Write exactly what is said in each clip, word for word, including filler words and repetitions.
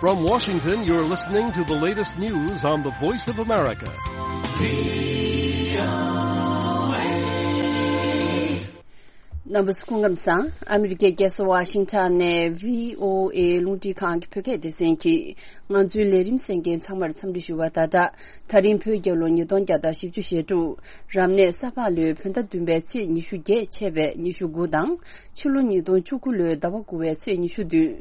From Washington, you're listening to the latest news on the Voice of America. རྣམ་པ་ཚོ་སྐུ་ཁམས་བཟང་། ཨ་མི་རི་ཀའི་རྒྱལ་ས་ཝ་ཤིང་ཊོན་ནས་བྷི་ཨོ་ཨེ་རླུང་འཕྲིན་ཁང་གི་བོད་སྐད་སྡེ་ཚན་གྱིས་ང་ཚོའི་ལས་རིམ་གསན་མཁན་ཚང་མར་འཚམས་འདྲི་ཞུ་བ་དང་སྦྲགས། ད་རིང་བོད་རྒྱལ་ལོ་ཉིས་སྟོང་བརྒྱ་དང་བཞི་བཅུ་ཞེ་དྲུག་རབ་གནས་ས་ཕག་ལོའི་བོད་ཟླ་བདུན་པའི་ཚེས་ཉི་ཤུ་བརྒྱད་ཆད་པའི་ཉི་ཤུ་དགུ་དང་། ཕྱི་ལོ་ཉིས་སྟོང་བཅུ་དགུ་ལོའི་ཟླ་བ་དགུ་པའི་ཚེས་ཉི་ཤུ་བདུན།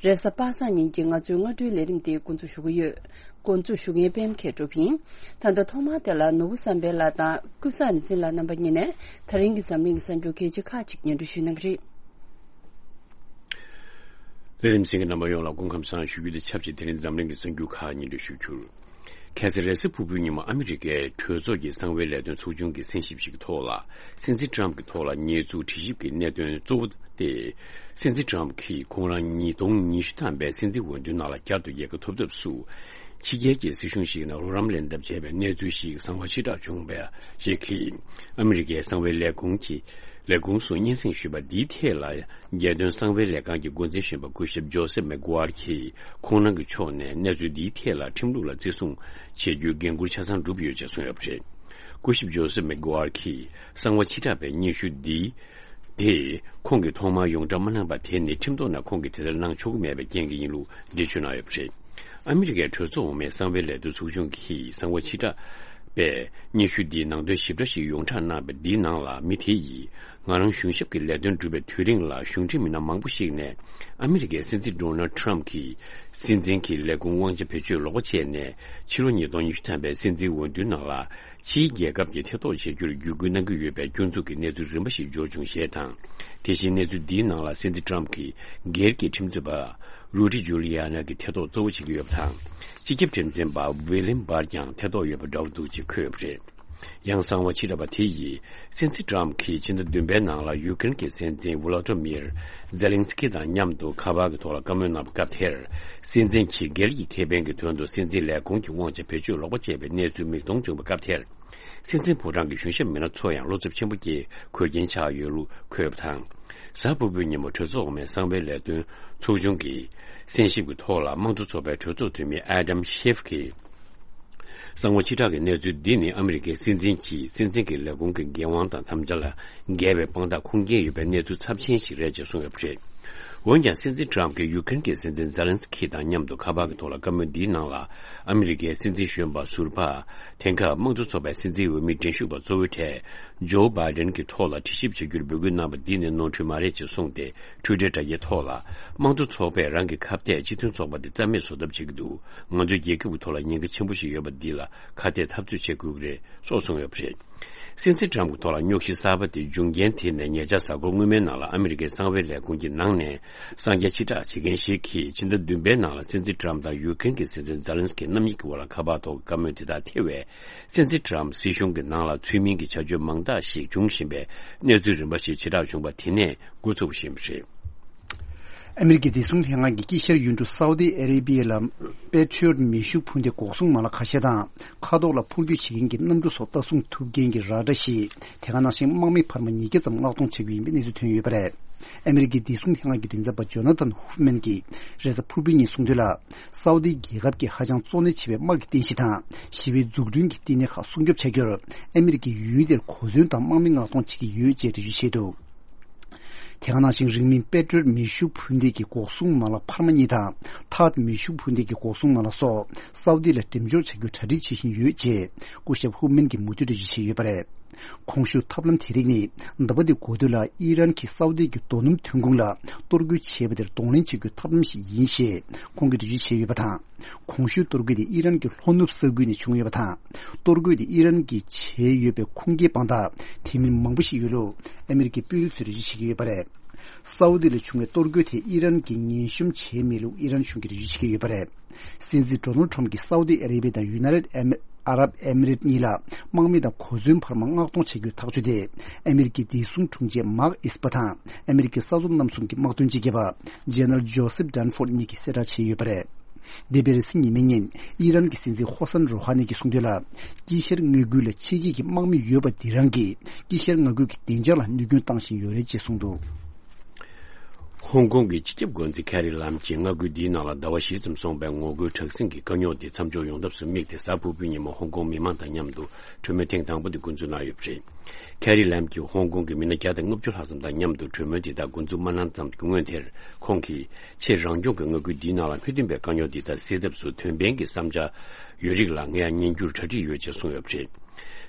རེས་གཟའ་པ་སངས་ཉིན་གྱི་ང་ཚོའི་སྔ་དྲོའི་ལས་རིམ་དེ་འགོ་འཛུགས་ཞུ་གི་ཡོད། འགོ་འཛུགས་ཞུ་མཁན་པད་མ་མཁས་གྲུབ་ཡིན། ད་ལྟ་ཐོག་མར་དེ་ལ་ནོར་བུ་བསམ་འཕེལ་ལགས་དང་ཀུན་བཟང་རིག་འཛིན་ལགས་རྣམ་པ་གཉིས་ནས་ད་རིང་གི་འཛམ་གླིང་གི་གསར་འགྱུར་གལ་ཆེ་ཁག་ཅིག་སྙན་སྒྲོན་ཞུ་གནང་གི་རེད། ལས་རིམ་གསན་མཁན་རྣམ་པ་ཡོངས་ལ་སྐུ་ཁམས་བཟང་ཞུ་རྒྱུ་དང་ཆབས་ཅིག་དེ་རིང་འཛམ་གླིང་གི་གསར་འགྱུར་ཁག་སྙན་སྒྲོན་ཞུ་རྒྱུར། ཁ་སང་རེས་གཟའ་ཕུར་བུའི་ཉིན་མོ་ཨ་མི་རི་ཀའི་གྲོས་ཚོགས་ཀྱི་གསང་བའི་ལས་དོན་ཚོགས་ཆུང་གི་གསན་ཞིབ་ཞིག་གི་ཐོག་ལ། སྲིད་འཛིན་ཊམ་གྱི་ཐོག་ལ་ཉེས་འཛུགས་དྲི་ཞིབ་ཀྱི་གནད་དོན་གཙོ་བོ་སྟེ། སྲིད་འཛིན་ཊམ་གྱིས་ཁོང་རང་ཉིས་སྟོང་ཉི་ཤུ་ཐམ་པའི་སྲིད་འཛིན་འོས་བསྡུའི་ནང་ལ་བསྐྱར་དུ་ཡལ་ག་ཐོབ་ཐབས་སུ། ཕྱི་རྒྱལ་གྱི་སྲིད་གཞུང་ཞིག་ནང་རོགས་རམ་ལེན་ཐབས་བྱས་པའི་གནས་ཚུལ་ཞིག་གསང་བ་ཕྱིར་བསྒྲགས་བྱུང་བ་ཞིག་གིས། ཨ་མི་རི་ཀའི་གསང་བའི་ལས་ཁུངས་ཀྱི་ལས་ཁུངས་སུ་སྙན་སེང་ཞུས་པ་འདིའི་ཐད་ལ། རྒྱལ་དོན་གསང་བའི་ལས་ཁང་གི་འགོ་འཛིན་གཞོན་པ་སྐུ་ཞབས་ཇོ་སེབ་མེག་གོ་ཝར་གྱིས་ཁོང་རང་གི་ཕྱོགས་ནས་གནས་ཚུལ་འདིའི་ཐད་ལ་ཁྲིམས་ལུགས་ལ་བརྩི་སྲུང་བྱེད་རྒྱུའི་འགན་འཁུར་ཆ་ཚང་བསྒྲུབས་ཡོད་ཅེས་གསུངས་ཡོད་པ་རེད། སྐུ་ཞབས་ཇོ་སེབ་མེག་གོ་ཝར་གྱིས་གསང་བ་ཕྱིར་བསྒྲགས་པའི་སྙན་ཞུ་འདི་དེ་ཁོང་གིས་ཐོག་མར་ཡོངས་གྲགས་མ་གནང་པ་དེ་ནི་ཁྲིམས་ཐོག་ནས་ཁོང་གིས་དེ་ལྟར་གནང་ཆོག་གི་མེད་པའི་རྐྱེན་གྱིས་ཡིན་ལུགས་འགྲེལ་བརྗོད་གནང་ཡོད་པ་རེད། ཨ་མི་རི་ཀའི་གྲོས་ཚོགས་འོག་མའི་གསང་བའི་ལས་དོན་ཚོགས་ཆུང་གིས་གསང་བ་ཕྱིར་བསྒྲགས་པའི་སྙན་ཞུ་འདིའི་ནང་དོན་ཞིབ་ཕྲ་ཞིག་ཡོངས་གྲགས་གནང་བ་འདིའི་ནང་ལ། མི་དེ་ཡིས་ང་རང་གཞུང་ཞབས་ཀྱི་ལས་དོན་བསྒྲུབས་པའི་དུས་རིང་ལ་གཞུང་འབྲེལ་མི་སྣ་མང་པོ་ཞིག་ནས་ཨ་མི་རི་ཀའི་སྲིད་འཛིན་ཌོ་ནལ་ཌི་ཊམ་གྱི་སྲིད་འཛིན་གྱི་ལས་ཁུངས་དབང་ཆ་བེད་སྤྱོད་ལོག་པ་བྱས་ནས། ཕྱི་ལོ་ཉིས་སྟོང་ཉི་ཤུ་ཐམ་པའི་སྲིད་འཛིན་འོས་བསྡུའི་ནང་ལ་ཕྱིའི་རྒྱལ་ཁབ་ཀྱིས་ཐེ་གཏོགས་བྱེད་རྒྱུར་བརྒྱུད་སྐུལ་གནང་གི་ཡོད་པའི་སྐྱོན་འཛུགས་ཀྱི་གནས་ཚུལ་རིམ་པ་ཞིག་འབྱོར་བྱུང་ཞེས་དང་། དེ་བཞིན་གནས་ཚུལ་འདིའི་ནང་ལ་སྲིད་འཛིན་ཊམ་གྱི་སྒེར་གྱི་ཁྲིམས་རྩོད་པ་རུ་ཌི་ཇུ་ལི་ཡ་ན་གྱིས་ཐེ་གཏོགས་གཙོ་བོ་བྱེད་ཀྱི་ཡོད་པ་དང་། སྤྱི་ཁྱབ་ཁྲིམས་འཛིན་པ་ཝི་ལིམ་བྷར་ཀྱང་ཐེ་གཏོགས་ཡོད་པ་འདྲ་བོ་འདུག་ཅེས་འཁོད་ཡོད་པ་རེད། ཡང་གསང་བ་ཕྱིར་བསྒྲགས་པ་དེ་ཡིས་སྲིད་འཛིན་ཊམ་གྱིས་ཕྱི་ཟླ་བདུན་པའི་ནང་ལ་ཡུ་ཀེ་རེན་གྱི་སྲིད་འཛིན་ཝོ་ལོ་ཏི་མིར་ཛེ་ལིན་སི་ཀི་དང་མཉམ་དུ་ཁ་པར་གྱི་ཐོག་ལ་བཀའ་མོལ་གནང་བའི་སྐབས་དེར། སྲིད་འཛིན་གྱིས་སྒེར་གྱི་ཁེ་ཕན་གྱི་དོན་དུ་སྲིད་འཛིན་ལས་ཁུངས་ཀྱི་དབང་ཆ་བེད་སྤྱོད་ལོག་པ་བྱས་པའི་གནས་ཚུལ་མིག་མཐོང་བྱུང་བའི་སྐབས་དེར། སྲིད་འཛིན་ཕོ་བྲང་གི་གཞུང་ཞབས་མི་སྣ་ཚོ་ཡང་བློ་འཚབ་ཆེན་པོ་སྐྱེས་འཁོར་རྐྱེན་ཆགས་ཡོད་ལུགས་འཁོད་པ་དང་། གཟའ་ཕུར་བུའི་ཉིན་མོ་གྲོས་ཚོགས་འོག་མའི་གསང་བའི་ལས་དོན་ཚོགས་ཆུང་གིས་གསན་ཞིབ་ཀྱི་ཐོག་ལ་དམངས་གཙོ་ཚོགས་པའི་གྲོས་ཚོགས་འཐུས་མི་ཨེ་ཌམ་ཤེབ་ཀྱིས། གསང་བ་ཕྱིར་བསྒྲགས་ཀྱི་གནས་ཚུལ་འདི་ནི་ཨ་མི་རི་ཀའི་སྲིད་འཛིན་གྱིས་སྲིད་འཛིན་གྱི་ལས་ཁུངས་ཀྱི་འགན་དབང་དང་དམ་བཅའ་ལ་འགལ་བའི་དཔང་རྟགས་ཁུངས་སྐྱེལ་ཡོད་པའི་གནས་ཚུལ་ཚབས་ཆེན་ཞིག་རེད་ཅེས་གསུངས་ཡོད་པ་རེད། འོན་ཀྱང་སྲིད་འཛིན་ཊམ་གྱིས་ཡུ་ཀེ་རེན་གྱི་སྲིད་འཛིན་ཛེ་ལན་སི་ཀི་དང་མཉམ་དུ་ཁ་པར་གྱི་ཐོག་ལ་བཀའ་མོལ་འདིའི་ནང་ལ། ཨ་མི་རི་ཀའི་སྲིད་འཛིན་གཞོན་པ་ཟུར་པ་དེང་སྐབས་དམངས་གཙོ་ཚོགས་པའི་སྲིད་འཛིན་འོས་མི་འགྲན་ཞུགས་པ་གཙོ་བོའི་གྲས་ཇོ་བྷའི་ཌེན་གྱི་ཐོག་ལ་དྲི་ཞིབ་བྱ་རྒྱུར་འབོད་སྐུལ་གནང་བ་འདི་ནི་ནོར་འཁྲུལ་མ་རེད་ཅེས་གསུངས་ཏེ། འཕྲོད་བསྟེན་དྲ་རྒྱའི་ཐོག་ལ། དམངས་གཙོ་ཚོགས་པས་རང་གི་ཁ་གཏད་སྤྱི་མཐུན་ཚོགས་པ་དེ་རྩ་མེད་བཟོ་ཐབས་བྱེད་ཀྱི་འདུག་ང་ཚོའི་རྒྱལ་ཁབ་ཀྱི་ཐོག་ལ་ཉེན་ཁ་ཆེན་པོ་ཞིག་ཡོད་པ་འདི་ལ་ཁ་གཏད་འཐབ་རྩོད་བྱེད་དགོས་ཀྱི་རེད་སོགས་གསུངས་ཡོད་པ་རེད། སྲིད་འཛིན་ཊམ་གྱི་ཐོག་ལ་རྙོག་གཞི་གསར་པ་དེ་འབྱུང་རྐྱེན་དེ་ནི་ཉེ་ཆར་གཟའ་འཁོར་སྔོན་མའི་ནང་ལ་ཨ་མི་རི་ཀའི་གསང་བའི་ལས་ཁུངས་ཀྱི་ནང་ནས་གསང་རྒྱ་ཕྱིར་བསྒྲགས་བྱེད་མཁན་ཞིག་གིས་ཕྱི་ཟླ་བདུན་པའི་ནང་ལ་སྲིད་འཛིན་ཊམ་དང་ཡུ་ཀེ་རེན་གྱི་སྲིད་འཛིན་ཛེ་ལན་སི་ཀི་རྣམ་གཉིས་ཀྱི་དབར་ལ་ཁ་པར་ཐོག་བཀའ་མོལ་དེ་དག་ཐེ་བས། སྲིད་འཛིན་ཊམ་སྲིད་གཞུང་གི་ནང་ལ་ཚུལ་མིན་གྱི་བྱ་སྤྱོད་མང་དག་ཞིག་འབྱུང་བཞིན་པའི་གནས་ཚུལ་རིམ་པ་ཞིག་ཕྱིར་བསྒྲགས་བྱུང་བ་དེ་ནས་འགོ་ཚུགས་པ་ཞིག་ཡིན་པ་རེད། ཨ་མི་རི་ཀའི་བདེ་སྲུང་ལྷན་ཁང་གིས་དཀྱིལ་ཤར་ཡུལ་གྲུ་སའུ་ཏི་ཨ་རེ་བྷི་ཡ་ལ་པེ་ཊི་རི་ཡོཊ་མེ་ཤུགས་འཕུར་མདའི་འགོག་སྲུང་མ་ལག་ཁ་ཤས་དང་། མཁའ་ཐོག་ལ་འཕུར་སྐྱོད་བྱེད་མཁན་གྱི་གནམ་གྲུ་སོགས་ལྟ་སྲུང་ཐུབ་མཁན་གྱི་ར་ཌར་ཞིག་དེ་ག་ནང་བཞིན་དམག་མི་འཕར་མ་ཉིས་བརྒྱ་ཙམ་མངགས་གཏོང་བྱ་རྒྱུ་ཡིན་པའི་གནས་ཚུལ་ཐོན་ཡོད་པ་རེད། ཨ་མི་རི་ཀའི་བདེ་སྲུང་ལྷན་ཁང་གི་མགྲིན་ཚབ་པ་ཇོ་ན་ཐན་ཧུབ་མན་གྱིས་རེས་གཟའ་ཕུར་བུའི་ཉིན་གསུངས་དོན་ལ། སའུ་ཏི་རྒྱལ་ཁབ་ཀྱིས་ཧ་ཅང་གཙོ་གནད་ཆེ་བའི་དམག་གི་རྟེན་གཞི་དང་ཞི་བའི་འཛུགས་སྐྲུན་གྱི་བསྟི་གནས་ཁག་སྲུང་སྐྱོབ་བྱ་རྒྱུར་ཨ་མི་རི་ཀས་ཡུལ་དེར་གོ་མཚོན་དང་དམག་མི་མངགས་གཏོང་བྱེད་ཀྱི་ཡོད་ཅེས་འགྲེལ་བརྗོད་བྱས་འདུག་དེ་ག་ནང་བཞིན་རིང་མིན་པེ་ཊི་རི་ཡོཊ་མེ་ཤུགས་འཕུར་མདེལ་གྱི་འགོག་སྲུང་མ་ལག་འཕར་མ་གཉིས་དང་ཐཱཌ་མེ་ཤུགས་འཕུར་མདེལ་གྱི་འགོག་སྲུང་མ་ལག་སོགས་སའུ་ཏི་ལ་འགྲེམས་འཇོག་བྱ་རྒྱུར་གྲ་སྒྲིག་བྱེད་བཞིན་ཡོད་ཅེས་སྐུ་ཞབས་ཧུབ་མན་གྱིས་མུ་མཐུད་འགྲེལ་བརྗོད་བྱས་ཡོད་པ་རེད། གོང་ཞུས་ཐབས་ལམ་དེ་རིགས་ནི་ཟླ་བ་འདིའི་འགོ་སྟོད་ལ་ཨི་རན་གྱིས་སའུ་ཏི་གི་རྡོ་སྣུམ་ཐོན་ཁུངས་ལ་གཏོར་རྒོལ་བྱས་པ་དེར་གདོང་ལེན་བྱེད་རྒྱུའི་ཐབས་ལམ་ཞིག་ཡིན་ཞེས་ཁོང་གིས་འགྲེལ་བརྗོད་བྱས་ཡོད་པ་དང་། གོང་ཞུས་གཏོར་རྒོལ་དེ་ཨི་རན་གྱི་ལྷོ་ནུབ་ས་ཁུལ་ནས་བྱུང་ཡོད་པ་དང་། གཏོར་རྒོལ་དེ་ཨི་རན་གྱིས་བྱས་ཡོད་པའི་ཁུངས་སྐྱེལ་དཔང་རྟགས་དེ་མིན་མང་པོ་ཞིག་ཡོད་ལུགས་ཨ་མི་རི་ཀའི་དཔོན་རིགས་ཚོས་འགྲེལ་བརྗོད་བྱེད་ཀྱི་ཡོད་པ་རེད། སའུ་ཏི་ལ་བྱུང་བའི་གཏོར་རྒོལ་དེ་ཨི་རན་གྱིས་ངན་གཤོམ་བྱས་མེད་ལུགས་ཨི་རན་གཞུང་གིས་འགྲེལ་བརྗོད་བྱེད་ཀྱི་ཡོད་པ་རེད། སྲིད་འཛིན་ཌོ་ནལ་ཌི་ཊམ་གྱིས་སའུ་ཏི་ཨ་རེ་བྷི་ཡ་དང་ཡུ་ནའི་ཊེཌ་ཨ་རབ་ཨེ་མི་རེ་ཊི་གཉིས་ལ་དམག་མི་དང་གོ་མཚོན་འཕར་མ་མངགས་གཏོང་བྱ་རྒྱུའི་ཐག་གཅོད་དེ་ཨ་མི་རི་ཀའི་བདེ་སྲུང་དྲུང་ཆེ་མརྐ་ཨེས་པར་དང་ཨ་མི་རི་ཀའི་ས་མཚམས་རྣམ་གསུམ་གྱི་དམག་དོན་སྤྱི་ཁྱབ་པ་ཇེ་ནེ་རལ་ཇོ་སེབ་ཌན་ཕོར་ཌི་གཉིས་ཀྱིས་གསལ་བསྒྲགས་བྱས་ཡོད་པ་རེད། འདས་པའི་རེས་གཟའ་ཉི་མའི་ཉིན་ཨི་རན་གྱི་སྲིད་འཛིན་ཧོ་སན་རོ་ཧ་ནི་གྱིས་གསུངས་དོན་ལ། དཀྱིལ་ཤར་མངའ་ཁུལ་ལ་ཕྱི་རྒྱལ་གྱི་དམག་མི་ཡོད་པ་འདི་རང་གིས་དཀྱིལ་ཤར་མངའ་ཁུལ་གྱི་བདེ་འཇགས་ལ་གནོད་སྐྱོན་བཏང་བཞིན་ཡོད་རེད་ཅེས་གསུངས་འདུག་ཧོང་ཀོང་གི་སྤྱི་ཁྱབ་འགོ་འཛིན་ཁེ་རི་ལམ་གྱིས་མངའ་ཁུལ་འདིའི་ནང་ལ་ཟླ་བ་བཞི་ཙམ་སོང་པའི་ངོ་རྒོལ་དྲག་ཟིང་གི་དཀའ་རྙོག་དེ་མཚམས་འཇོག་ཡོང་ཐབས་སུ་དམིགས་ཏེ། གཟའ་ཕུར་བུའི་ཉིན་མོ་ཧོང་ཀོང་མི་མང་དང་མཉམ་དུ་གྲོས་མོལ་ཐེངས་དང་པོ་དེ་འགོ་འཛུགས་གནང་ཡོད་པ་རེད། ཁེ་རི་ལམ་གྱིས་ཧོང་ཀོང་གི་མི་སྣ་བརྒྱ་དང་ལྔ་བཅུ་ལྷག་ཙམ་དང་མཉམ་དུ་གྲོས་མོལ་དེ་དག་འགོ་འཛུགས་མ་གནང་ཙམ་གྱི་སྔོན་དེར། ཁོང་གིས་ཕྱིར་རང་སྐྱོང་གི་མངའ་ཁུལ་འདིའི་ནང་ལ་མི་མཐུན་པའི་དཀའ་རྙོག་འདི་དག་སེལ་ཐབས་སུ་དོན་ཕན་གྱི་བསམ་འཆར་ཡོད་རིགས་ལ་ངས་ཉན་རྒྱུར་གྲ་སྒྲིག་ཡོད་ཅེས་གསུངས་ཡོད་པ་རེད།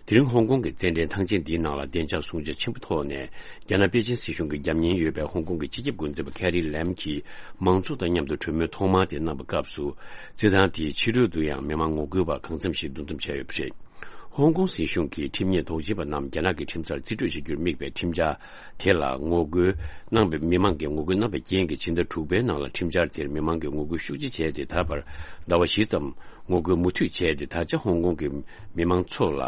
དེ་རིང་ཧོང་ཀོང་གི་རྩེད་འགྲན་ཐང་ཆེན་འདིའི་ནང་ལ་བདེ་འཇགས་སྲུང་བྱ་ཆེན་པོ་ཐོག་ནས་རྒྱ་ནག་པེ་ཅིན་སྲིད་གཞུང་གི་རྒྱབ་གཉེར་ཡོད་པའི་ཧོང་ཀོང་གི་སྤྱི་ཁྱབ་འགོ་འཛིན་པ་ཁེ་རི་ལེམ་གྱིས་མང་ཚོགས་དང་མཉམ་དུ་གྲོས་མོལ་ཐོག་མ་དེ་གནང་པའི་སྐབས་སུ། རྩེད་ཐང་དེའི་ཕྱི་རོལ་དུ་ཡང་མི་མང་ངོ་རྒོལ་བ་གང་འཚམ་ཞིག་འདུ་འཛོམས་བྱས་ཡོད་པ་རེད། ཧོང་ཀོང་སྲིད་གཞུང་གི་ཁྲིམས་ཉེས་དོགས་ཅན་པ་རྣམས་རྒྱ་ནག་གི་ཁྲིམས་སར་རྩིས་སྤྲོད་བྱ་རྒྱུར་དམིགས་པའི་ཁྲིམས་འཆར་དེ་ལ་ངོ་རྒོལ་གནང་པའི། མི་མང་གིས་ངོ་རྒོལ་གནང་པའི་རྐྱེན་གྱིས་ཕྱི་ཟླ་དྲུག་པའི་ནང་ལ་ཁྲིམས་འཆར་དེར་མི་མང་གིས་ངོ་རྒོལ་ཤུགས་ཆེ་བྱས་ཏེ། ད་བར་ཟླ་བ་བཞི་ཙམ་ངོ་རྒོལ་མུ་མཐུད་བྱས་ཏེ། ད་ཆ་ཧོང་ཀོང་གི་མི་མང་ཚོ་ལ་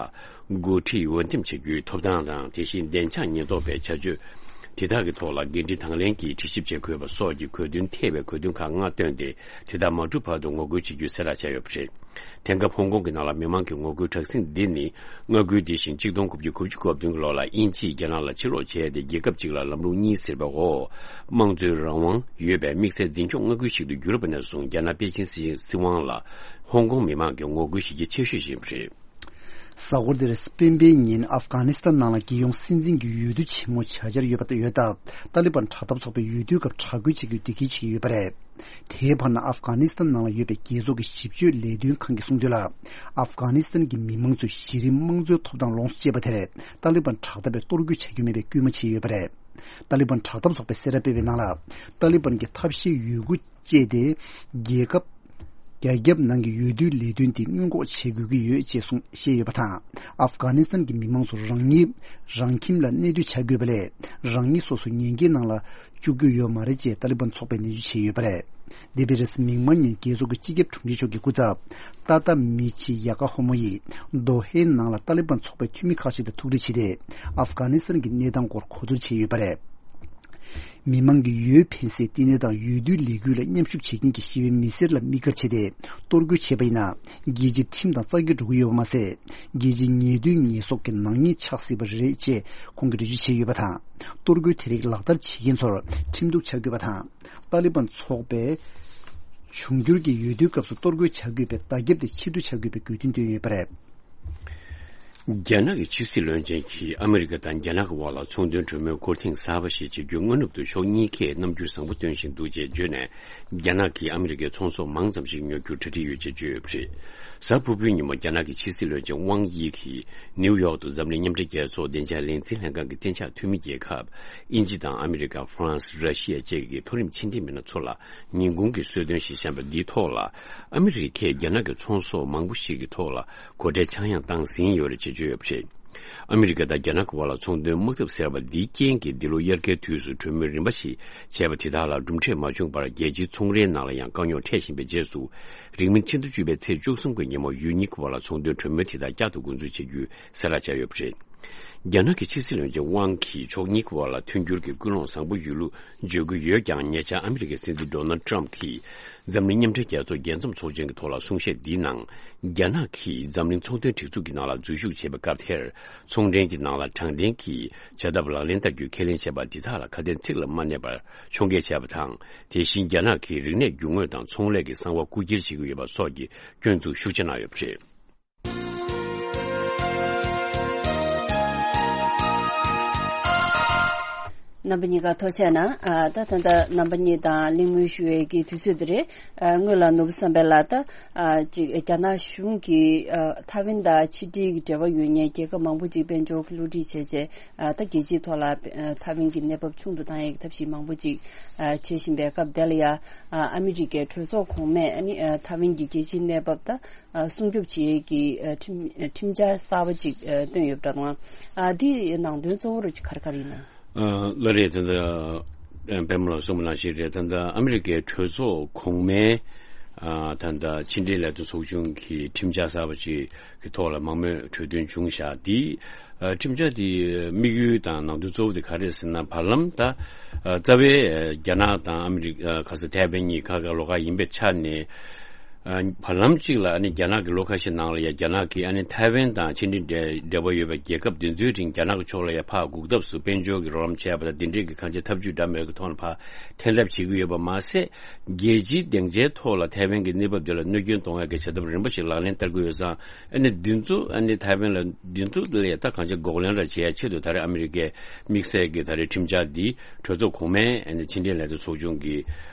འགོ་ཁྲིད་འོས་འདེམས་བྱ་རྒྱུའི་ཐོབ་ཐང་དང་། དེ་བཞིན་བདེ་འཇགས་ཉེན་རྟོག་པའི་བྱ་སྤྱོད་དེ་དག་གི་ཐོག་ལ་འགན་འཁྲི་དང་ལེན་གྱིས་དྲི་ཞིབ་བྱེད་དགོས་པ་སོགས་ཀྱི་གོ་དོན་ཐེ་བའི་གོ་དོན་ཁག་ལྔ་བཏོན་ཏེ། དེ་དག་མ་གྲུབ་བར་དུ་ངོ་རྒོལ་བྱེད་རྒྱུའི་གསལ་བསྒྲགས་བྱས་ཡོད་པ་རེད། དེང་སྐབས་ཧོང་ཀོང་གི་ནང་ལ་མི་མང་གི་ངོ་རྒོལ་དྲག་ཟིང་འདི་ནི། མངའ་ཁུལ་འདི་བཞིན་གཅིག་སྟོང་དགུ་བརྒྱ་དགུ་བཅུ་གོ་བདུན་གྱི་ལོ་ལ་དབྱིན་ཇིས་རྒྱ་ནག་ལ་ཕྱིར་ལོག་བྱས་ཏེ། རྒྱལ་ཁབ་གཅིག་ལ་ལམ་ལུགས་གཉིས་ཟེར་བའི་འོག་དམངས་གཙོའི་རང་དབང་ཡོད་པའི་དམིགས་བསལ་འཛིན་སྐྱོང་མངའ་ཁུལ་ཞིག་ཏུ་གྱུར་པ་ནས་བཟུང་། རྒྱ་ནག་པེ་ཅིན་སྲིད་དབང་ལ་ཧོང་ཀོང་མི་མང་གིས་ངོ་རྒོལ་བྱེད་ཀྱི་ཆེ་ཤོས་ཤིག་ཡིན་པ་རེད། གཟའ་འཁོར་འདིར་སྤེན་པའི་ཉིན་ཨབ་གྷ་ནི་སི་ཐན་ནང་ལ་རྒྱལ་ཡོངས་སྲིད་འཛིན་གྱི་འོས་བསྡུ་ཆེན་མོ་བྱ་འཆར་ཡོད་པ་ཡོད་སྟབས། ཏཱ་ལི་བན་དྲག་འཐབ་ཚོགས་པས་འོས་བསྡུའི་སྐབས་དྲག་རྒོལ་བྱེད་རྒྱུའི་འདེད་འཁུལ་བྱེད་ཀྱི་ཡོད་པ་རེད། དེའི་བར་ན་ཨབ་གྷ་ནི་སི་ཐན་ནང་ལ་ཡོད་པའི་རྒྱལ་ཚོགས་ཀྱི་ཞིབ་དཔྱོད་ལས་དོན་ཁང་གིས་གསུངས་དོན་ལ། ཨབ་གྷ་ནི་སི་ཐན་གྱི་མི་མང་ཚོས་གཞི་རིམ་དམངས་གཙོའི་ཐོབ་ཐང་ལོངས་སུ་སྤྱད་པ་དེར་ཏཱ་ལི་བན་དྲག་འཐབ་པས་གཏོར་རྒོལ་བྱ་རྒྱུ་མེད་པའི་སྐུལ་མ་བྱས་ཡོད་པ་རེད། ཏཱ་ལི་བན་དྲག་འཐབ་ཚོགས་པས་གསལ་བསྒྲགས་སྤེལ་བའི་ནང་ལ། ཏཱ་ལི་བན་གྱིས་ཐབས་ཤེས་ཡོད་རྒུ་སྤྱད་དེ། རྒྱལ་ཁབ། རྒྱ་ཁྱབ་ནང་གི་འོས་བསྡུའི་ལས་དོན་དེ་སྔོན་འགོག་བྱེད་དགོས་ཀྱི་ཡོད་ཅེས་གསུངས་བཤད་ཡོད་པ་དང་། ཨབ་གྷ་ནི་སི་ཐན་གྱི་མི་མང་ཚོ་རང་ཉིད་རང་ཁྱིམ་ལ་གནས་སྡོད་བྱ་དགོས་པ་ལས། རང་ཉིད་སོ་སོ་ཉེན་ཁའི་ནང་ལ་བཅུག་རྒྱུ་ཡོད་མ་རེད་ཅེས་ཏཱ་ལི་བན་ཚོགས་པས་ནན་བརྗོད་བྱས་ཡོད་པ་རེད། འདས་པའི་རེས་གཟའ་མིག་དམར་ཉིན་རྒྱལ་ཚོགས་ཀྱི་སྤྱི་ཁྱབ་དྲུང་ཆེ་མཆོག་གི་སྐུ་ཚབ། ཏཱ་ཏཱ་མི་ཆི་ཡ་ཀ་ཧོ་མོ་ཡིས་རྡོ་ཧའེ་ནང་ལ་ཏཱ་ལི་བན་ཚོགས་པའི་འཐུས་མི་ཁག་ཅིག་དང་ཐུག་འཕྲད་བྱས་ཏེ། ཨབ་གྷ་ནི་སི་ཐན་གྱི་གནས་སྟངས་སྐོར་གོ་བསྡུར་བྱས་ཡོད་པ་རེད། མི་མང་གི་འོས་འཕེན་སའི་བསྟི་གནས་དང་འོས་བསྡུའི་ལས་འགུལ་ལ་མཉམ་ཞུགས་བྱེད་མཁན་གྱི་ཞི་བའི་མི་སེར་ལ་དམིགས་བཀར་བྱས་ཏེ། གཏོར་རྒོལ་བྱས་པ་ཡིན་ན། རྒྱལ་སྤྱིའི་ཁྲིམས་དང་རྩ་འགལ་འགྲོ་གི་ཡོད་པ་མ་ཟད། རྒྱལ་སྤྱིའི་ཉེས་དོན་ཉེས་གསོག་གི་ནག་ཉེས་ཆགས་སྲིད་པ་རེད་ཅེས་ཁོང་གིས་འགྲེལ་བརྗོད་བྱས་ཡོད་པ་དང་། གཏོར་རྒོལ་དེ་རིགས་ལག་བསྟར་བྱེད་མཁན་ཚོར་ཁྲིམས་གཏུག་བྱ་དགོས་པ་དང་། ཏཱ་ལི་བན་ཚོགས་པས་འབྱུང་འགྱུར་གྱི་འོས་བསྡུའི་སྐབས་སུ་གཏོར་རྒོལ་བྱ་དགོས་པའི་བརྡ་ཁྱབ་དེ་ཕྱིར་བསྡུ་བྱ་དགོས་པའི་དགོས་འདུན་བཏོན་ཡོད་པ་རེད། རྒྱ་ནག་གི་ཕྱི་སྲིད་བློན་ཆེན་གྱིས་ཨ་མི་རི་ཀ་དང་རྒྱ་ནག་གི་དབར་ལ་ཚོང་དོན་གྲོས་མོལ་སྐོར་ཐེངས་གསར་པ་ཞིག་བྱེད་རྒྱུའི་སྔ་ནུབ་ཏུ་ཕྱོགས་གཉིས་ཀས་རྣམ་འགྱུར་བཟང་པོ་སྟོན་བཞིན་འདུག་ཅེས་བརྗོད་ནས། རྒྱ་ནག་གིས་ཨ་མི་རི་ཀའི་ཚོང་ཟོག་མང་ཙམ་ཞིག་ཉོ་རྒྱུར་གྲ་སྒྲིག་ཡོད་ཅེས་བརྗོད་ཡོད་པ་རེད། གཟའ་ཕུར་བུའི་ཉིན་མོ་རྒྱ་ནག་གི་ཕྱི་སྲིད་བློན་ཆེན་ཝང་དབྱི་གིས་ནིའུ་ཡོག་ཏུ་འཛམ་གླིང་མཉམ་འབྲེལ་རྒྱལ་ཚོགས་བདེ་འཇགས་ལས་འཛིན་ལྷན་ཁང་གི་གཏན་འཇགས་འཐུས་མི་རྒྱལ་ཁབ་དབྱིན་ཇི་དང་ཨ་མི་རི་ཀ། ཧྥ་རན་སི། ར་ཤི་ཡ་བཅས་ཀྱི་མཐོ་རིམ་ཕྱི་འབྲེལ་མི་སྣ་ཚོ་ལ་ཉིན་གུང་གི་གསོལ་སྟོན་ཞིག་བཤམས་པ་འདིའི་ཐོག་ལ། ཨ་མི་རི་ཀས་རྒྱ་ནག་གི་ཚོང་ཟོག་མང་པོ་ཞིག་གི་ཐོག་ལ་སྒོ་ཁྲལ་ཆག་ཡང་བཏང་ཟིན་ཡོད་རེད་ཅེས་བརྗོད་ཡོད་པ་རེད། ཨ་མི་རི་ཀ་དང་རྒྱ་ནག་གི་དབར་ལ་ཚོང་དོན་དམག་འཐབ་ཟེར་བ་འདིའི་རྐྱེན་གྱིས། འདི་ལོ་དབྱར་ཁའི་དུས་སུ་གྲོས་མོལ་རིམ་པ་ཞིག་བྱས་པ་དེ་དག་ལ་གྲུབ་འབྲས་མ་བྱུང་བར། རྒྱལ་སྤྱིའི་ཚོང་རའི་ནང་ལ་ཡང་དཀའ་རྙོག་འཕྲད་བཞིན་པའི་རྗེས་སུ། རིང་མིན་ཕྱི་ཟླ་བཅུ་པའི་ཚེས་བཅུ་གསུམ་གྱི་ཉིན་མོ་ཡུལ་གཉིས་ཀྱི་དབར་ལ་ཚོང་དོན་གྲོས་མོལ་དེ་དག་བསྐྱར་དུ་འགོ་འཛུགས་བྱེད་རྒྱུའི་གསལ་བསྒྲགས་བྱས་ཡོད་པ་རེད། རྒྱ་ནག་གི་ཕྱི་སྲིད་བློན་ཆེན་ཝང་གིས་ཕྱོགས་གཉིས་ཀྱི་དབར་ལ་མཐུན་འགྱུར་གྱི་ཀུན་སློང་བཟང་པོ་ཡོད་ལུགས་བརྗོད་ཀྱི་ཡོད་ཀྱང་། ཉེ་ཆར་ཨ་མི་རི་ཀའི་སྲིད་འཛིན་ཌོ་ནལ་ཊམ་གྱིས་འཛམ་གླིང་མཉམ་འབྲེལ་རྒྱལ་ཚོགས་རྒྱལ་འཛོམས་ཚོགས་ཆེན་གྱི་ཐོག་ལ་གསུང་བཤད་འདིའི་ནང་། རྒྱ་ནག་གིས་འཛམ་གླིང་ཚོང་དོན་སྒྲིག་འཛུགས་ཀྱི་ནང་ལ་འཛུལ་ཞུགས་བྱེད་པའི་སྐབས་དེར། ཚོང་འབྲེལ་གྱི་ནང་ལ་དྲང་བདེན་གྱི་བྱ་ཐབས་ལག་ལེན་བསྟར་རྒྱུའི་ཁས་ལེན་བྱས་པ་འདི་དག་ལ་ཁ་དན་ཚིག་ལ་མ་གནས་པར་ཕྱོགས་འགལ་བྱས་པ་དང་། དེ་བཞིན་རྒྱ་ནག་གིས་རིག་གནས་རྒྱུ་དངོས་དང་ཚོང་ལས་ཀྱི་གསང་བ་རྐུ་འཁྱེར་བྱེད་ཀྱི་ཡོད་པ་སོགས་ཀྱི་སྐྱོན་འཛུགས་ཤུགས་ཆེ་གནང་ཡོད་པ་རེད། རྣམ་པ་གཉིས་ཀ་ཐུགས་རྗེ་གནང་། ཨ། ད་ད་ལྟ་རྣམ་པ་གཉིས་དང་གླེང་མོལ་ཞུ་བའི་གི་དུས་ཚོད་འདི་རེད། ཨ། སྔོན་ལ་ནོར་བུ་བསམ་འཕེལ་ལགས། ད། ཨ། ཅིག་རྒྱ་ནག་གཞུང་གིས། ཨ། ཐའེ་ཝན་དང་ཕྱི་འབྲེལ་གྱི་འབྲེལ་བ་ཡོད་མཁན་རྒྱལ་ཁབ་མང་པོ་ཅིག་དཔལ་འབྱོར་གྱི་བསླུ་བྲིད་བྱས་རྗེས། ཨ། ད་རྒྱལ་སྤྱིའི་ཐོག་ལ། ཨ། ཐའེ་ཝན་གྱི་གནས་བབ་ཆུང་དུ་བཏང་ཡག་གི་ཐབས་ཤེས་མང་པོ་ཅིག་ཨ། བྱེད་བཞིན་པའི་སྐབས་དེ་ལ་ཡ། ཨ། ཨ་མི་རི་ཀའི་གྲོས་ཚོགས་གོང་མས། ཨ་ནི། ཨ། ཐའེ་ཝན་གྱི་རྒྱལ་སྤྱིའི་གནས་བབ་ད། ཨ། སྲུང་སྐྱོབ་བྱེད་ཡས་ཀྱི། ཨ། ཁྲིམས། ཨ། ཁྲིམས་འཆར་གསར་པ་ཅིག་ཨ། བཏོན་ཡོད་པ་འདྲ་འདུག་ཨ། འདིའི་ནང་དོན་གཙོ་བོ་རུ་ག་རེ་ག་རེ་ཡིན་ན། ཨ། ལགས་རེད། ད་ལྟ་པད་མ་ལགས་གསུངས་པ་ནང་བཞིན་རེད། ད་ལྟ་ཨ་མི་རི་ཀའི་གྲོས་ཚོགས་གོང་མའི། ཨ། ད་ལྟ་ཕྱི་འབྲེལ་ལས་དོན་ཚོགས་ཆུང་གི་ཁྲིམས་འཆར་གསར་པ་ཅིག་གི་ཐོག་ལ་མང་མོས་གྲོས་མཐུན་བྱུང་བཞག་འདི། ཨ། ཁྲིམས་འཆར་འདི་དམིགས་ཡུལ་དང་ནང་དོན་གཙོ་བོ་དེ་ག་རེ་རེད་ཟེར་ན། བར་ལམ་ད། ཨ། རྩ་བའི་རྒྱ་ནག་དང་ཨ་མི་རི་ཀ། ཨ། ག་ས་ཐའེ་ཝན་གཉིས་ཁ་ཁ་ལོགས་ཀ་ཡིན་པའི་ཆ་ནས། ཨ། བར་ལམ་གཅིག་ལ་ཨ་ནི་རྒྱ་ནག་གི་ལོ་ཁ་ཤས་ནང་ལ་ཡང་རྒྱ་ནག་གིས་ཨ་ནི་ཐའེ་ཝན་དང་ཕྱི་འབྲེལ་འབྲེལ་བ་ཡོད་པའི་རྒྱལ་ཁབ་དེ་ཚོའི་རིང་རྒྱ་ནག་གི་ཕྱོགས་ལ་ཡང་ཕར་འགུག་ཐབས་སུ་དཔལ་འབྱོར་གྱི་རོགས་རམ་བྱས་པ་དང་། དེ་འབྲེལ་གྱི་གང་ཅི་ཐབས་ཇུས་འདྲ་མིན་གྱི་ཐོག་ནས་ཕར་འཐེན་ཐབས་བྱེད་ཀྱི་ཡོད་པ་མ་ཟད། རྒྱལ་སྤྱིའི་སྡིངས་ཆའི་ཐོག་ལ་ཐའེ་ཝན་གྱི་གནས་བབ་དེ་ལ་གནོད་སྐྱོན་གཏོང་ཡག་གི་བྱ་ཐབས་རིམ་པ་ཞིག་ལག་ལེན་བསྟར་གྱི་ཡོད་ཙང་། ཨ་ནི་འདི་ཚོ་ཨ་ནི་ཐའེ་ཝན་ལ་འདི་ཚོ་ལ་ཡང་ད་གང་ཅི་འགོག་ལན་ར་བྱེད་ཡ་ཆེད་དུ། ད་རེས་ཨ་མི་རི་ཀས་དམིགས་བསལ་གྱི་ད་རེས་ཁྲིམས་འཆར་འདི་གྲོས་ཚོགས་གོང་མའི་ཨ་ནི་ཕྱི་འབྲེལ་ལས་དོན་ཚོགས་ཆུང་གི་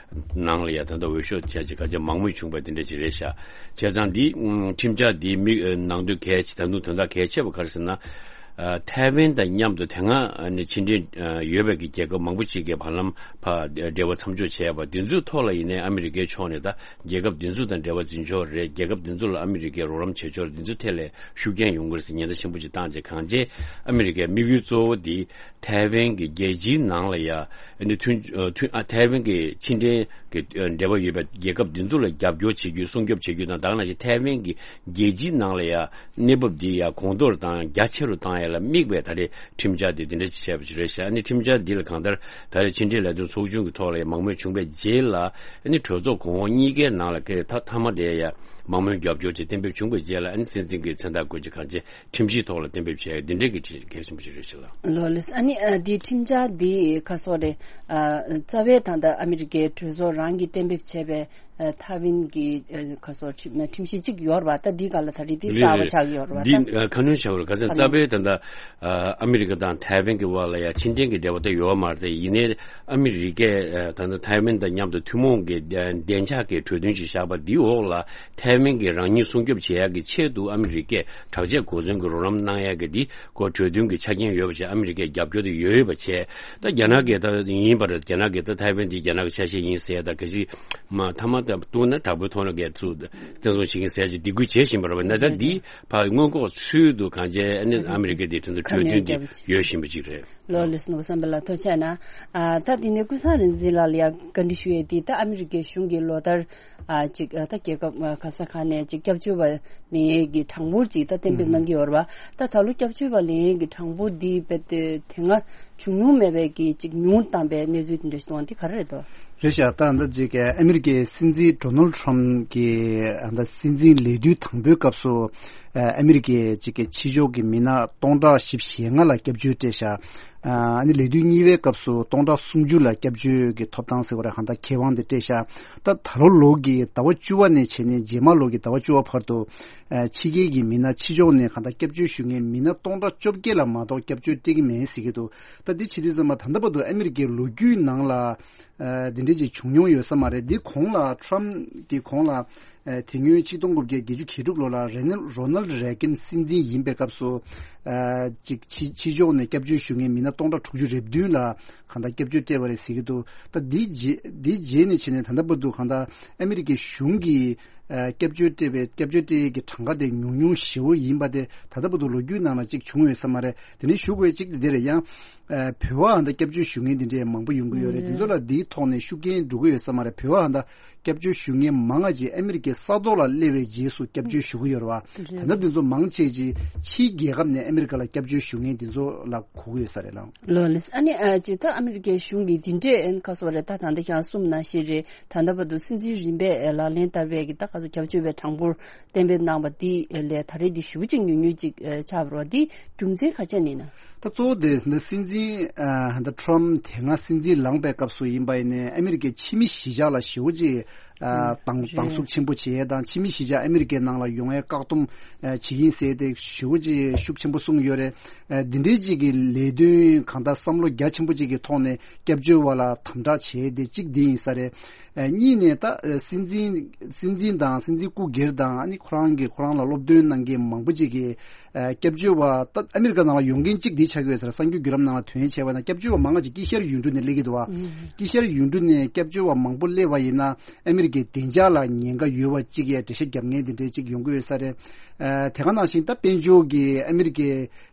ནང་ལ་ཡང་ད་ལྟ་འོས་ཤོག་བྱས་ཀྱི་ག་ཅི་མང་མོས་བྱུང་བ་དེ་འདྲ་ཅིག་རེད་ཤག་བྱས་ཙང་འདི་ཁྲིམས་འཆར་འདིའི་དམིགས་ནང་དོན་གལ་ཆེ། ད་དུང་དོན་དག་གལ་ཆེ་བ་ག་རེ་ཟེར་ན། ཐའེ་ཝན་དང་མཉམ་དུ་དེ་སྔ་ནས་ཕྱི་འབྲེལ་ཡོད་པའི་གི་རྒྱལ་ཁབ་མང་པོ་ཅིག་གིས་བར་ལམ་ཕར་འབྲེལ་བ་མཚམས་འཇོག་བྱས་པ་འདི་ཚོའི་ཐོག་ལ་ཡིན་ནའི་ཨ་མི་རི་ཀའི་ཕྱོགས་ནས་ད་རྒྱལ་ཁབ་འདི་ཚོ་དང་འབྲེལ་བ་འཛིན་ཕྱོགས་རེད། རྒྱལ་ཁབ་འདི་ཚོ་ལ་ཨ་མི་རི་ཀས་རོགས་རམ་བྱེད་ཕྱོགས་རེད། འདི་ཚོ་ཐད་ལ་ཤུགས་རྐྱེན་ཡོང་གི་རེད་ཟེར་ཉེན་བརྡ་ཆེན་པོ་ཅིག་བཏང་རྗེས། གང་ཅི་ཨ་མི་རི་ཀའི་དམིགས་ཡུལ་གཙོ་བོ་འདི་ཐའེ་ཝན་གྱི་རྒྱལ་སྤྱིའི་ནང་ལ་ཡ་ཨ་ནི་མཐུན་མཐུན་ཨ་ཐའེ་ཝན་གྱི་ཕྱི་འབྲེལ་གྱི་འབྲེལ་བ་ཡོད་པའི་རྒྱལ་ཁབ་འདི་ཚོ་ལ་རྒྱབ་སྐྱོར་བྱེད་རྒྱུ། སྲུང་སྐྱོབ་བྱེད་རྒྱུ་དང་། ད་ག་ནང་བཞིན་ཐའེ་ཝན་གྱི་རྒྱལ་སྤྱིའི་ནང་ལ་ཡ་གནས་བབ་འདི་ཡ་གོང་མཐོར་དང་རྒྱ་ཆེ་རུ་བཏང་ཡ་ལ་དམིགས་པའི་ད་རེས་ཁྲིམས་འཆར་འདི་འདི་འདྲ་ཅིག་བྱས་པ་ཅིག་རེད་ཤག་ཨ་ནི་ཁྲིམས་འཆར་འདི་ལ་གང་ལྟར་ད་རེས་ཕྱི་འབྲེལ་ལས་དོན་ཚོགས་ཆུང་གི་ཐོག་ལ་ཡ་མང་མོས་བྱུང་བའི་རྗེས་ལ། ཨ་ནི་གྲོས་ཚོགས་གོང་འོག་གཉིས་ཀའི་ནང་ལ་ཀའི་མཐའ་མཐའ་མ་དེ་ཡ་མང་མོས་རྒྱབ་སྐྱོར་ཅིག་གཏན་འབེབས་བྱུང་བའི་རྗེས་ལ། ཨ་ནི་སྲིད་འཛིན་གྱི་མཚན་རྟགས་བཀོད་ཀྱི་གང་ཅི་ཁྲིམས་ཞིབ་ཐོག་ལ་གཏན་འབེབས་བྱས་ཡ་འདི་འདྲའི་གི་གལ་ཆེན་པོ་ཞིག་རེད་ཤག་ལགས། ལགས་ལགས། ཨ་ནི་ཨ་འདི་ཁྲིམས་འཆར་འདི་ཁ་སོ་རེད། ཨ་རྩ་བའི་ད་ལྟ་ཨ་མི་རི་ཀའི་གྲོས་ཚོགས་རང་གིས་གཏན་འབེབས་བྱས་པའི་ཨ་ཐའེ་ཝན་གྱི་ཨ་ཁ་སོ་ཁྲིམས་ཁྲིམས་གཞི་གཅིག་ཡོད་རེད་པ། ད་འདི་ག་ལ་ད་རེས་འདི་རེད་རྩ་བ་རེད། ཆགས་ཀྱི་ཡོད་རེད་པ། འདི་ད་ཨ་ཁ་སྣོན་བྱ་དགོས་རེད། ག་ཚོད་ཁ་རྩ་སྣོན་བའི་ད་ལྟ་ཨ་ཨ་མི་རི་ཀ་དང་ཐའེ་ཝན་གྱི་དབར་ལ་ཡ་ཕྱི་འབྲེལ་གྱི་འབྲེལ་བ་ད་ཡོད་མ་རེད། ཡིན་ནའི་ཨ་མི་རི་ཀས་ཨ་ད་ལྟ་ཐའེ་ཝན་དང་མཉམ་དུ་ཐུན་མོང་གི་བདེ་འཇགས་ཀྱི་གྲོས་མཐུན་ཞིག་བཞག་པ་འདིའི་འོག་ལ། ཐའེ་ཝན་གྱིས་རང་ཉིད་སྲུང་སྐྱོབ་བྱེད་ཡག་གི་ཆེད་དུ་ཨ་མི་རི་ཀས་དྲག་ཆས་གོ་མཚོན་གྱི་རོགས་རམ་གནང་ཡག་གི་འདི་ཁོ་གྲོས་མཐུན་གྱི་ཆ་རྐྱེན་ཡོད་པ་བྱས། ཨ་མི་རི་ཀས་རྒྱབ་སྐྱོར་དེ་ཡོད་ཡོད་པ་བྱས། ད་རྒྱ་ནག་གིས་ད་ཡིན་པར་རྒྱ་ནག་གིས་ད་ཐའེ་ཝན་འདི་རྒྱ་ནག་གི་ཆ་ཤས་ཡིན་ཟེར། ད་ག་ཞིག་མ་མཐའ་མ་ད་བཏུང་ན་དྲག་པོའི་ཐོག་ནས་གས་ཚུར་བཙན་བཟུང་བྱེད་ཀྱིན་ཟེར་ཅིག་སྡིགས་སྐུལ་བྱེད་བཞིན་པ་རེད་པ། ན་ད་འདི་ཕར་མངོན་ལྐོག་ཚུལ་དུ་གང་བྱས་ཨ་ནི་ཨ་མི་རི་ཀས་འདི་དོན་དུ་གྲོས་མཐུན་འདི་ཡོད་བཞིན་པ་ཅིག་རེད། ལགས་ལགས་སོ། ནོར་བུ་བསམ་འཕེལ་ལགས་ཐུགས་རྗེ་གནང་། ཨ་ད་དེ་ནས་ཀུན་བཟང་རིག་འཛིན་ལགས་ལ་ཡང་བཀའ་འདྲི་ཞུ་ཡས་དེ། ད་ཨ་མི་རི་ཀའི་གཞུང་གིས་ལོ་ལྟར་ཨ་ཅིག་ཨ་ད་རྒྱལ་ཁབ་ཨ་ག་ས་ག་ནས་ཅིག་སྐྱབས་བཅོལ་བ་ལེན་ཡས་ཀྱི་གྲངས་འབོར་ཅིག་ད་གཏན་འབེབས་གནང་གི་ཡོད་རེད་པ། ད་ད་ལོ་སྐྱབས་བཅོལ་བ་ལེན་ཡས་ཀྱི་གྲངས་འབོར་འདི་རྦད་དེ་དེ་སྔ་བྱུང་མྱོང་མེད་པའི་གི་ཅིག་ཉུང་བཏང་བའི་གནས་ཚུལ་དེ་འདྲ་ཞིག་འདུག་པ། འདི་ག་རེ་རེད་དོ། རེད་ཤག་ད་ལྟ་ཅིག་ཨ་མི་རི་ཀའི་སྲིད་འཛིན་ཌོ་ནལ་ཊམ་གྱི་ཨ་ད་སྲིད་འཛིན་ལས་དུས་དང་པོའི་སྐབས་སུ། ཨ་ཨ་མི་རི་ཀའི་ཅིག་གི་ཕྱི་ཕྱོགས་ཀྱི་མི་སྣ་སྟོང་ཕྲག་བཞི་བཅུ་ཞེ་ལྔ་ལ་སྐྱབས་བཅོལ་སྤྲད་ཤག་ཨ་ནི་ལས་དུས་གཉིས་པའི་སྐབས་སུ་སྟོང་ཕྲག་སུམ་ཅུ་ལ་སྐྱབས་བཅོལ་གྱི་ཐོབ་ཐང་ཟེར་བ་རེད། གང་ལྟར་ཁེ་དབང་དེ་སྤྲད་ཤག་ད་ད་ལོ་ལོ་གི་ཟླ་བ་བཅུ་པ་ནས་བྱས་ནས་རྗེས་མ་ལོ་གི་ཟླ་བ་བཅུ་པ་བར་དུ། ཨ་ཕྱི་རྒྱལ་གྱི་མི་སྣ་ཕྱི་ཕྱོགས་ནས་གང་ལྟར་སྐྱབས་བཅོལ་ཞུ་མཁན་མི་སྣ་སྟོང་ཕྲག་བཅོ་བརྒྱད་ལ་མ་གཏོགས་སྐྱབས་བཅོལ་སྤྲད་ཀྱི་མེད་ཟེར་གྱི་འདུག་ད་འདི་བྱེད་དུས་ཙམ་པ་ད་ལྟ་བར་དུ་ཨ་མི་རི་ཀའི་ལོ་རྒྱུས་ནང་ལ། ཨ་འདི་འདྲ་ཅིག་བྱུང་མྱོང་ཡོད་ས་མ་རེད། འདི་གོང་ལ་ཊམ་གྱི་གོང་ལ་ཨ་དེ་སྔོན་ཆིག་སྟོང་དགུ་བརྒྱ་བརྒྱད་ཅུ་གྱ་དྲུག་ལོ་ལ་རེ་ནལ་རོ་ནལ་རེ་གན་སྲིད་འཛིན་ཡིན་པའི་སྐབས་སུ། ཨ་ཅིག་ཕྱི་ཕྱི་ཕྱོགས་ནས་སྐྱབས་བཅོལ་ཞུ་མཁན་མི་སྣ་སྟོང་ཕྲག་དྲུག་ཅུ་རེ་བདུན་ལ་གང་ལྟར་སྐྱབས་བཅོལ་སྤྲད་པ་རེད་ཟེར་གྱི་འདུག་ད་འདི་རྗེས་འདི་རྗེས་ནས་བྱས་ནས་ད་ལྟ་བར་དུ་གང་ལྟར་ཨ་མི་རི་ཀའི་གཞུང་གིས་ཨ་སྐྱབས་བཅོལ་སྤྲད་པའི་སྐྱབས་བཅོལ་སྤྲད་ཡས་ཀྱི་གྲངས་ཀ་དེ་ཉུང་ཉུང་ཞེ་པོ་ཡིན་པ་དེ་ད་ལྟ་བར་དུ་ལོ་རྒྱུས་ནང་ལ་གཅིག་བྱུང་ཡོད་ས་མ་རེད། དེ་ནས་ཞུ་དགོས་གཅིག་དེ་འདི་རེད། ཡང་ཨ་བོད་པ་ཧ་ད་སྐྱབས་བཅོལ་ཞུ་མཁན་དེ་འདྲས་མང་པོ་ཡོང་གི་ཡོད་རེད། དེ་ཚོ་ལ་འདིའི་ཐོག་ནས་ཤུགས་རྐྱེན་འགྲོ་གི་ཡོད་ས་མ་རེད། བོད་པ་ཧ་ད་སྐྱབས་བཅོལ་ཞུ་མཁན་མང་ང་ཅིག་ཨ་མི་རི་ཀའི་ས་ཐོག་ལ་སླེབས་པའི་རྗེས་སུ་སྐྱབས་བཅོལ་ཞུ་གི་ཡོད་རེད་བ། ད་ལྟ་དེ་ཚོ་མང་ཆེ་ཅིག་ཕྱིའི་རྒྱལ་ཁབ་ནས་ཨ་མི་རི་ཀ་ལ་སྐྱབས་བཅོལ་ཞུ་མཁན་དེ་ཚོ་ལ་གོ་གི་ཡོད་ས་རེད་ལགས། ལགས་ལགས། ཨ་ནི་ཨ་ཅིག་ད་ཨ་མི་རི་ཀའི་གཞུང་གིས་འདི་འདྲས་ཨན་ཁ་སོ་རེད། ད་ད་ལྟ་ཁྱེད་རང་གསུངས་ནང་བཞིན་རེད། ད་ལྟ་བར་དུ་སྲིད་འཛིན་རིམ་པས་ལག་ལེན་བསྟར་བའི་གི་ད་ཁ་སོ་སྐྱབས་བཅོལ་བའི་གྲངས་འབོར་གཏན་འབེབས་གནང་བ་འདི་ལས་ད་རེས་འདི་ཞེ་པོ་ཅིག་ཉུང་ཉུང་ཅིག་ཆགས་པ་རེད་བ། འདི་རྒྱུ་མཚན་ག་རེ་བྱས་ནས་ན། ད་གཙོ་བོ་དེ་འདི་སྲིད་འཛིན་ཨ་ད་ཊམ་དེ་སྔ་སྲིད་འཛིན་ལངས་པའི་སྐབས་སུ་ཡིན་པ་ཡིན་ནའི་ཨ་མི་རི་ཀའི་ཕྱི་མི་གཞིས་ཆགས་ལ་ཞེ་པོ་ཅིག་ཨ་ཨ་སྡང་རེད། སྡང་ཟུག་ཆེན་པོ་བྱེད་ཡས་དང་ཕྱི་མི་གཞིས་ཆགས་ཨ་མི་རི་ཀའི་ནང་ལ་ཡོང་ཡས་བཀག་སྡོམ་ཨ་བྱེད་ཀྱིན་ཟེར་ཏེ་ཞེ་པོ་ཅིག་ཤུགས་ཆེན་པོ་གསུངས་ཡོད་རེད། ཨ་འདི་འདྲའི་ཅིག་གི་ལས་དོན་གང་ལྟར་བསམ་བློ་རྒྱ་ཆེན་པོ་ཅིག་གི་ཐོག་ནས་སྐྱབས་བཅོལ་བ་ལ་དམ་དྲག་བྱེད་དེ་གཅིག་འདི་ཡིན་ས་རེད། ཨ་གཉིས་ནས་ད་ཨ་སྲིད་འཛིན་སྲིད་འཛིན་དང་སྲིད་འཛིན་སྐུ་སྒེར་དང་ཨ་ནི་ཁོ་རང་གི་ཁོ་རང་ལ་སློབ་སྟོན་གནང་མཁན་མང་པོ་ཅིག་གིས་ཨ་སྐྱབས་བཅོལ་བ་ད་ཨ་མི་རི་ཀ་ནང་ལ་ཡོང་མཁན་གཅིག་འདི་ཆགས་ཀྱི་ཡོད་ཟེར། གསར་འགྱུར་བརྒྱུད་ལམ་ནང་ལ་ཐོན་ཡས་བྱས་པ་ན་སྐྱབས་བཅོལ་བ་མང་ང་ཅིག་དཀྱིལ་ཤར་ཡུལ་གྲུ་ནས་སླེབས་ཀྱི་འདུག་བ། ཨུམ། དཀྱིལ་ཤར་ཡུལ་གྲུ་ནས་སྐྱབས་བཅོལ་བ་མང་པོ་སླེབས་པ་ཡིན་ན་ཨ་མི་རི་ཀའི་བདེ་འཇགས་ལ་ཉེན་ཁ་ཡོད་པ་ཅིག་ཡ་འགྲེལ་བཤད་རྒྱབ་མཁན་དེ་འདྲའི་ཅིག་ཡོང་གི་ཡོད་ས་རེད། ཨ་དེ་ག་ནང་བཞིན་ད་དཔལ་འབྱོར་གྱི་ཨ་མི་རི་ཀའི་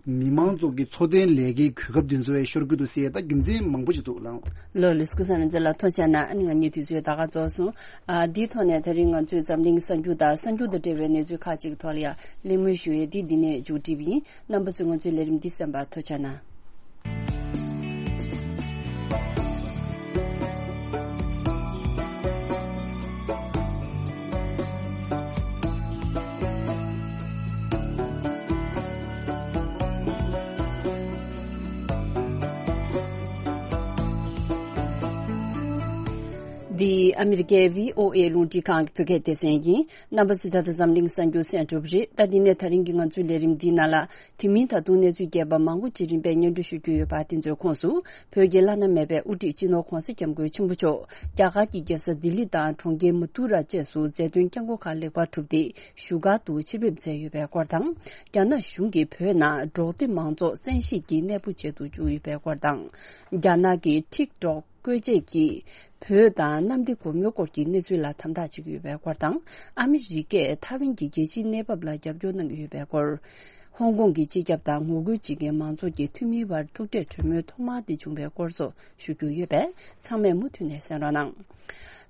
མི་མང་ཚོ་གི་འཚོ་རྟེན་ལས་ཀའི་གོ་སྐབས་དེ་ཚོ་ཡང་ཤོར་གྱི་འདུག་ཟེར་ད་རྒྱུ་མཚན་མང་པོ་ཅིག་འདུག་ལགས། ལགས་ལགས། ཀུན་བཟང་རིག་འཛིན་ལགས་ཐུགས་རྗེ་གནང་། ཨ་ནི་ང་གཉིས་དུས་ཚོད་ད་ག་རྫོགས་སོང་། ཨ་འདིའི་ཐོག་ནས་དེ་རིང་ང་ཚོས་འཛམ་གླིང་གི་གསར་འགྱུར་དང་གསར་འགྱུར་དང་འབྲེལ་བའི་གནས་ཚུལ་ཁག་ཅིག་གི་ཐོག་ལ་ཡང་གླེང་མོལ་ཞུ་ཡས་འདི་འདི་ནས་མཇུག་སྒྲིལ་བ་ཡིན། རྣམ་པ་ཚོས་ང་ཚོའི་ལས་རིམ་འདི་གསན་པར་ཐུགས་རྗེ་གནང་། འདི་ཨ་མི་རི་ཀའི་བྷི་ཨོ་ཨེ་རླུང་འཕྲིན་ཁང་གི་བོད་སྐད་སྡེ་ཚན་ཡིན། རྣམ་པ་ཚོས་ད་ལྟ་འཛམ་གླིང་གསར་འགྱུར་གསན་གྲུབ་རེད། ད་འདི་ནས་ད་རིང་གི་ང་ཚོའི་ལས་རིམ་འདིའི་ནང་ལ། དེ་མིན་ད་དུང་གནས་ཚུལ་རྒྱས་པ་མང་པོ་ཅིག་རིམ་པས་སྙན་སྒྲོན་ཞུ་རྒྱུ་ཡོད་པ། དེ་ཚོའི་ཁོངས་སུ། བོད་ཀྱི་བླ་ན་མེད་པའི་དབུ་ཁྲིད་སྤྱི་ནོར་༧གོང་ས་༧སྐྱབས་མགོན་ཆེན་པོ་མཆོག་རྒྱ་གར་གྱི་རྒྱལ་ས་ལྡི་ལི་དང་གྲོང་ཁྱེར་མ་ཐུ་ར་བཅས་སུ་མཛད་དོན་བསྐྱངས་སྒོ་ཁག་ལེགས་པར་གྲུབ་སྟེ། བཞུགས་སྒར་དུ་ཆེད་ཕེབས་མཛད་ཡོད་པའི་སྐོར་དང་། རྒྱ་ནག་གཞུང་གིས་བོད་ནང་འབྲོག་སྡེ་མང་ཚོགས་བཙན་ཤེད་ཀྱིས་གནས་སྤོ་བྱེད་དུ་བཅུག་ཡོད་པའི་སྐོར་དང་། རྒྱ་ནག་གི་ཊིག་ཊོག་བཀོལ་ཆས་ཀྱིས་བོད་དང་གནམ་བདེ་སྒོ་མོའི་སྐོར་གྱི་གནས་ཚུལ་ལ་དམ་དྲག་བྱེད་ཀྱི་ཡོད་པའི་སྐོར་དང་། ཨ་མི་རི་ཀས་ཐའེ་ཝན་གྱི་རྒྱལ་སྤྱིའི་གནས་བབ་ལ་རྒྱབ་སྐྱོར་གནང་གི་ཡོད་པའི་སྐོར། ཧོང་ཀོང་གི་སྤྱི་ཁྱབ་དང་ངོ་རྒོལ་བྱེད་མཁན་མང་ཚོགས་ཀྱི་འཐུས་མིའི་བར་ཐུག་འཕྲད་གྲོས་མོལ་ཐོག་མ་དེ་བྱུང་བའི་སྐོར་སོགས་ཞུ་རྒྱུ་ཡོད་པས། ཚང་མས་མུ་མཐུད་ནས་གསན་རོགས་གནང་།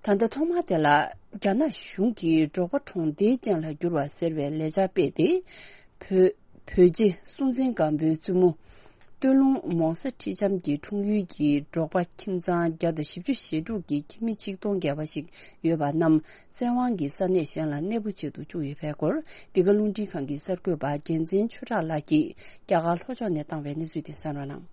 ད་ལྟ་ཐོག་མ་དེ་ལ། རྒྱ་ནག་གཞུང་གིས་འབྲོག་པ་གྲོང་སྡེའི་ཅན་ལ་བསྒྱུར་བ་ཟེར་བའི་ལས་འཆར་སྤེལ་ཏེ། བོད། བོད་རྗེ་སྲོང་བཙན་སྒམ་པོའི་བཙུན་མོ། སྟོད་ལུང་མོང་ས་ཁྲི་ལྕམ་གྱི་འཁྲུངས་ཡུལ་གྱི་འབྲོག་པ་ཁྱིམ་ཚང་བརྒྱ་དང་བཞི་བཅུ་ཞེ་དྲུག་གི་ཁྱིམ་མི་ཆིག་སྟོང་བརྒལ་བ་ཞིག་ཡོད་པ་རྣམས། བཙན་དབང་གིས་ས་གནས་གཞན་ལ་གནས་སྤོ་བྱེད་དུ་བཅུག་ཡོད་པའི་སྐོར། འདི་ག་རླུང་འཕྲིན་ཁང་གི་གསར་འགོད་པ་རྒྱལ་མཚན་ཆོས་གྲགས་ལགས་ཀྱིས་རྒྱ་གར་ལྷོ་ཕྱོགས་ནས་བཏང་བའི་གནས་ཚུལ་དེ་གསན་རོགས་གནང་།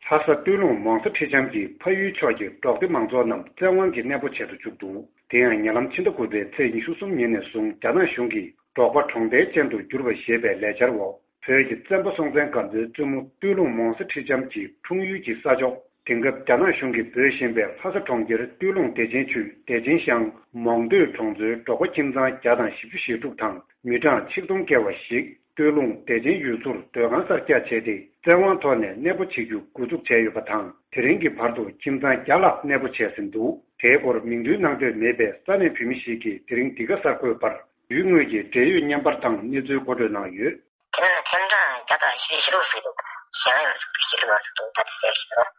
ལྷ་ས་སྟོད་ལུང་མོང་ས་ཁྲི་ལྕམ་གྱི་ཕ་ཡུལ་ཕྱོགས་ཀྱི་འབྲོག་སྡེ་མང་ཚོགས་རྣམས་བཙན་དབང་གིས་གནས་སྤོ་བྱེད་དུ་བཅུག་འདུག་དེ་ཡང་ཉེ་ལམ་ཕྱི་ཟླ་དགུ་པའི་ཚེས་ཉི་ཤུ་གསུམ་ཉིན་ནས་བཟུང་རྒྱ་ནག་གཞུང་གིས་འབྲོག་པ་གྲོང་སྡེའི་ཅན་དུ་བསྒྱུར་བ་ཞེས་པའི་ལས་འཆར་འོག་བོད་ཀྱི་བཙན་པོ་སྲོང་བཙན་སྒམ་པོའི་བཙུན་མོ་སྟོད་ལུང་མོང་ས་ཁྲི་ལྕམ་གྱི་འཁྲུངས་ཡུལ་གྱི་ས་ཕྱོགས། དེང་སྐབས་རྒྱ་ནག་གཞུང་གིས་འབོད་བཞིན་པའི་ལྷ་ས་གྲོང་ཁྱེར་སྟོད་ལུང་བདེ་ཆེན་ཆུས་བདེ་ཆེན་ཤང་མོང་སྟོད་གྲོང་ཚོའི་འབྲོག་པ་ཁྱིམ་ཚང་བརྒྱ་དང་བཞི་བཅུ་ཞེ་དྲུག་དང་མི་གྲངས་ཆིག་སྟོང་བརྒལ་བ་ཞིག་སྟོད་ལུང་བདེ་ཆེན་ཡུལ་ཚོར་སྡོད་ཁང་གསར་རྒྱག་བྱས་ཏེ། བཙན་དབང་ཐོག་ནས་གནས་སྤོ་བྱེད་རྒྱུ་འགོ་འཛུགས་བྱས་ཡོད་པ་དང་། དེ་རིང་གི་བར་དུ་ཁྱིམ་ཚང་བརྒྱ་ལྷག་གནས་སྤོ་བྱས་ཟིན་འདུག་དེའི་སྐོར་མིང་འདོན་གནང་འདོད་མེད་པའི་ས་གནས་བོད་མི་ཞིག་གིས་དེ་རིང་འདི་ག་གསར་འགོད་པར། ཡུལ་དངོས་ཀྱི་འབྲེལ་ཡོད་བརྙན་པར་དང་གནས་ཚུལ་མཁོ་སྤྲོད་གནང་ཡོད། དེ་ནས་ཐེམ་གྲངས་བརྒྱ་དང་བཞི་བཅུ་ཞེ་དྲུག་ཟིན་འདུག་གཞན་ཡང་ཟིན་འདུག་ཞེ་དྲུག་ལ་ཟིན་འདུག་ད་དེ་གསལ་ཞིག་འདུག་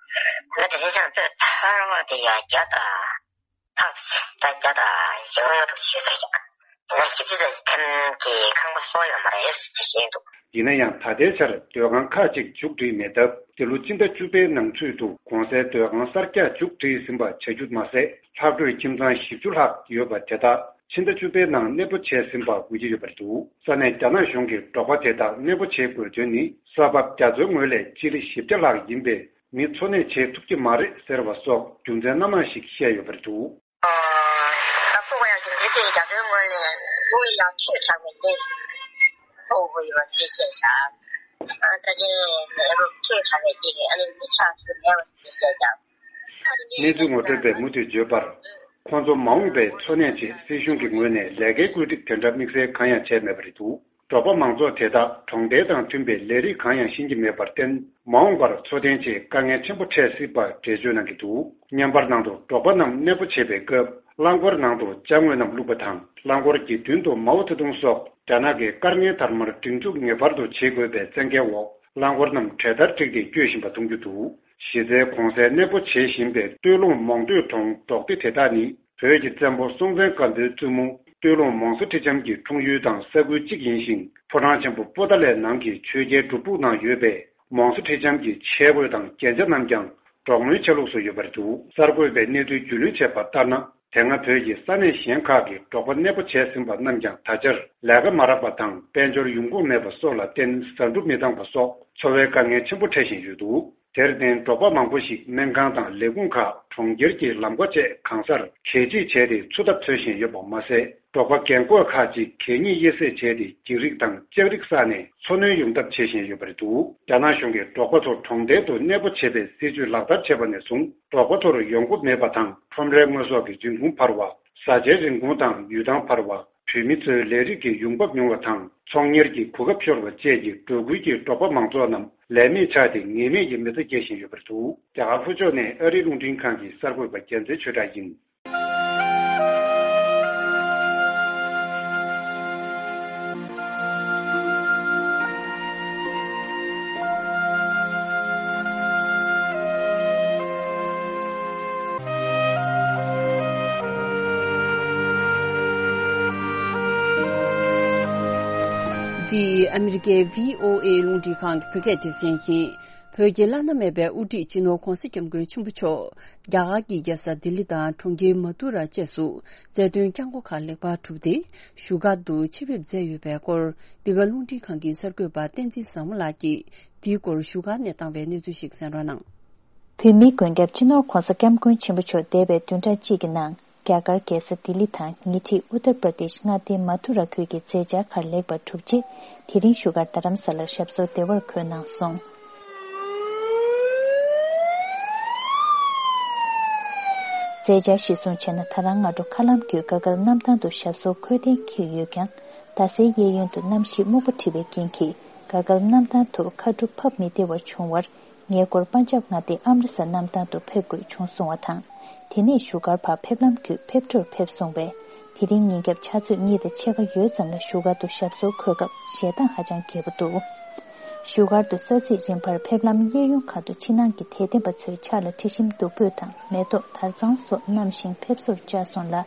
ད་དེ་ཚེ་ཅང་ཚོད་ཚར་བ་དེ་ཡང་བརྒྱ་དང་ལྷག་ཟིན། ད་བརྒྱ་དང་བཞི་བཅུ་ཞེ་དྲུག་ཟིན་ཡོད་ས་རེད། དེ་ནས་ཞིབ་འཇུག་ཚོས་ཐེམ་གྱི་ཁང་པ་གསོ་ཡོད་མ་རེད་ཅེས་བཤད་འདུག་ཡིན་ན་ཡང་ད་ལྟའི་ཆར་སྡོད་ཁང་ཁག་ཅིག་མཇུག་སྒྲིལ་མེད་སྟབས། འདི་ལོ་སྤྱི་ཟླ་བཅུ་པའི་ནང་ཚུད་དུ་གོང་གསལ་སྡོད་ཁང་གསར་རྒྱག་མཇུག་སྒྲིལ་ཟིན་པ་བྱ་རྒྱུ་མ་ཟད། ལྷག་འཕྲོས་ཁྱིམ་ཚང་བཞི་བཅུ་ལྷག་ཡོད་པ་དེ་དག་ཕྱི་ཟླ་བཅུ་པའི་ནང་གནས་སྤོ་བྱས་ཟིན་པ་འགོད་ཀྱི་ཡོད་པ་རེད་འདུག་ས་གནས་རྒྱ་ནག་གཞུང་གིས་འབྲོག་པ་དེ་དག་གནས་སྤོ་བྱེད་དགོས་དོན་ནི། ས་བབ་རྒྱ་མཚོའི་ངོས་ལས་སྤྱི་ལེ་བཞི་བརྒྱ་ལྷག་ཡིན་པས། མི་འཚོ་གནས་བྱེད་ཐུབ་ཀྱི་མ་རེད་ཟེར་བ་སོགས་རྒྱུ་མཚན་སྣ་མང་ཞིག་བཤད་ཡོད་པ་རེད་འདུག་ད་ཕོ་བ་ཡང་རྒྱུ་མཚན་དེ་རྒྱ་མཚོའི་ངོས་ནས་ལུང་ཡང་ཆོས་གྲགས་པའི་རྒྱན་ཨོ་བོ་ཡོད་པ་དེ་བཤད་བཞག་ས་སྐྱའི་ལས་རོགས་ཆོས་གྲགས་པའི་རྒྱན་ཨ་ནི་མི་ཆགས་ཐུབ་མེད་པ་དེ་བཤད་ཀྱང་། གནས་ཚུལ་ངོ་སྤྲོད་པས་མུ་མཐུད་བརྗོད་པར། ཁོང་ཚོ་མ་འོངས་པའི་འཚོ་གནས་ཆེད་སྲིད་གཞུང་གི་ངོས་ནས་ལས་ཀའི་བཀོད་སྒྲིག་དེ་འདྲ་དམིགས་བསལ་གང་ཡང་བྱས་མེད་པ་རེད་འདུག་འབྲོག་པ་མང་ཚོགས་དེ་དག་གྲོང་རྡལ་དང་མཐུན་པའི་ལས་རིགས་གང་ཡང་ཤེས་ཀྱི་མེད་པར་བརྟེན། མ་འོངས་པར་འཚོ་རྟེན་ཆེད་དཀའ་ངལ་ཆེན་པོ་འཕྲད་སྲིད་པ་འགྲེལ་བརྗོད་གནང་གི་འདུག་བརྙན་པར་ནང་དུ་འབྲོག་པ་རྣམས་གནས་སྤོ་བྱེད་པའི་སྐབས། རླངས་འཁོར་ནང་དུ་ཅ་དངོས་རྣམས་བླུགས་པ་དང་། རླངས་འཁོར་གྱི་མདུན་དུ་མའོ་ཙེ་ཏུང་སོགས་རྒྱ་ནག་གི་བཀའ་རྙིང་དར་མར་སྒྲིག་འཛུགས་ངེས་པར་དུ་བྱེད་དགོས་པའི་བཙན་འགེལ་འོག་རླངས་འཁོར་རྣམས་གྲལ་བསྟར་བསྒྲིགས་ཏེ་སྐྱོད་བཞིན་པ་མཐོང་རྒྱུ་འདུག་གཞི་རྩའི་གོང་གསལ་གནས་སྤོ་བྱེད་བཞིན་པའི་སྟོད་ལུང་མོང་སྟོད་གྲོང་འབྲོག་སྡེ་དེ་དག་ནི། བོད་ཀྱི་བཙན་པོ་སྲོང་བཙན་སྒམ་པོའི་བཙུན་མོ་སྟོད་ལུང་མོང་སྲི་ཁྲི་ལྕམ་གྱི་འཁྲུངས་ཡུལ་དང་ས་ཁུལ་གཅིག་ཡིན་ཞིང་། ཕོ་བྲང་ཆེན་པོ་པོ་ཏཱ་ལའི་ནང་གི་ཆོས་རྒྱལ་སྒྲུབ་ཕུག་ནང་ཡོད་པའི་མོང་སྲི་ཁྲི་ལྕམ་གྱི་ཆས་གོས་དང་རྒྱན་ཆ་རྣམས་ཀྱང་འབྲོག་མོའི་ཆ་ལུགས་སུ་ཡོད་པ་རེད་འདུག་གསར་འགོད་པས་གནས་ཚུལ་རྒྱུས་ལོན་བྱས་པ་ལྟར་ན། དེ་སྔ་བོད་ཀྱི་ས་གནས་གཞན་ཁག་གི་འབྲོག་པ་གནས་སྤོ་བྱས་ཟིན་པ་རྣམས་ཀྱང་ད་ཆར་ལས་ཀ་མ་རག་པ་དང་། དཔལ་འབྱོར་ཡོང་ཁུངས་མེད་པ་སོགས་ལ་བརྟེན། ཟ་འབྲུ་མི་འདང་བ་སོགས་འཚོ་བའི་དཀའ་ངལ་ཆེན་པོ་འཕྲད་བཞིན་ཡོད་འདུག་དེར་བརྟེན། འབྲོག་པ་མང་པོ་ཞིག་སྨན་ཁང་དང་ལས་ཁུངས་ཁག་གྲོང་ཁྱེར་གྱི་ལམ་ཁ་བཅས་གང་སར་གད་ཕྱིས་བྱས་ཏེ་འཚོ་ཐབས་འཚོལ་བཞིན་ཡོད་པ་མ་ཟད། འབྲོག་པ་རྒན་རྒོན་ཁག་ཅིག་གད་སྙིགས་དབྱེ་གསེད་བྱས་ཏེ། འགྱིག་རིགས་དང་ལྕགས་རིགས་བསགས་ནས་འཚོ་སྣོན་ཡོང་ཐབས་བྱེད་བཞིན་ཡོད་པ་རེད་འདུག་རྒྱ་ནག་གཞུང་གིས་འབྲོག་པ་ཚོ་གྲོང་རྡལ་དུ་གནས་སྤོ་བྱེད་པའི་སྲིད་ཇུས་ལག་བསྟར་བྱས་པ་ནས་བཟུང་། འབྲོག་པ་ཚོར་ཡོང་སྒོ་མེད་པ་དང་། ཁྲོམ་རའི་དངོས་ཟོག་གི་འབྱུང་ཁུངས་འཕར་བ། བཟའ་བཅའི་རིན་གོང་དང་ཡུལ་ཐང་འཕར་བ། བུད་མེད་ཚོའི་ལས་རིགས་ཀྱི་ཡོང་འབབ་ཉུང་བ་དང་། ཚོང་གཉེར་གྱི་གོ་སྐབས་ཤོར་བ་བཅས་ཀྱིས་འབྲོག་ཁུལ་གྱི་འབྲོག་པ་མང་ཚོགས་རྣམས་ལས་མེད་ཆགས་ཏེ། ངེས་མེད་ཀྱི་མི་ཚེ་སྐྱེལ་བཞིན་ཡོད་པ་རེད་འདུག་རྒྱ་གར་ལྷོ་ཕྱོགས་ནས་ཨ་རིའི་རླུང་འཕྲིན་ཁང་གི་གསར་འགོད་པ་རྒྱལ་མཚན་ཆོས་གྲགས་ཡིན། འདི་ཨ་མི་རི་ཀའི་བྷི་ཨོ་ཨེ་རླུང་འཕྲིན་ཁང་གི་བོད་སྐད་སྡེ་ཚན་ཡིན། བོད་ཀྱི་བླ་ན་མེད་པའི་དབུ་ཁྲིད་སྤྱི་ནོར་༧གོང་ས་༧སྐྱབས་མགོན་ཆེན་པོ་མཆོག་རྒྱ་གར་གྱི་རྒྱལ་ས་ལྡི་ལི་དང་གྲོང་ཁྱེར་མ་ཐུ་ར་བཅས་སུ་མཛད་དོན་བསྐྱངས་སྒོ་ཁག་ལེགས་པར་གྲུབ་སྟེ། བཞུགས་སྒར་དུ་ཆེད་ཕེབས་མཛད་ཡོད་པའི་སྐོར། འདི་ག་རླུང་འཕྲིན་ཁང་གི་གསར་འགོད་པ་བསྟན་འཛིན་བཟང་མོ་ལགས་ཀྱིས་འདིའི་སྐོར་བཞུགས་སྒར་ནས་བཏང་བའི་གནས་ཚུལ་ཞིག་གསན་རོགས་གནང་། བོད་མིའི་མགོན་སྐྱབས་སྤྱི་ནོར་༧གོང་ས་༧སྐྱབས་མགོན་ཆེན་པོ་མཆོག་འདས་པའི་བདུན་ཕྲག་གཅིག་གི་ནང་ རྒྱ་གར་རྒྱལ་ས་ལྡི་ལི་དང་ཉེ་འཁྲིས་ཨུ་ཏར་པྲ་དེཤ་མངའ་སྡེའི་མ་ཐུ་ར་ཁུལ་གྱི་མཛད་འཆར་ཁག་ལེགས་པར་གྲུབ་རྗེས། དེ་རིང་བཞུགས་སྒར་རྡ་རམ་ས་ལར་ཞབས་སོར་བདེ་བར་འཁོད་གནང་སོང་། མཛད་འཆར་གཞིར་བཟུང་བྱས་ན། ད་རང་སྔ་དྲོ་མཁའ་ལམ་བརྒྱུད་གྷ་གྷལ་གནམ་ཐང་དུ་ཞབས་སོར་འཁོད་གཏན་འཁེལ་ཡོད་ཀྱང་། རྡ་སའི་གཡས་གཡོན་དུ་གནམ་གཤིས་སྨུག་པ་འཁྲི་བའི་རྐྱེན་གྱིས། གྷ་གྷལ་གནམ་ཐང་དུ་མཁའ་གྲུ་ཕབ་མི་བདེ་བར་བྱུང་བར། ངེད་སྐོར་པན་ཇབ་མངའ་སྡེའི་ཨམ་རི་སར་གནམ་ཐང་དུ་ཕེབས་དགོས་བྱུང་སོང་བ་དང་། དེ་ནས་བཞུགས་སྒར་བར་ཕེབས་ལམ་བརྒྱུད་ཕེབས་འཕྲོར་ཕེབས་སོང་བས། དེ་རིང་ཉིན་རྒྱབ་ཆུ་ཚོད་གཉིས་དང་ཕྱེད་ཀ་ཡོལ་ཙམ་ལ་བཞུགས་སྒར་དུ་ཞབས་སོར་འཁོད་སྐབས་ཞལ་ཏང་ཧ་ཅང་རྒྱས་པོ་འདུག་བཞུགས་སྒར་དུ་ས་ཚིགས་རིམ་པར་ཕེབས་ལམ་གཡས་གཡོན་ཁག་ཏུ་ཕྱི་ནང་གི་དད་ལྡན་པ་ཚོའི་ཕྱག་ལ་དྲི་ཞིམ་བདུག་སྤོས་དང་མེ་ཏོག་དར་གཙང་སོགས་བསྣམས་ཤིང་ཕེབས་བསུར་བཅར་སོང་ལ།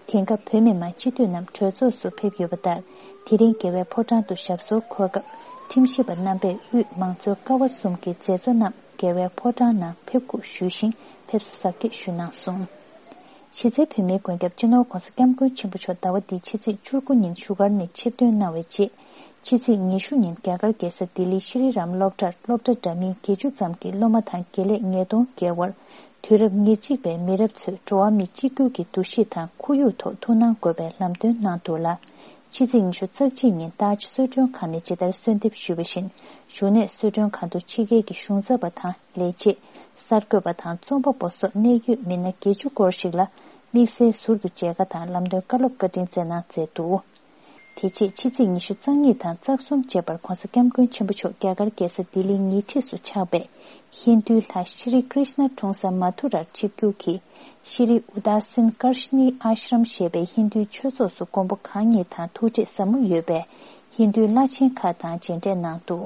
དེང་སྐབས་བོད་མི་མང་སྤྱི་འཐུས་རྣམས་གྲོས་ཚོགས་སུ་ཕེབས་ཡོད་པ་ལྟར། དེ་རིང་རྒྱལ་བའི་ཕོ་བྲང་དུ་ཞབས་སོར་འཁོད་སྐབས། ཁྲིམས་ཞིབ་པ་རྣམ་པས་དབུས་མང་གཙོའི་ཀ་བ་གསུམ་གྱི་མཛད་གཙོ་རྣམས་རྒྱལ་བའི་ཕོ་བྲང་ནང་ཕེབས་སྒུག་ཞུས་ཤིང་ཕེབས་བསུ་གཟབ་རྒྱས་ཞུས་གནང་སོང་། གཞི་རྩའི་བོད་མིའི་མགོན་སྐྱབས་སྤྱི་ནོར་༧གོང་ས་༧སྐྱབས་མགོན་ཆེན་པོ་མཆོག་ཟླ་བ་འདིའི་ཕྱི་ཚེས་བཅུ་དགུ་ཉིན་བཞུགས་སྒར་ནས་ཆིབས་ཐོན་གནང་བའི་རྗེས། ཕྱི་ཚེས་ཉི་ཤུ་ཉིན་རྒྱ་གར་རྒྱལ་ས་ལྡི་ལིའི་ཤྲི་རི་རམ་སློབ་གྲྭར་སློབ་གྲྭ་འདྲ་མིན་བརྒྱད་ཅུ་ཙམ་གྱི་སློབ་མ་དང་དགེ་ལས་ཉིས་སྟོང་བརྒལ་བར། དུས་རབས་ཉེར་གཅིག་པའི་མི་རབས་ཚོས་འགྲོ་བ་མི་གཅིག་གྱུར་གྱི་འདུ་ཤེས་དང་ཁོར་ཡུག་ཐོག་ཐུགས་སྣང་དགོས་པའི་ལམ་སྟོན་གནང་འདུག་ལ། ཕྱི་ཚེས་ཉི་ཤུ་རྩ་གཅིག་ཉིན་ཏཱཇ་གསོལ་མགྲོན་ཁང་ནས་ཇི་ལྟར་གསོལ་འདེབས་ཞུས་པ་བཞིན། བཞུགས་གནས་གསོལ་མགྲོན་ཁང་དུ་ཕྱི་རྒྱལ་གྱི་གཞུང་ཚབ་པ་དང་ལས་བྱེད། གསར་འགོད་པ་དང་རྩོམ་པ་པོ་སོགས་གནད་ཡོད་མི་སྣ་བརྒྱད་ཅུ་སྐོར་ཞིག་ལ་དམིགས་བསལ་ཟུར་དུ་མཇལ་ཁ་དང་ལམ་སྟོན་བཀའ་སློབ་བཀའ་དྲིན་སྩལ་གནང་མཛད་འདུག་དེ་རྗེས་ཕྱི་ཚེས་ཉི་ཤུ་རྩ་གཉིས་དང་རྩ་གསུམ་བཅས་པར་༧གོང་ས་༧སྐྱབས་མགོན་ཆེན་པོ་མཆོག་རྒྱ་གར་རྒྱལ་ས་ལྡི་ལིའི་ཉེ་འཁྲིས་སུ་ཆགས་པའི་ཧིན་རྡུའི་ལྷ་ཤྲི་ཀྲིཤ་ན་འཁྲུངས་ས་མ་ཐུ་རར་ཆིབས་བསྒྱུར་གྱིས། ཤྲི་ཨུ་དཱ་སིན་ཀར་ཤ་ནི་ཨ་ཤྲམ་ཞེས་པའི་ཧིན་རྡུའི་ཆོས་ཚོགས་སུ་མགོན་པོ་གང་ཉིད་དང་ཐུག་འཕྲད་ཟབ་མོ་ཡོད་པས། ཧིན་རྡུའི་བླ་ཆེན་ཁག་དང་མཇལ་འཕྲད་གནང་འདུག་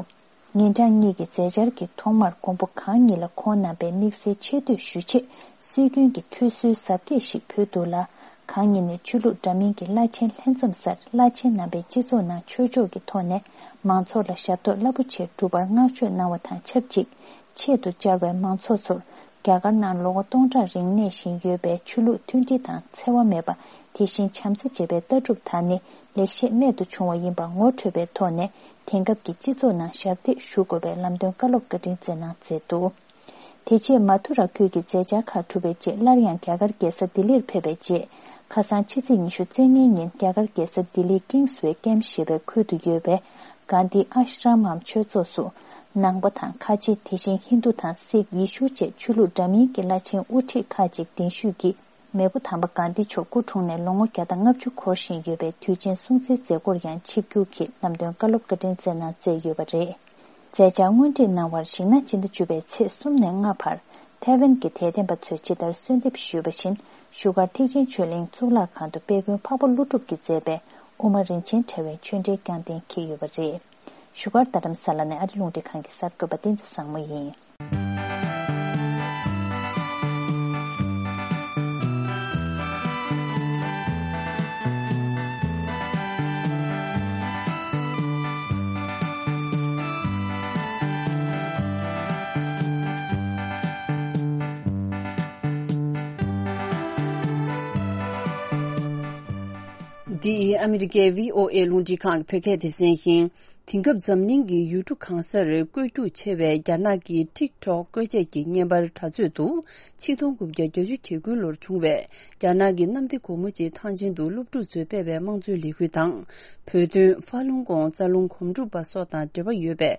ཉིན་གྲངས་གཉིས་ཀྱི་མཛད་འཆར་གྱི་ཐོག་མར་མགོན་པོ་གང་ཉིད་ལ་ཁོང་རྣམ་པའི་དམིགས་བསལ་ཆེ་བསྟོད་ཞུ་ཆེད་སྲོལ་རྒྱུན་གྱི་ཁྲུས་གསོལ་གཟབ་རྒྱས་ཤིག་ཕུལ་འདུག་ལ། གང་ཉིད་ནས་ཆོས་ལུགས་འདྲ་མིན་གྱི་བླ་ཆེན་ལྷན་འཛོམས་སར་བླ་ཆེན་རྣམ་པས་སྤྱི་ཚོགས་ནང་ཆོས་ཕྱོགས་ཀྱི་ཐོག་ནས་མང་ཚོགས་ལ་ཞབས་ཏོག་རླབས་པོ་ཆེ་བསྒྲུབ་པར་བསྔགས་བརྗོད་གནང་བ་དང་ཆབས་ཅིག་ཆེད་དུ་བཅར་བའི་མང་ཚོགས་ཚོར། རྒྱ་གར་ནང་ལོ་ངོ་སྟོང་ཕྲག་རིང་གནས་བཞིན་ཡོད་པའི་ཆོས་ལུགས་མཐུན་སྒྲིལ་དང་འཚེ་བ་མེད་པ། དེ་བཞིན་བྱམས་བརྩེ་ཅེས་པའི་ལྟ་གྲུབ་དར་ནས་ལེགས་བཤད་རྨད་དུ་བྱུང་བ་ཡིན་པ་ངོ་འཕྲོད་པའི་ཐོག་ནས། དེང་སྐབས་ཀྱི་སྤྱི་ཚོགས་ནང་ཞབས་འདེགས་ཞུ་དགོས་པའི་ལམ་སྟོན་བཀའ་སློབ་བཀའ་དྲིན་སྩལ་གནང་མཛད་འདུག་དེ་རྗེས་མ་ཐུ་ར་ཁུལ་གྱི་མཛད་འཆར་ཁག་གྲུབ་པའི་རྗེས། སླར་ཡང་རྒྱ་གར་རྒྱལ་ས་ལྡི་ལིར་ཕེབས་པའི་རྗེས། ཁ་སང་ཕྱི་ཚེས་ཉི་ཤུ་རྩ་ལྔའི་ཉིན་རྒྱ་གར་རྒྱལ་ས་ལྡི་ལིའི་ཀིང་སི་ཝེ་ཀེམ་ཞེས་པའི་ཁུལ་དུ་ཡོད་པའི་གྷན་དྷི་ཨ་ཤྲམ་འམ་ཆོས་ཚོགས་སུ། ནང་པ་དང་ཁ་ཆེ། དེ་བཞིན་ཧིན་རྡུ་དང་སིག་ཡེ་ཤུ་བཅས་ཆོས་ལུགས་འདྲ་མིན་གྱི་བླ་ཆེན་དབུ་ཁྲིད་ཁག་ཅིག་གདན་ཞུས་ཀྱིས། མེས་པོ་དམ་པ་གྷན་དྷི་མཆོག་སྐུ་འཁྲུངས་ནས་ལོ་ངོ་བརྒྱ་དང་ལྔ་བཅུ་འཁོར་བཞིན་ཡོད་པའི་དུས་ཆེན་སྲུང་བརྩིའི་མཛད་སྒོར་ཡང་ཆིབས་བསྒྱུར་གྱིས་ལམ་སྟོན་བཀའ་སློབ་བཀའ་དྲིན་སྩལ་གནང་མཛད་ཡོད་པ་རེད། མཛད་འཆར་དངོས་བྲིས་གནང་བར་གཞིགས་ན། སྤྱི་ཟླ་བཅུ་པའི་ཚེས་གསུམ་ནས་ལྔ་བར་ཐའེ་ཝན་གྱི་དད་ལྡན་པ་ཚོས་ཇི་ལྟར་གསོལ་འདེབས་ཞུས་པ་བཞིན། བཞུགས་སྒར་ཐེག་ཆེན་ཆོས་གླིང་གཙུག་ལག་ཁང་དུ་དཔལ་མགོན་འཕགས་པ་ཀླུ་སྒྲུབ་ཀྱིས་མཛད་པའི་དབུ་མ་རིན་ཆེན་ཕྲེང་བའི་ཆོས་འབྲེལ་བསྐྱངས་གཏན་འཁེལ་ཡོད་པ་རེད། བཞུགས་སྒར་རྡ་རམ་ས་ལ་ནས་ཨ་རི་རླུང་འཕྲིན་ཁང་གི་གསར་འགོད་པ་བསྟན་འཛིན་བཟང་མོ་ཡིན། འདི་ཨ་མི་རི་ཀའི་བྷི་ཨོ་ཨེ་རླུང་འཕྲིན་ཁང་གི་བོད་སྐད་སྡེ་ཚན་ཡིན། དེང་སྐབས་འཛམ་གླིང་གི་ཡུལ་གྲུ་གང་སར་བཀོལ་སྤྱོད་ཆེ་བའི་རྒྱ་ནག་གི་ཊིག་ཊོག་བཀོལ་ཆས་ཀྱི་བརྙན་པར་དྲ་ཚོད་དུ། ཆིག་སྟོང་དགུ་བརྒྱ་བརྒྱད་ཅུ་གྱ་དགུ་ལོར་བྱུང་བའི་རྒྱ་ནག་གི་གནམ་བདེ་སྒོ་མོ་ཆེའི་ཐང་ཆེན་དུ་སློབ་ཕྲུག་ཚོས་སྤེལ་བའི་དམངས་གཙོའི་ལས་འགུལ་དང་། བོད་དོན། ཧྥ་ལུང་ཀོང་། རྩ་རླུང་གོམ་སྒྲུབ་པ་སོགས་དང་འབྲེལ་བ་ཡོད་པའི་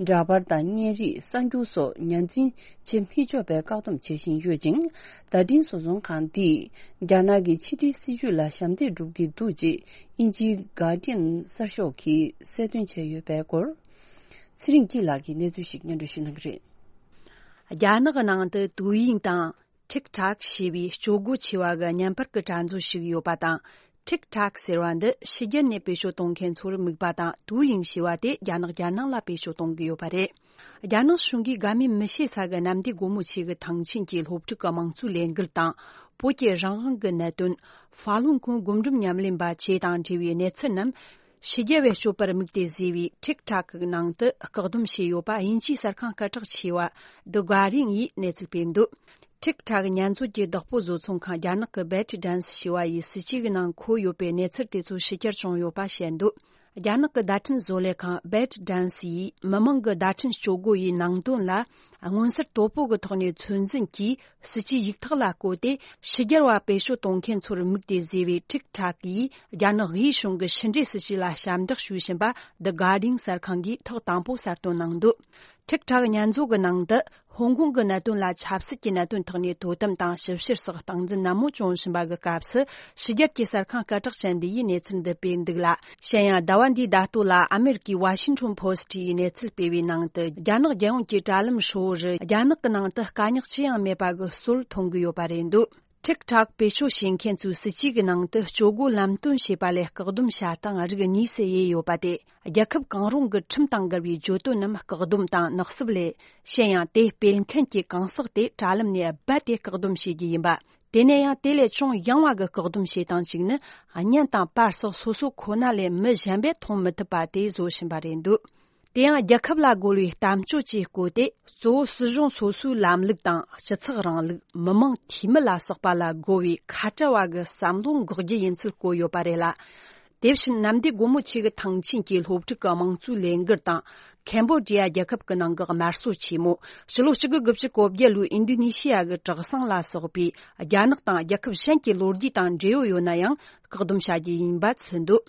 འདྲ་པར་དང་བརྙན་རིས། གསར་འགྱུར་སོགས་ཉར་འཛིན་བྱེད་མི་ཆོག་པའི་བཀག་སྡོམ་བྱེད་བཞིན་ཡོད་ཅིང་། བརྡ་འཕྲིན་བཟོ་ཚོང་ཁང་འདིས་རྒྱ་ནག་གི་ཕྱི་འབྲེལ་སྲིད་བྱུས་ལ་ཞབས་འདེགས་སྒྲུབ་ཀྱི་འདུག་ཅེས་དབྱིན་ཇིའི་Guardian་གསར་ཤོག་གིས་གསལ་སྟོན་བྱས་ཡོད་པའི་སྐོར། ཚེ་རིང་སྐྱིད་ལགས་ཀྱིས་གནས་ཚུལ་ཞིག་སྙན་སྒྲོན་ཞུ་གནང་གི་རེད། རྒྱ་ནག་གི་ནང་དུ་དུའུ་ཡིང་དང་། ཊིག་ཊོག་ཞེས་པའི་སྤྱོད་སྒོ་ཆེ་བ་གི་བརྙན་པར་གྱི་དྲ་མཛོད་ཞིག་ཡོད་པ་དང་། ཊིག་ཊོག་ཟེར་བ་འདི་ཕྱི་རྒྱལ་ནས་བེད་སྤྱོད་གཏོང་མཁན་ཚོར་དམིགས་པ་དང་། དུའུ་ཡིང་ཞེས་པ་དེ་རྒྱ་ནག་རྒྱལ་ནང་ལ་བེད་སྤྱོད་གཏོང་གི་ཡོད་པ་རེད། རྒྱ་ནག་གཞུང་གིས་དགའ་མོས་མི་བྱེད་ས་གི་གནམ་བདེ་སྒོ་མོ་ཆེ་གི་ཐང་ཆེན་གྱི་སློབ་ཕྲུག་གི་དམངས་གཙོའི་ལས་འགུལ་དང་། བོད་ཀྱི་རང་དབང་གི་གནད་དོན། ཧྥ་ལུང་ཀོང་སྒོམ་སྒྲུབ་ཉམས་ལེན་པ་བཅས་དང་འབྲེལ་བའི་གནས་ཚུལ་རྣམས། ཕྱི་རྒྱལ་བས་སྤྱོད་པར་དམིགས་ཏེ་བཟོས་པའི་ཊིག་ཊོག་གི་ནང་དུ་བཀག་སྡོམ་བྱས་ཡོད་པ་དབྱིན་ཇིའི་གསར་ཁང་སྐད་གྲགས་ཆེ་བ་The Guardian་ཡིས་གནས་ཚུལ་སྤེལ་འདུག་ཊིག་ཊོག་བརྙན་མཛོད་ཀྱི་བདག་པོ་བཟོ་ཚོང་ཁང་རྒྱ་ནག་གི་ByteDance་ཞེས་པ་ཡི་སྲིད་ཇུས་ཀྱི་ནང་འཁོད་ཡོད་པའི་གནས་ཚུལ་དེ་ཚོ་ཕྱི་གྱར་བྱུང་ཡོད་པ་བཤད་འདུག་རྒྱ་ནག་གི་བརྡ་འཕྲིན་བཟོ་ལས་ཁང་ByteDance་ཡིས་མི་མང་གི་བརྡ་འཕྲིན་སྤྱོད་སྒོ་ཡི་ནང་དོན་ལ་མངོན་གསལ་དོད་པོ་གི་ཐོག་ནས་ཚོད་འཛིན་གྱིས་སྲིད་ཇུས་ཡིག་ཐག་ལ་བཀོད་དེ། ཕྱི་རྒྱལ་བ་བེད་སྤྱོད་གཏོང་མཁན་ཚོར་དམིགས་ཏེ་བཟོས་པའི་TikTok་ཡིས་རྒྱ་ནག་དབུས་གཞུང་གི་ཕྱི་འབྲེལ་སྲིད་ཇུས་ལ་ཞབས་འདེགས་ཞུས་བཞིན་པ་The Guardian་གསར་ཁང་གིས་ཐོག་དང་པོ་གསལ་སྟོན་གནང་འདུག TikTok་ཉར་འཛུགས་ཀྱི་ནང་དུ། ཧོང་ཀོང་གི་གནད་དོན་ལ་ཆབ་སྲིད་ཀྱི་གནད་དོན་ཐོག་ནས་དོ་དམ་དང་ཞིབ་བཤེར་སོགས་སྟངས་འཛིན་ནན་མོ་བྱུང་བཞིན་པ་གི་སྐབས་སུ། ཕྱི་རྒྱལ་གྱི་གསར་ཁང་སྐད་གྲགས་ཅན་འདི་ཡིས་གནས་ཚུལ་འདི་སྤེལ་འདུག་ལ། གཞན་ཡང་ཟླ་བ་འདིའི་ཟླ་སྟོད་ལ་ཨ་མེ་རི་ཀའི་Washington Post་ཡིས་གནས་ཚུལ་སྤེལ་བའི་ནང་དུ། རྒྱ་ནག་རྒྱལ་ཡོངས་ཀྱི་དྲ་ལམ་ཧྲིལ་བོ་རུ་རྒྱ་ནག་གི་ནང་དུ་དཀའ་རྙོག་ཅི་ཡང་མེད་པ་གི་སྲོལ་མཐོང་གི་ཡོད་པ་རེད་འདུག TikTok་བེད་སྤྱོད་བྱེད་མཁན་ཚོའི་སྲིད་ཇུས་ཀྱི་ནང་དུ་སྤྱོད་སྒོ་ལམ་སྟོན་བྱེད་པ་ལས་བཀག་སྡོམ་བྱ་སྟངས་རིགས་གཉིས་སུ་དབྱེ་ཡོད་པ་སྟེ། རྒྱལ་ཁབ་གང་རུང་གི་ཁྲིམས་དང་འགལ་བའི་བརྗོད་དོན་རྣམས་བཀག་སྡོམ་དང་ནག་སུབ་ལས། གཞན་ཡང་དེ་སྤེལ་མཁན་གྱི་གང་ཟག་དེ་དྲ་ལམ་ནས་རྦད་དེ་བཀག་སྡོམ་བྱེད་རྒྱུ་ཡིན་པ། དེ་ནས་ཡང་དེ་ལས་ཅུང་ཡང་བ་གི་བཀག་སྡོམ་བྱེད་སྟངས་ཤིག་ནི། བརྙན་དང་པར་སོགས་སོ་སོ་ཁོ་ན་ལས་མི་གཞན་པས་མཐོང་མི་ཐུབ་པ་དེ་བཟོ་བཞིན་པ་རེད་འདུག་དེ་ཡང་རྒྱལ་ཁབ་ལ་རྒོལ་བའི་གཏམ་བརྗོད་ཅེས་བཀོད་དེ། གཙོ་བོ་སྲིད་གཞུང་སོ་སོའི་ལམ་ལུགས་དང་སྤྱི་ཚོགས་རིང་ལུགས། མི་མང་འཐུས་མི་ལ་སོགས་པ་ལ་རྒོལ་བའི་ཁ་བྲལ་བ་གི་བསམ་བློ་འགོག་རྒྱུ་ཡིན་ཚུལ་བཀོད་ཡོད་པ་རེད་ལ། དེ་བཞིན་ནམ་ཟླའི་དགོང་མོ་ཆེ་གི་ཐང་ཆེན་གྱི་སློབ་ཕྲུག་གི་དམངས་གཙོའི་ལས་འགུལ་དང་། ཁེམ་བོ་ཌི་ཡ་རྒྱལ་ཁབ་ཀྱི་ནང་གི་དམར་གསོད་ཆེན་མོ། ཕྱི་ལོ་གཅིག་དགུ་དགུ་བཅུ་གོ་བརྒྱད་ལོའི་ཨིན་ཌོ་ནེ་ཤི་ཡ་གི་དྲག་ཟིང་ལ་སོགས་པའི་རྒྱ་ནག་དང་རྒྱལ་ཁབ་གཞན་གྱི་ལོ་རྒྱུས་དང་འབྲེལ་ཡོད་ཡོད་ན་ཡང་བཀག་སྡོམ་བྱ་རྒྱུ་ཡིན་པ་གསུངས་འདུག་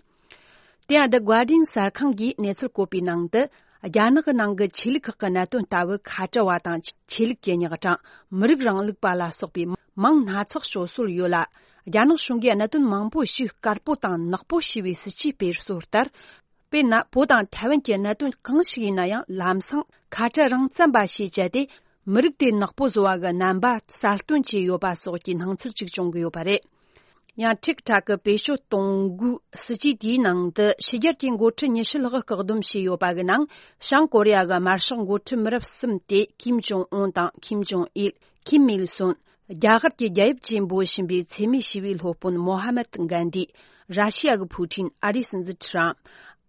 དེ་ཡང་The Guardian་གསར་ཁང་གིས་གནས་ཚུལ་བཀོད་པའི་ནང་དུ། རྒྱ་ནག་གི་ནང་གི་ཆོས་ལུགས་ཁག་གི་གནད་དོན་ལྟ་བུ་ཁ་བྲལ་བ་དང་ཆོས་ལུགས་ཀྱི་རྙོག་དྲ། མི་རིགས་རིང་ལུགས་པ་ལ་སོགས་པའི་མིང་སྣ་ཚོགས་སྤྱོད་སྲོལ་ཡོད་ལ། རྒྱ་ནག་གཞུང་གིས་གནད་དོན་མང་པོ་ཞིག་དཀར་པོ་དང་ནག་པོ་ཞེས་པའི་སྲིད་ཇུས་སྤེལ་སྲོལ་ལྟར། དཔེར་ན། བོད་དང་ཐའེ་ཝན་གྱི་གནད་དོན་གང་ཞིག་ཡིན་ན་ཡང་ལམ་སང་ཁ་བྲལ་རང་བཙན་པ་ཞེས་བྱས་ཏེ། མི་རིགས་དེ་ནག་པོ་བཟོ་བ་གི་རྣམ་པ་གསལ་སྟོན་བྱས་ཡོད་པ་སོགས་ཀྱི་སྣང་ཚུལ་ཅིག་བྱུང་གི་ཡོད་པ་རེད། ཡང་ཊིག་ཊོག་གི་བེད་སྤྱོད་གཏོང་སྒོའི་སྲིད་ཇུས་དེའི་ནང་དུ་ཕྱི་རྒྱལ་གྱི་འགོ་ཁྲིད་ཉི་ཤུ་ལྷག་བཀག་སྡོམ་བྱས་ཡོད་པ་གི་ནང་། བྱང་ཀོ་རི་ཡ་གི་དམར་ཤོག་འགོ་ཁྲིད་མི་རབས་གསུམ་སྟེ། ཀིམ་ཇོང་ཨུན་དང་། ཀིམ་ཇོང་ཨིལ། ཁིམ་མིལ་སོན། རྒྱ་གར་གྱི་རྒྱལ་ཡབ་ཅེས་འབོད་བཞིན་པའི་འཚེ་མེད་ཞི་བའི་སློབ་དཔོན་མོ་ཧ་མད་གྷན་དྷི། ར་ཤི་ཡ་གི་ཕུ་ཊིན། ཨ་རིའི་སྲིད་འཛིན་ཁྲམ།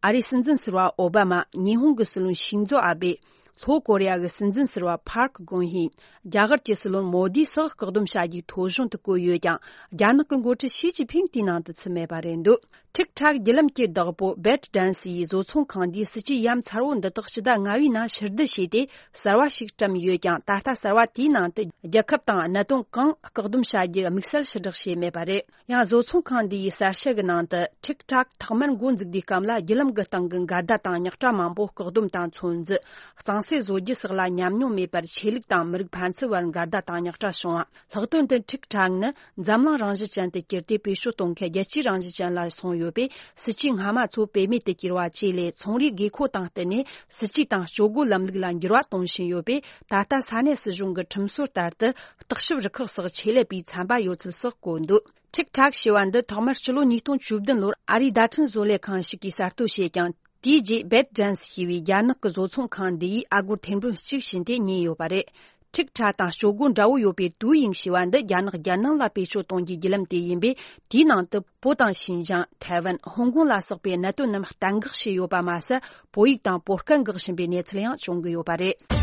ཨ་རིའི་སྲིད་འཛིན་ཟུར་པ་ཨོ་བྷ་མ། ཉི་ཧོང་གི་སྲིད་བློན་ཤིན་ཛོ་ཨ་བེ། ལྷོ་ཀོ་རི་ཡ་གི་སྲིད་འཛིན་ཟུར་པ་ཕཱར་ཁ་གོང་ཧི། རྒྱ་གར་གྱི་སྲིད་བློན་མོ་དི་སོགས་བཀག་སྡོམ་བྱ་རྒྱུའི་ཐོ་གཞུང་དུ་བཀོད་ཡོད་ཀྱང་། རྒྱ་ནག་གི་འགོ་ཁྲིད་ཞི་ཅིན་ཕིང་དེའི་ནང་དུ་ཚུད་མེད་པ་རེད་འདུག་ཊིག་ཊོག་བརྒྱུད་ལམ་གྱི་བདག་པོ་བེད་ཌན་སི་ཡིས་བཟོ་ཚོང་ཁང་འདིའི་སྲིད་ཇུས་ཡ་མཚར་བོ་འདི་དག་ཕྱི་ཟླ་ལྔ་བའི་ནང་ཕྱིར་བསྡུ་བྱས་ཏེ། གསར་བ་ཞིག་བཀྲམ་ཡོད་ཀྱང་། ད་ལྟ་གསར་བ་དེའི་ནང་དུ་རྒྱལ་ཁབ་དང་གནད་དོན་གང་བཀག་སྡོམ་བྱ་རྒྱུ་དམིགས་བསལ་ཕྱིར་བསྒྲགས་བྱས་མེད་པ་རེད། ཡང་བཟོ་ཚོང་ཁང་འདི་ཡི་གསལ་བཤད་ཀྱི་ནང་དུ། ཊིག་ཊོག་ཐོག་མར་འགོ་འཛུགས་དུས་སྐབས་ལ་བརྒྱུད་ལམ་གྱི་སྟེང་གི་འགལ་ཟླ་དང་རྙོག་དྲ་མང་པོ་བཀག་སྡོམ་དང་ཚོད་འཛིན། གཙང་སེལ་བཟོ་རྒྱུ་སོགས་ལ་ཉམས་མྱོང་མེད་པར། ཆོས་ལུགས་དང་མི་རིགས་ཕན་ཚུན་བར་འགལ་ཟླ་དང་རྙོག་དྲ་བྱུང་བ། ལྷག་དོན་དུ་ཊིག་ཊོག་ནི་འཛམ་གླིང་རང་བཞིན་ཅན་དུ་གྱུར་ཏེ། བེད་སྤྱོད་གཏོང་མཁན་རྒྱལ་སྤྱིའི་རང་བཞིན་ཅན་ལ་སོང་ཡོད་པས། སྲིད་ཇུས་སྔ་མ་ཚོ་བེད་མེད་དུ་གྱུར་བ་བཅས་ལས། ཚོང་རའི་དགོས་མཁོ་དང་བསྟུན་ནས་སྲིད་ཇུས་དང་སྤྱོད་སྒོ་ལམ་ལུགས་ལ་འགྱུར་བ་གཏོང་བཞིན་ཡོད་པས། ད་ལྟ་ས་གནས་སྲིད་གཞུང་གི་ཁྲིམས་སྲོལ་ལྟར་དུ། བརྟག་ཞིབ་རུ་ཁག་སོགས་ཆེད་ལས་པས་ཚན་པ་ཡོད་ཚུལ་སོགས་བཀོད་འདུག་ཊིག་ཊོག་ཞེས་པ་འདི་ཐོག་མར་ཕྱི་ལོ་ཉིས་སྟོང་བཅུ་བདུན་ལོར་ཨ་རིའི་བརྡ་འཕྲིན་བཟོ་ལས་ཁང་ཞིག་གིས་གསར་གཏོད་བྱས་ཀྱང་། དེའི་རྗེས་བེད་ཌན་སི་ཞེས་པའི་རྒྱ་ནག་གི་བཟོ་ཚོང་ཁང་འདི་ཡིས་ཨ་སྒོར་ཐེར་འབུམ་གཅིག་བྱིན་ཏེ་རྙེད་ཡོད་པ་རེད། ཊིག་ཊོག་དང་སྤྱོད་སྒོ་འདྲ་བོ་ཡོད་པའི་ཏུའུ་ཡིང་ཞེས་པ་འདི་རྒྱ་ནག་རྒྱལ་ནང་ལ་བེད་སྤྱོད་གཏོང་རྒྱུའི་བརྒྱུད་ལམ་དེ་ཡིན་པས། དེའི་ནང་དུ་བོད་དང་ཤིན་ཅང་། ཐའེ་ཝན། ཧོང་ཀོང་ལ་སོགས་པའི་གནད་དོན་རྣམས་གཏན་འགག་བྱས་ཡོད་པ་མ་ཟད། བོད་ཡིག་དང་བོད་སྐད་འགོག་བཞིན་པའི་གནས་ཚུལ་ཡང་བྱུང་གི་ཡོད་པ་རེད།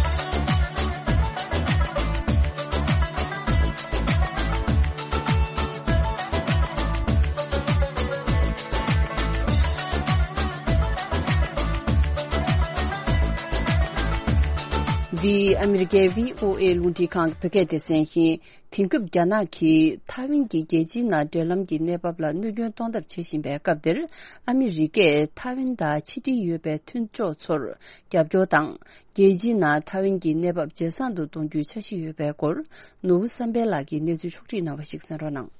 འདི་ཨ་མི་རི་ཀའི་བྷི་ཨོ་ཨེ་རླུང་འཕྲིན་ཁང་གི་བོད་སྐད་སྡེ་ཚན་ཡིན། དེང་སྐབས་རྒྱ་ནག་གིས་ཐའེ་ཝན་གྱི་རྒྱལ་སྤྱིའི་ནང་འབྲེལ་ལམ་གྱི་གནས་བབ་ལ་གནོད་སྐྱོན་གཏོང་ཐབས་བྱེད་བཞིན་པའི་སྐབས་འདིར། ཨ་མི་རི་ཀས་ཐའེ་ཝན་དང་ཕྱི་འབྲེལ་ཡོད་པའི་མཐུན་ཕྱོགས་ཚོར་རྒྱབ་སྐྱོར་དང་། རྒྱལ་སྤྱིའི་ནང་ཐའེ་ཝན་གྱི་གནས་བབ་ཇེ་བཟང་དུ་གཏོང་རྒྱུའི་འཆར་གཞི་ཡོད་པའི་སྐོར། ནོར་བུ་བསམ་འཕེལ་ལགས་ཀྱིས་གནས་ཚུལ་ཕྱོགས་བསྒྲིགས་གནང་བ་ཞིག་གསན་རོགས་གནང་།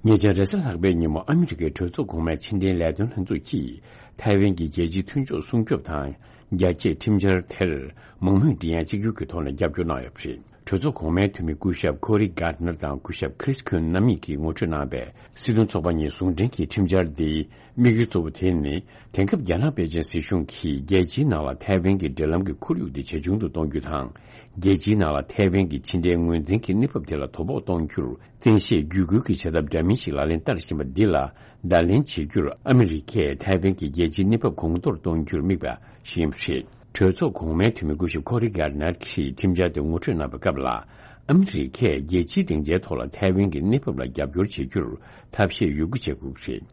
ཉེ་ཆར་རེས་གཟའ་ལྷག་པའི་ཉིན་མོ་ཨ་མི་རི་ཀའི་གྲོས་ཚོགས་གོང་མའི་ཕྱི་འབྲེལ་ལས་དོན་ལྷན་ཚོགས་ཀྱིས་ཐའེ་ཝན་གྱི་རྒྱལ་སྤྱིའི་མཐུན་ཕྱོགས་སྲུང་སྐྱོབ་དང་རྒྱ་སྐྱེད་ཁྲིམས་འཆར་དེར་མང་མོས་མགྲིན་དབྱངས་གཅིག་གྱུར་གྱི་ཐོག་ནས་རྒྱབ་སྐྱོར་གནང་ཡོད་པ་རེད། གྲོས་ཚོགས་གོང་མའི་འཐུས་མི་སྐུ་ཞབས་ཁོ་རི་གྷར་ནར་དང་སྐུ་ཞབས་ཁྲིས་ཁུན་རྣམ་གཉིས་ཀྱིས་ངོ་སྤྲོད་གནང་བའི་སྲིད་དོན་ཚོགས་པ་གཉིས་ཟུང་འབྲེལ་གྱི་ཁྲིམས་འཆར་འདིའི་དམིགས་ཡུལ་གཙོ་བོ་དེ་ནི། དེང་སྐབས་རྒྱ་ནག་པེ་ཅིན་སྲིད་གཞུང་གིས་རྒྱལ་སྤྱིའི་ནང་ལ་ཐའེ་ཝན་གྱི་འབྲེལ་ལམ་གྱི་ཁོར་ཡུག་དེ་ཇེ་ཆུང་དུ་གཏོང་རྒྱུ་དང་། རྒྱལ་སྤྱིའི་ནང་ལ་ཐའེ་ཝན་གྱི་ཕྱི་འབྲེལ་ངོས་འཛིན་གྱི་གནས་བབ་དེ་ལ་དོ་ཕོག་གཏོང་རྒྱུར་བཙན་ཤེད་བརྒྱུད་སྐུལ་གྱི་བྱ་ཐབས་འདྲ་མིན་ཞིག་ལག་ལེན་བསྟར་བཞིན་པ་འདི་ལ་བརྡ་ལན་བྱེད་རྒྱུར་ཨ་མི་རི་ཀས་ཐའེ་ཝན་གྱི་རྒྱལ་སྤྱིའི་གནས་བབ་གོང་མཐོར་གཏོང་རྒྱུར་དམིགས་པ་ཞིག་ཡིན་པ་རེད། གྲོས་ཚོགས་གོང་མའི་འཐུས་མི་སྐུ་ཞབས་ཁོ་རི་གྷར་ནར་གྱིས་ཁྲིམས་འཆར་དེ་ངོ་སྤྲོད་གནང་བའི་སྐབས་ལ། ཨ་མི་རི་ཀས་རྒྱལ་སྤྱིའི་སྡིངས་ཆའི་ཐོག་ལ་ཐའེ་ཝན་གྱི་གནས་བབ་ལ་རྒྱབ་སྐྱོར་བྱེད་རྒྱུར་ཐབས་ཤེས་ཡོད་རྒུ་བྱེད་དགོས་ཀྱི་རེད།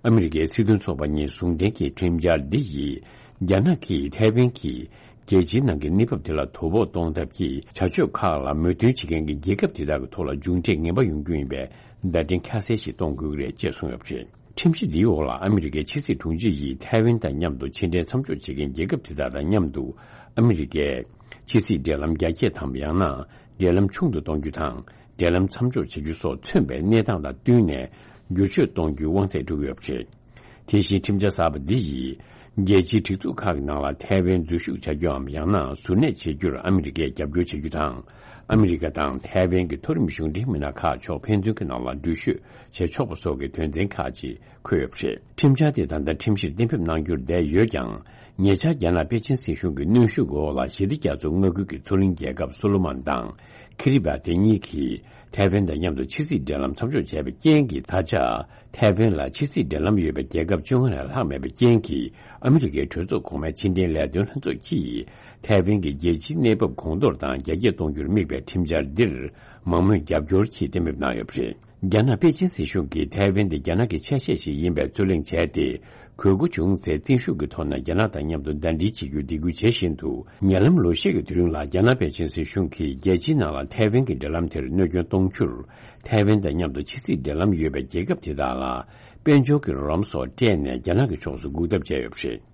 ཨ་མི་རི་ཀའི་སྲིད་དོན་ཚོགས་པ་གཉིས་ཟུང་འབྲེལ་གྱི་ཁྲིམས་འཆར་འདི་ཡིས། རྒྱ་ནག་གིས་ཐའེ་ཝན་གྱིས་རྒྱལ་སྤྱིའི་ནང་གི་གནས་བབ་དེ་ལ་དོ་ཕོག་གཏོང་ཐབས་ཀྱི་བྱ་སྤྱོད་ཁག་ལ་མོས་མཐུན་བྱེད་མཁན་གྱི་རྒྱལ་ཁབ་དེ་དག་གི་ཐོག་ལ་མཇུག་འབྲས་ངན་པ་ཡོང་རྒྱུ་ཡིན་པའི་བརྡ་འཕྲིན་ཁ་གསལ་ཞིག་གཏོང་དགོས་ཀྱི་རེད་ཅེས་གསུངས་ཡོད་པ་རེད། ཁྲིམས་གཞི་འདིའི་འོག་ལ་ཨ་མི་རི་ཀའི་ཕྱི་སྲིད་དྲུང་ཆེ་ཡིས་ཐའེ་ཝན་དང་མཉམ་དུ་ཕྱི་འབྲེལ་མཚམས་འཇོག་བྱེད་མཁན་རྒྱལ་ཁབ་དེ་དག་དང་མཉམ་དུ་ཨ་མི་རི་ཀས་ཕྱི་སྲིད་འབྲེལ་ལམ་རྒྱ་སྐྱེད་དམ་ཡང་ན་འབྲེལ་ལམ་ཆུང་དུ་གཏོང་རྒྱུ་དང་འབྲེལ་ལམ་མཚམས་འཇོག་བྱ་རྒྱུ་སོགས་མཚོན་པའི་གནས་སྟངས་དང་བསྟུན་ནས་བསྒྱུར་བཅོས་གཏོང་རྒྱུའི་དབང་ཚད་སྤྲོད་ཀྱི་ཡོད་པ་རེད། དེ་བཞིན་ཁྲིམས་འཆར་གསར་པ་འདི་ཡིས་རྒྱལ་སྤྱིའི་སྒྲིག་འཛུགས་ཁག་གི་ནང་ལ་ཐའེ་ཝན་འཛུལ་ཞུགས་བྱ་རྒྱུའམ་ཡང་ན་གཟུར་གནས་བྱེད་རྒྱུར་ཨ་མི་རི་ཀས་རྒྱབ་སྐྱོར་བྱ་རྒྱུ་དང་། ཨ་མི་རི་ཀ་དང་ཐའེ་ཝན་གྱི་མཐོ་རིམ་གཞུང་འབྲེལ་མི་སྣ་ཁག་ཕྱོགས་ཕན་ཚུན་གྱི་ནང་ལ་འགྲུལ་བཞུད་བྱེད་ཆོག་པ་སོགས་ཀྱི་དོན་ཚན་ཁག་ཅིག་འཁོད་ཡོད་པ་རེད། ཁྲིམས་འཆར་དེ་ད་ལྟ་ཁྲིམས་གཞིར་གཏན་འབེབས་གནང་རྒྱུར་བསྡད་ཡོད་ཀྱང་། ཉེ་ཆར་རྒྱ་ནག་པེ་ཅིན་སྲིད་གཞུང་གི་གནོན་ཤུགས་འོག་ལ་ཞི་བདེ་རྒྱ་མཚོ་མངའ་ཁུལ་གྱི་མཚོ་གླིང་རྒྱལ་ཁབ་སོ་ལོ་མོན་དང་ཁི་རི་བ་ཏི་གཉིས་ཀྱིས་ཐའེ་ཝན་དང་མཉམ་དུ་ཕྱི་སྲིད་འབྲེལ་ལམ་མཚམས་འཇོག་བྱས་པའི་རྐྱེན་གྱིས། ད་ཆ་ཐའེ་ཝན་ལ་ཕྱི་སྲིད་འབྲེལ་ལམ་ཡོད་པའི་རྒྱལ་ཁབ་བཅོ་ལྔ་ལས་ལྷག་མེད་པའི་རྐྱེན་གྱིས། ཨ་མི་རི་ཀའི་གྲོས་ཚོགས་གོང་མའི་ཕྱི་འབྲེལ་ལས་དོན་ལྷན་ཚོགས་ཀྱིས་ཐའེ་ཝན་གྱི་རྒྱལ་སྤྱིའི་གནས་བབ་གོང་མཐོར་དང་རྒྱ་སྐྱེད་གཏོང་རྒྱུར་དམིགས་པའི་ཁྲིམས་འཆར་འདིར་མང་མོས་རྒྱབ་སྐྱོར་གྱིས་གཏན་འབེབས་གནང་ཡོད་པ་རེད། རྒྱ་ནག་པེ་ཅིན་སྲིད་གཞུང་གིས་ཐའེ་ཝན་དེ་རྒྱ་ནག་གི་ཆ་ཤས་ཤིག་ཡིན་པའི་རྩོད་གླེང་བྱས་ཏེ། དགོས་མཁོ་བྱུང་ཚེ་བཙན་ཤུགས་ཀྱི་ཐོག་ནས་རྒྱ་ནག་དང་མཉམ་དུ་ཟླ་སྒྲིལ་བྱེད་རྒྱུར་འདེད་སྐུལ་བྱེད་བཞིན་དུ། ཉེ་ལམ་ལོ་ཤས་ཀྱི་དུས་རིང་ལ་རྒྱ་ནག་པེ་ཅིན་སྲིད་གཞུང་གིས་རྒྱལ་སྤྱིའི་ནང་ལ་ཐའེ་ཝན་གྱི་འབྲེལ་ལམ་དེར་གནོད་སྐྱོན་གཏོང་རྒྱུར། ཐའེ་ཝན་དང་མཉམ་དུ་ཕྱི་སྲིད་འབྲེལ་ལམ་ཡོད་པའི་རྒྱལ་ཁབ་དེ་དག་ལ། དཔལ་འབྱོར་གྱི་རོགས་རམ་སོགས་སྤྲད་ནས་རྒྱ་ནག་གི་ཕྱོགས་སུ་འགུག་ཐབས་བྱས་ཡོད་པ་རེད།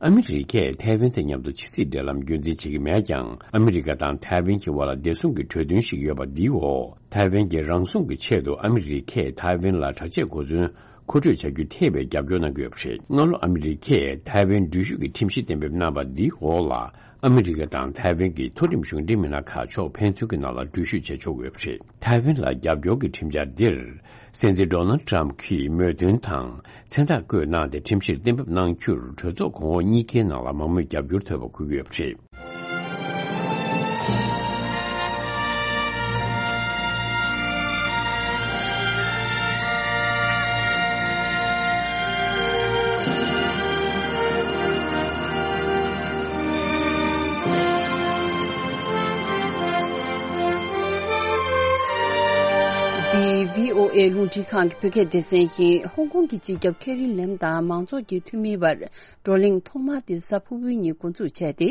ཨ་མི་རི་ཀས་ཐའེ་ཝན་དང་མཉམ་དུ་ཕྱི་སྲིད་འབྲེལ་ལམ་རྒྱུན་འཛིན་བྱེད་ཀྱི་མེད་ཀྱང་། ཨ་མི་རི་ཀ་དང་ཐའེ་ཝན་གྱི་དབར་ལ་བདེ་སྲུང་གི་གྲོས་མཐུན་ཞིག་ཡོད་པ་འདིའི་འོག་ཐའེ་ཝན་གྱི་རང་སྲུང་གི་ཆེད་དུ་ཨ་མི་རི་ཀས་ཐའེ་ཝན་ལ་དྲག་ཆས་གོ་མཚོན་མཁོ་སྤྲོད་བྱ་རྒྱུ་ཐེ་བའི་རྒྱབ་སྐྱོར་གནང་གི་ཡོད་པ་རེད། སྔ་ལོ་ཨ་མི་རི་ཀས་ཐའེ་ཝན་འགྲུལ་བཞུད་ཀྱི་ཁྲིམས་གཞི་གཏན་འབེབས་གནང་བ་འདིའི་འོག་ལ། ཨ་མི་རི་ཀ་དང་ཐའེ་ཝན་གྱི་མཐོ་རིམ་གཞུང་འབྲེལ་མི་སྣ་ཁག་ཕྱོགས་ཕན་ཚུན་གྱི་ནང་ལ་འགྲུལ་བཞུད་བྱེད་ཆོག་གི་ཡོད་པ་རེད། ཐའེ་ཝན་ལ་རྒྱབ་སྐྱོར་གྱི་ཁྲིམས་འཆར་འདིར། སྲིད་འཛིན་ཌོ་ནལ་ཊམ་གྱིས་མོས་མཐུན་དང་མཚན་རྟགས་བཀོད་གནང་སྟེ། ཁྲིམས་གཞིར་གཏན་འབེབས་གནང་རྒྱུར་གྲོས་ཚོགས་གོང་འོག་གཉིས་ཀའི་ནང་ལ་མང་མོས་རྒྱབ་སྐྱོར་ཐོབ་པ་འཁོད་ཀྱི་ཡོད་པ་རེད། འདི་བྷི་ཨོ་ཨེ་རླུང་འཕྲིན་ཁང་གི་བོད་སྐད་སྡེ་ཚན་ཡིན། ཧོང་ཀོང་གི་སྤྱི་ཁྱབ་ཁེ་རི་ལེམ་དང་མང་ཚོགས་ཀྱི་འཐུས་མིའི་བར་བགྲོ་གླེང་ཐོག་མ་དེ་གཟའ་ཕུར་བུའི་ཉིན་འགོ་འཛུགས་བྱས་ཏེ།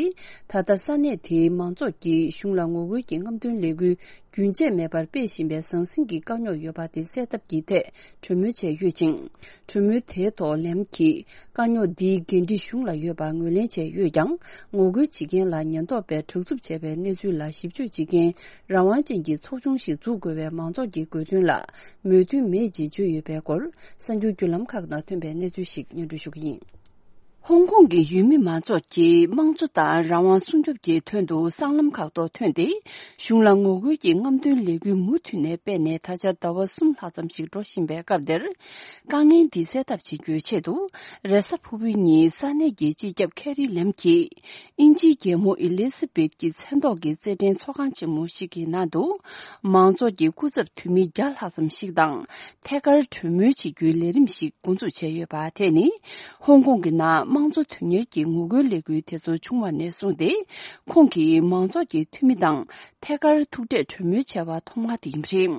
ད་ལྟ་ས་གནས་དེའི་མང་ཚོགས་ཀྱིས་གཞུང་ལ་ངོ་རྒོལ་གྱི་རྔམ་སྟོན་ལས་འགུལ་རྒྱུན་ཆད་མེད་པར་སྤེལ་བཞིན་པའི་ཟང་ཟིང་གི་དཀའ་རྙོག་ཡོད་པ་དེ་སེལ་ཐབས་ཀྱི་ཐད་གྲོས་མོལ་བྱས་ཡོད་ཅིང་། གྲོས་མོལ་དེའི་ཐོག་ལེམ་གྱིས་དཀའ་རྙོག་འདིའི་འགན་འཁྲི་གཞུང་ལ་ཡོད་པ་ངོས་ལེན་བྱས་ཡོད་ཀྱང་། ངོ་རྒོལ་བྱེད་མཁན་ལ་ཉེན་རྟོག་པས་དྲག་རྩུབ་བྱས་པའི་གནས་ཚུལ་ལ་ཞིབ་དཔྱོད་བྱེད་མཁན་རང་དབང་ཅན་གྱི་ཚོགས་ཆུང་ཞིག་འཛུགས་དགོས་པའི་མང་ཚོགས་ཀྱི་དགོས་འདུན་ལ་མོས་མཐུན་མེད་ཅེས་བརྗོད་ཡོད་པའི་སྐོར། གསར་འགྱུར་བརྒྱུད་ལམ་ཁག་ནང་ཐོན་པའི་གནས་ཚུལ་ཞིག་སྙན་སྒྲོན་ཞུ་གི་ཡིན། ཧོང་ཀོང་གི་ཡུལ་མི་མང་ཚོགས་ཀྱིས་དམངས་གཙོ་དང་རང་དབང་སྲུང་སྐྱོབ་ཀྱི་དོན་དུ་སྲང་ལམ་ཁག་ཏུ་ཐོན་ཏེ། གཞུང་ལ་ངོ་རྒོལ་གྱི་རྔམ་སྟོན་ལས་འགུལ་མུ་མཐུད་ནས་སྤེལ་ནས་ད་ཆ་ཟླ་བ་གསུམ་ལྷག་ཙམ་ཞིག་འགྲོ་བཞིན་པའི་སྐབས་འདིར། དཀའ་ངལ་འདི་སེལ་ཐབས་བྱེད་རྒྱུའི་ཆེད་དུ། རེས་གཟའ་ཕུར་བུའི་ཉིན་ས་གནས་ཀྱི་སྤྱི་ཁྱབ་ཁེ་རི་ལེམ་གྱིས། དབྱིན་ཇིའི་རྒྱལ་མོ་ཨི་ལི་ཟ་བེད་ཀྱི་མཚན་ཐོག་གི་རྩེད་འགྲན་ཚོགས་ཁང་ཆེན་མོ་ཞིག་གི་ནང་དུ། མང་ཚོགས་ཀྱི་སྐུ་ཚབ་འཐུས་མི་བརྒྱ་ལྷག་ཙམ་ཞིག་དང་། ཐད་ཀར་གྲོས་མོལ་བྱེད་རྒྱུའི་ལས་རིམ་ཞིག་འགོ་འཛུགས་བྱས་ཡོད་པ་དེ་ནི། ཧོང་ཀོང་གི་ནང་དམངས་གཙོ་དོན་གཉེར་གྱི་ངོ་རྒོལ་ལས་འགུལ་དེ་ཚོ་བྱུང་བ་ནས་བཟུང་སྟེ། ཁོང་གིས་མང་ཚོགས་ཀྱི་འཐུས་མི་དང་ཐད་ཀར་ཐུག་འཕྲད་གྲོས་མོལ་བྱས་པ་ཐོག་མ་དེ་ཡིན་པ་རེད།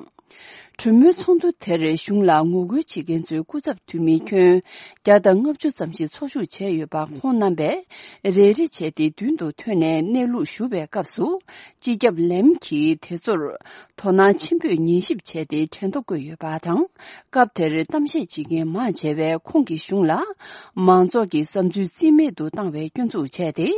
གྲོས་མོལ་ཚོགས་འདུ་དེར་གཞུང་ལ་ངོ་རྒོལ་བྱེད་མཁན་ཚོའི་སྐུ་ཚབ་འཐུས་མི་ཁྱོན་བརྒྱ་དང་ལྔ་བཅུ་ཙམ་ཞིག་ཚོགས་ཞུགས་བྱས་ཡོད་པ་ཁོང་རྣམ་པས་རེ་རེ་བྱས་ཏེ་མདུན་དུ་ཐོན་ནས་གནས་ལུགས་ཞུ་བའི་སྐབས་སུ། སྤྱི་ཁྱབ་ལེམ་གྱིས་དེ་ཚོར་དོ་སྣང་ཆེན་པོས་ཉན་ཞིབ་བྱས་ཏེ་དྲན་ཐོ་བཀོད་ཡོད་པ་དང་། སྐབས་དེར་གཏམ་བཤད་བྱེད་མཁན་མང་ཆེ་བས་ཁོང་གིས་གཞུང་ལ་མང་ཚོགས་ཀྱི་བསམ་ཚུལ་རྩིས་མེད་དུ་བཏང་བའི་སྐྱོན་འཛུགས་བྱས་ཏེ།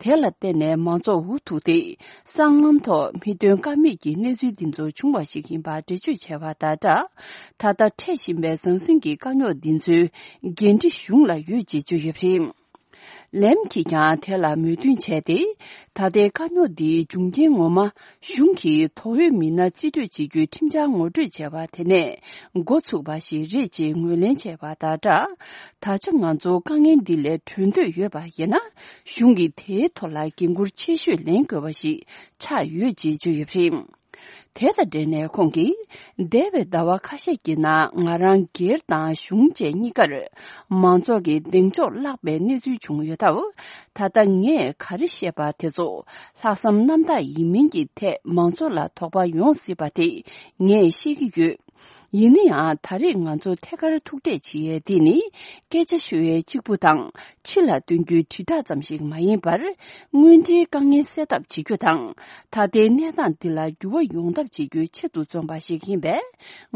དེ་ལ་བརྟེན་ནས་མང་ཚོགས་འུ་ཐུག་སྟེ། སྲང་ལམ་ཐོག་མི་དོན་ཀ་མེད་ཀྱི་གནས་ཚུལ་འདི་ཚོ་བྱུང་བ་ཞིག་ཡིན་པ་འགྲེལ་བརྗོད་བྱས་པ་དང་སྦྲགས། ད་ལྟ་འཕྲད་བཞིན་པའི་ཟང་ཟིང་གི་དཀའ་རྙོག་འདི་ཚོའི་འགན་འཁྲི་གཞུང་ལ་ཡོད་ཅེས་བརྗོད་ཡོད་པ་རེད། ལེམ་གྱིས་ཀྱང་དེ་ལ་མོས་མཐུན་བྱས་ཏེ། ད་ལྟའི་དཀའ་རྙོག་འདིའི་འབྱུང་རྐྱེན་ངོ་མ་གཞུང་གིས་དོགས་ཡོད་མི་སྣ་རྩིས་སྤྲོད་བྱེད་རྒྱུའི་ཁྲིམས་འཆར་ངོ་སྤྲོད་བྱས་པ་དེ་ནས་འགོ་ཚུགས་པ་ཞིག་རེད་ཅེས་ངོས་ལེན་བྱས་པ་དང་སྦྲགས། ད་ཆ་ང་ཚོ་དཀའ་ངལ་འདི་ལས་གྲོལ་འདོད་ཡོད་པ་ཡིན་ན། གཞུང་གིས་དེའི་ཐོག་ལ་འགན་འཁུར་ཆེ་ཤོས་ལེན་དགོས་པ་ཞིག་ཆགས་ཡོད་ཅེས་བརྗོད་ཡོད་པ་རེད། དེ་དང་འབྲེལ་ནས་ཁོང་གིས། འདས་པའི་ཟླ་བ་ཁ་ཤས་ཀྱི་ནང་ང་རང་སྒེར་དང་གཞུང་བཅས་གཉིས་ཀར་མང་ཚོགས་ཀྱི་གདེང་འཇོག་བརླག་པའི་གནས་ཚུལ་བྱུང་ཡོད་སྟབས། ད་ལྟ་ངས་ག་རེ་བཤད་པ་དེ་ཚོ་ལྷག་བསམ་རྣམ་དག་ཡིན་མིན་གྱི་ཐད་མང་ཚོགས་ལ་དོགས་པ་ཡོང་སྲིད་པ་དེ་ངས་ཤེས་ཀྱི་ཡོད། ཡིན་ན་ཡང་ད་རེས་ང་ཚོ་ཐད་ཀར་ཐུག་འཕྲད་བྱེད་ཡས་འདི་ནི་སྐད་ཆ་ཤོད་ཡས་གཅིག་པུ་དང་ཕྱི་ལ་སྟོན་རྒྱུའི་དྲིལ་བསྒྲགས་ཙམ་ཞིག་མ་ཡིན་པར། དངོས་འབྲེལ་དཀའ་ངལ་སེལ་ཐབས་བྱེད་རྒྱུ་དང་། ད་ལྟའི་གནས་སྟངས་འདི་ལ་འགྱུར་བ་ཡོང་ཐབས་བྱེད་རྒྱུའི་ཆེད་དུ་འཛོམས་པ་ཞིག་ཡིན་པས།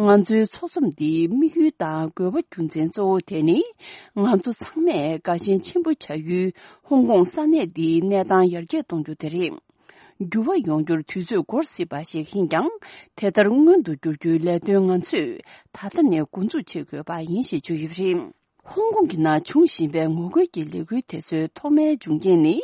ང་ཚོའི་ཚོགས་འཛོམས་འདིའི་དམིགས་ཡུལ་དང་དགོས་པ་རྒྱུ་མཚན་གཙོ་བོ་དེ་ནི། ང་ཚོ་ཚང་མས་དགའ་ཞེན་ཆེན་པོ་བྱ་ཡུལ་ཧོང་ཀོང་ས་གནས་འདིའི་གནས་སྟངས་ཡར་རྒྱས་གཏོང་རྒྱུ་དེ་རེད། འགྱུར་བ་ཡོང་རྒྱུར་དུས་ཚོད་འགོར་སྲིད་པ་ཞིག་ཡིན་ཀྱང་། དེ་ལྟར་སྔོན་དུ་འགྱུར་རྒྱུའི་ལས་དོན་ང་ཚོས་ད་ལྟ་ནས་འགོ་འཛུགས་བྱེད་དགོས་པ་ཡིན་ཞེས་བརྗོད་ཡོད་པ་རེད། ཧོང་ཀོང་གི་ནང་འབྱུང་བཞིན་པའི་ངོ་རྒོལ་གྱི་ལས་འགུལ་དེ་ཚོའི་ཐོག་མའི་འབྱུང་རྐྱེན་ནི།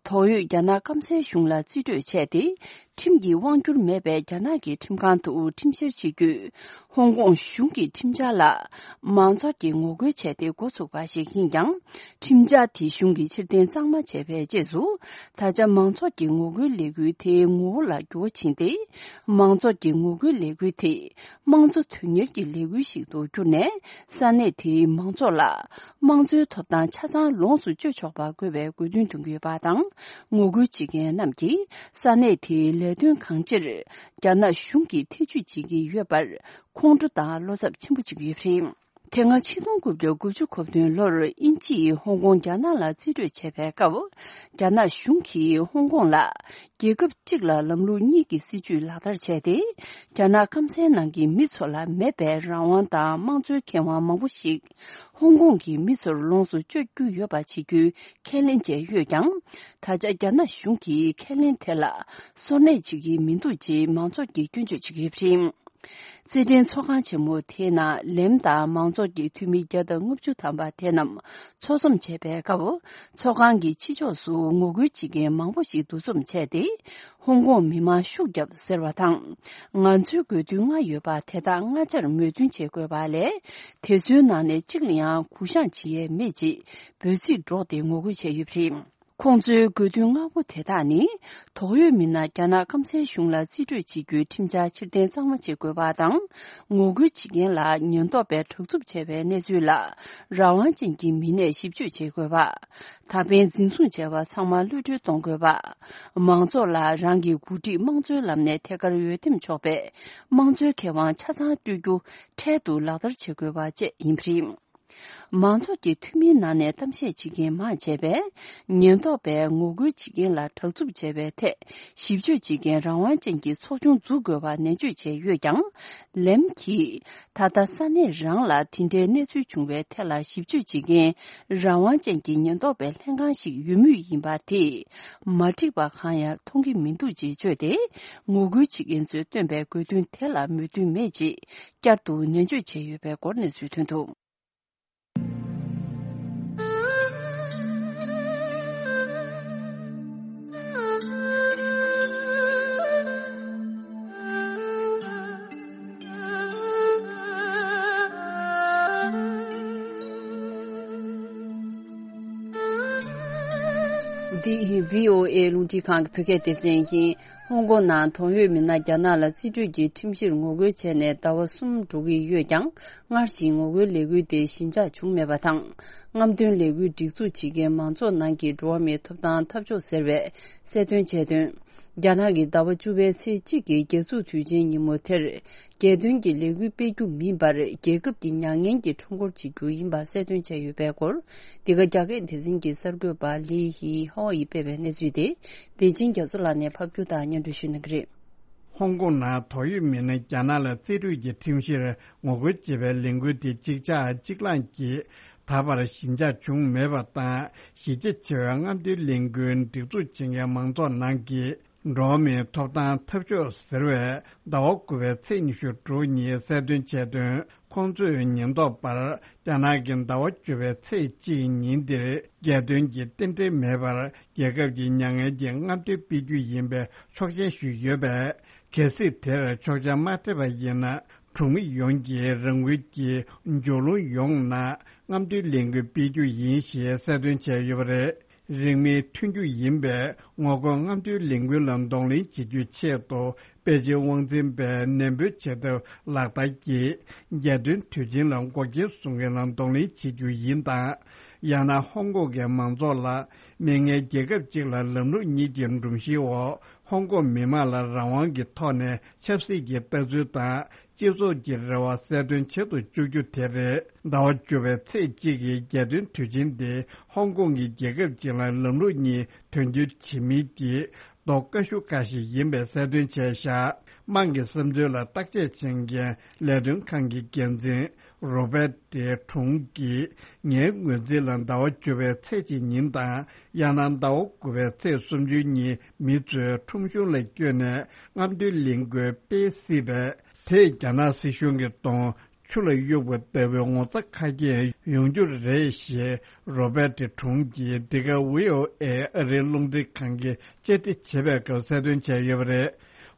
དོགས་ཡོད་རྒྱ་ནག་སྐམ་སའི་གཞུང་ལ་རྩིས་སྤྲོད་བྱས་ཏེ། ཁྲིམས་ཀྱི་དབང་སྒྱུར་མེད་པའི་རྒྱ་ནག་གི་ཁྲིམས་ཁང་དུ་ཁྲིམས་བཤེར་བྱེད་རྒྱུས། ཧོང་ཀོང་གཞུང་གི་ཁྲིམས་འཆར་ལ་མང་ཚོགས་ཀྱིས་ངོ་རྒོལ་བྱས་ཏེ་འགོ་ཚུགས་པ་ཞིག་ཡིན་ཀྱང་། ཁྲིམས་འཆར་དེ་གཞུང་གིས་ཕྱིར་འཐེན་གཙང་མ་བྱས་པའི་རྗེས་སུ། ད་ཆ་མང་ཚོགས་ཀྱི་ངོ་རྒོལ་ལས་འགུལ་དེའི་ངོ་བོ་ལ་འགྱུར་བ་ཕྱིན་ཏེ། མང་ཚོགས་ཀྱི་ངོ་རྒོལ་ལས་འགུལ་དེ་དམངས་གཙོ་དོན་གཉེར་གྱི་ལས་འགུལ་ཞིག་ཏུ་གྱུར་ནས། ས་གནས་དེའི་མང་ཚོགས་ལ་དམངས་གཙོའི་ཐོབ་ཐང་ཆ་ཚང་ལོངས་སུ་སྤྱོད་ཆོག་པ་དགོས་པའི་དགོས་འདུན་འདོན་གྱི་ཡོད་པ་དང་། ངོ་རྒོལ་བྱེད་མཁན་རྣམས་ཀྱིས་ས་གནས་དེའི་ལས་དོན་གང་ཅིར་རྒྱ་ནག་གཞུང་གིས་ཐེ་ཇུས་བྱེད་ཀྱི་ཡོད་པར་ཁོང་ཁྲོ་དང་བློ་འཚབ་ཆེན་པོ་བྱེད་ཀྱི་ཡོད་པ་རེད། དེ་སྔ་ཆིག་སྟོང་དགུ་བརྒྱ་དགུ་བཅུ་གོ་བདུན་ལོར་དབྱིན་ཇི་ཡིས་ཧོང་ཀོང་རྒྱ་ནག་ལ་རྩིས་སྤྲོད་བྱས་པའི་སྐབས། རྒྱ་ནག་གཞུང་གིས་ཧོང་ཀོང་ལ་རྒྱལ་ཁབ་གཅིག་ལ་ལམ་ལུགས་གཉིས་ཀྱི་སྲིད་ཇུས་ལག་བསྟར་བྱས་ཏེ། རྒྱ་ནག་སྐམ་སའི་ནང་གི་མི་ཚོ་ལ་མེད་པའི་རང་དབང་དང་དམངས་གཙོའི་ཁེ་དབང་མང་པོ་ཞིག་ཧོང་ཀོང་གི་མི་ཚོར་ལོངས་སུ་སྤྱོད་རྒྱུ་ཡོད་པ་བྱེད་རྒྱུའི་ཁས་ལེན་བྱས་ཡོད་ཀྱང་། ད་ཆ་རྒྱ་ནག་གཞུང་གིས་ཁས་ལེན་དེ་ལ་སོར་གནས་བྱེད་ཀྱི་མི་འདུག་ཅེས་མང་ཚོགས་ཀྱིས་སྐྱོན་བརྗོད་བྱེད་ཀྱི་ཡོད་པ་རེད། རྩེད་འགྲན་ཚོགས་ཁང་ཆེན་མོ་དེའི་ནང་ལེམ་དང་མང་ཚོགས་ཀྱི་འཐུས་མི་བརྒྱ་དང་ལྔ་བཅུ་ཐམ་པ་དེ་རྣམས་ཚོགས་འཛོམས་བྱས་པའི་སྐབས། ཚོགས་ཁང་གི་ཕྱི་ཕྱོགས་སུ་ངོ་རྒོལ་བྱེད་མཁན་མང་པོ་ཞིག་འདུ་འཛོམས་བྱས་ཏེ། ཧོང་ཀོང་མི་མང་ཤུགས་བརྒྱབ་ཟེར་བ་དང་། ང་ཚོའི་དགོས་འདུན་ལྔ་ཡོད་པ་དེ་དག་སྔ་ཆར་མོས་མཐུན་བྱེད་དགོས་པ་ལས། དེ་ཚོའི་ནང་ནས་གཅིག་ལ་ཡང་གུ་བཤངས་བྱེད་ཡས་མེད་ཅེས་འབོད་ཚིག་སྒྲོག་སྟེ་ངོ་རྒོལ་བྱས་ཡོད་པ་རེད། ཁོང་ཚོའི་དགོས་འདུན་ལྔ་པོ་དེ་དག་ནི། དོགས་ཡོད་མི་སྣ་རྒྱ་ནག་སྐམ་སའི་གཞུང་ལ་རྩིས་སྤྲོད་བྱེད་རྒྱུའི་ཁྲིམས་འཆར་ཕྱིར་འཐེན་གཙང་མ་བྱེད་དགོས་པ་དང་། ངོ་རྒོལ་བྱེད་མཁན་ལ་ཉེན་རྟོག་པས་དྲག་རྩུབ་བྱས་པའི་གནས་ཚུལ་ལ་རང་དབང་ཅན་གྱི་མི་སྣས་ཞིབ་དཔྱོད་བྱེད་དགོས་པ། ད་ཕན་འཛིན་བཟུང་བྱས་པ་ཚང་མ་གློད་གྲོལ་གཏོང་དགོས་པ། མང་ཚོགས་ལ་རང་གི་འགོ་ཁྲིད་དམངས་གཙོའི་ལམ་ནས་ཐད་ཀར་འོས་འདེམས་ཆོག་པའི་དམངས་གཙོའི་ཁེ་དབང་ཆ་ཚང་སྤྲོད་རྒྱུ་འཕྲལ་དུ་ལག་བསྟར་བྱེད་དགོས་པ་བཅས་ཡིན་པ་རེད། མང་ཚོགས་ཀྱི་འཐུས་མིའི་ནང་ནས་གཏམ་བཤད་བྱེད་མཁན་མང་ཆེ་བས། ཉེན་རྟོག་པས་ངོ་རྒོལ་བྱེད་མཁན་ལ་དྲག་རྩུབ་བྱས་པའི་ཐད། ཞིབ་དཔྱོད་བྱེད་མཁན་རང་དབང་ཅན་གྱི་ཚོགས་ཆུང་འཛུགས་དགོས་པ་ནན་བརྗོད་བྱས་ཡོད་ཀྱང་། ལེམ་གྱིས། ད་ལྟ་ས་གནས་རང་ལ་དེ་འདྲའི་གནས་ཚུལ་བྱུང་བའི་ཐད་ལ་ཞིབ་དཔྱོད་བྱེད་མཁན་རང་དབང་ཅན་གྱི་ཉེན་རྟོག་པའི་ལྷན་ཁང་ཞིག་ཡོད་མུས་ཡིན་པ་དེས། མ་འགྲིག་པ་གང་ཡང་མཐོང་གི་མི་འདུག་ཅེས་བརྗོད་དེ། ངོ་རྒོལ་བྱེད་མཁན་ཚོས་བཏོན་པའི་དགོས་འདུན་དེ་ལ་མོས་མཐུན་མེད་ཅེས། བསྐྱར་དུ་ནན་བརྗོད་བྱས་ཡོད་པའི་སྐོར་གནས་ཚུལ་ཐོན་འདུག། འདི་བྷི་ཨོ་ཨེ་རླུང་འཕྲིན་ཁང་གི་བོད་སྐད་སྡེ་ཚན་ཡིན། ཧོང་ཀོང་ནང་དོགས་ཡོད་མི་སྣ་རྒྱ་ནག་ལ་རྩིས་སྤྲོད་ཀྱི་ཁྲིམས་གཞིར་ངོ་རྒོལ་བྱས་ནས་ཟླ་བ་གསུམ་འགྲོ་གི་ཡོད་ཀྱང་། སྔར་བཞིན་ངོ་རྒོལ་ལས་འགུལ་དེ་ཞི་འཇགས་བྱུང་མེད་པ་དང་། རྔམ་སྟོན་ལས་འགུལ་སྒྲིག་འཛུགས་བྱེད་མཁན་མང་ཚོགས་ནང་གི་འགྲོ་བ་མིའི་ཐོབ་ཐང་འཐབ་ཕྱོགས་ཟེར་བས་གསལ་སྟོན་བྱས་དོན། རྒྱ་ནག་གིས་ཟླ་བ་བཅུ་པའི་ཚེས་གཅིག་གི་རྒྱལ་འཛུགས་དུས་ཆེན་ཉིན་མོ་དེར། རྒྱལ་སྟོན་གྱི་ལས་འགུལ་སྤེལ་རྒྱུ་མིན་པར། རྒྱལ་ཁབ་ཀྱི་མྱ་ངན་གྱི་ཁྲོམ་སྐོར་བྱེད་རྒྱུ་ཡིན་པ་གསལ་སྟོན་བྱས་ཡོད་པའི་སྐོར། འདི་ག་རྒྱ་སྐད་སྡེ་ཚན་གྱི་གསར་འགོད་པ་ལི་ཧི་ཧོ་ཡིས་སྤེལ་བའི་གནས་ཚུལ་དེ། བདེ་ཆེན་རྒྱ་མཚོ་ལགས་ནས་ཕབ་སྒྱུར་དང་སྙན་སྒྲོན་ཞུ་གནང་གི་རེད། ཧོང་ཀོང་ནང་དོགས་ཡོད་མི་སྣ་རྒྱ་ནག་ལ་རྩིས་སྤྲོད་ཀྱི་ཁྲིམས་གཞིར་ངོ་རྒོལ་བྱེད་པའི་ལས་འགུལ་དེ་གཅིག་ཆ་གཅིག་ལངས་ཀྱིས་ད་བར་ཞི་འཇགས་བྱུང་མེད་པ་དང་། གཞི་རྒྱ་ཆེ་བའི་རྔམ་སྟོན་ལས་འགུལ་སྒྲིག་འཛུགས་བྱེད་མཁན་མང་ཚོགས་ནང་གི་འགྲོ་བ་མིའི་ཐོབ་ཐང་འཐབ་ཕྱོགས་ཟེར་བས་ཟླ་བ་དགུ་པའི་ཚེས་ཉི་ཤུ་དྲུག་ཉིན་གསལ་སྟོན་བྱས་དོན། ཁོང་ཚོས་ཉེན་རྟོག་པར་རྒྱ་ནག་གི་ཟླ་བ་བཅུ་པའི་ཚེས་གཅིག་ཉིན་འདིར་རྒྱལ་སྟོན་གྱི་རྟེན་འབྲེལ་མེད་པར་རྒྱལ་ཁབ་ཀྱི་མྱ་ངན་གྱི་རྔམ་སྟོན་སྤེལ་རྒྱུ་ཡིན་པའི་ཆོག་མཆན་ཞུས་ཡོད་པས། གལ་སྲིད་དེར་ཆོག་མཆན་མ་སྤྲད་པ་ཡིན་ན། གྲོང་མི་ཡོངས་ཀྱིས་རང་འགུལ་གྱིས་སྦྱོར་ལྷུང་ཡོང་ན། རྔམ་སྟོན་ལས་འགུལ་སྤེལ་རྒྱུ་ཡིན་ཞེས་གསལ་སྟོན་བྱས་ཡོད་པ་རེད། རིང་མིན་ཐོན་རྒྱུ་ཡིན་པས། ངོ་རྒོལ་རྔམ་སྟོན་ལས་འགུལ་ལ་གདོང་ལེན་བྱེད་རྒྱུའི་ཆེད་དུ། པེ་ཅིན་དབང་འཛིན་པས་ནན་པོའི་བྱེད་ཐབས་ལག་བསྟར་གྱིས། རྒྱལ་སྟོན་དུས་ཆེན་ལ་འགོག་རྐྱེན་བཟོ་མཁན་ལ་གདོང་ལེན་བྱེད་རྒྱུ་ཡིན་དང་། ཡང་ན་ཧོང་ཀོང་གི་མང་ཚོགས་ལ། མི་ངན་རྒྱལ་ཁབ་ཅིག་ལ་ལམ་ལུགས་གཉིས་ཀྱི་སྒྲོམ་གཞིའི་འོག་ཧོང་ཀོང་མི་མང་ལ་རང་དབང་གི་ཐོག་ནས་ཆབ་སྲིད་ཀྱི་ལྟ་ཚུལ་དང་། སྤྱི་ཚོགས་ཀྱི་རེ་བ་གསལ་སྟོན་བྱེད་དུ་བཅུག་རྒྱུ་དེ་རེད། ཟླ་བ་བཅུ་པའི་ཚེས་གཅིག་གི་རྒྱལ་སྟོན་དུས་ཆེན་དེ་ཧོང་ཀོང་གི་རྒྱལ་ཁབ་ཅིག་ལ་ལམ་ལུགས་གཉིས་དོན་འཁྱོལ་བྱེད་མིན་གྱི་རྡོག་རྐ་ཤུ་རྐ་ཞིག་ཡིན་པའི་གསལ་སྟོན་བྱས་བཞག་དམངས་ཀྱི་བསམ་ཚུལ་ལ་བརྟག་དཔྱད་བྱེད་མཁན་ལས་དོན་ཁང་གི་འགན་འཛིན་རོ་བེ་ཏེ་ཁྲུང་གིས། ངའི་ངོས་འཛིན་ལ་ཟླ་བ་བཅུ་པའི་ཚེས་གཅིག་ཉིན་དང་། ཡང་ན་ཟླ་བ་དགུ་པའི་ཚེས་སུམ་ཅུ་ཉིན་མི་ཚོས་ཁྲོམ་གཞུང་ལ་བསྐྱོད་ནས་རྔམ་སྟོན་ལས་འགུལ་སྤེལ་སྲིད་པས། དེས་རྒྱ་ནག་སྲིད་གཞུང་གི་གདོང་ཆུ་ལ་གཡུག་པ་ལྟ་བུའི་ངོ་ཚ་ཁ་སྐྱེངས་ཡོང་རྒྱུ་རེད་ཞེས་རོ་བེ་ཏི་ཁྲུང་གིས་འདི་ག་བྷི་ཨོ་ཨེ་ཨ་རིའི་རླུང་འཕྲིན་ཁང་གིས་བཅར་འདྲི་བྱེད་པའི་སྐབས་གསལ་སྟོན་བྱས་ཡོད་པ་རེད།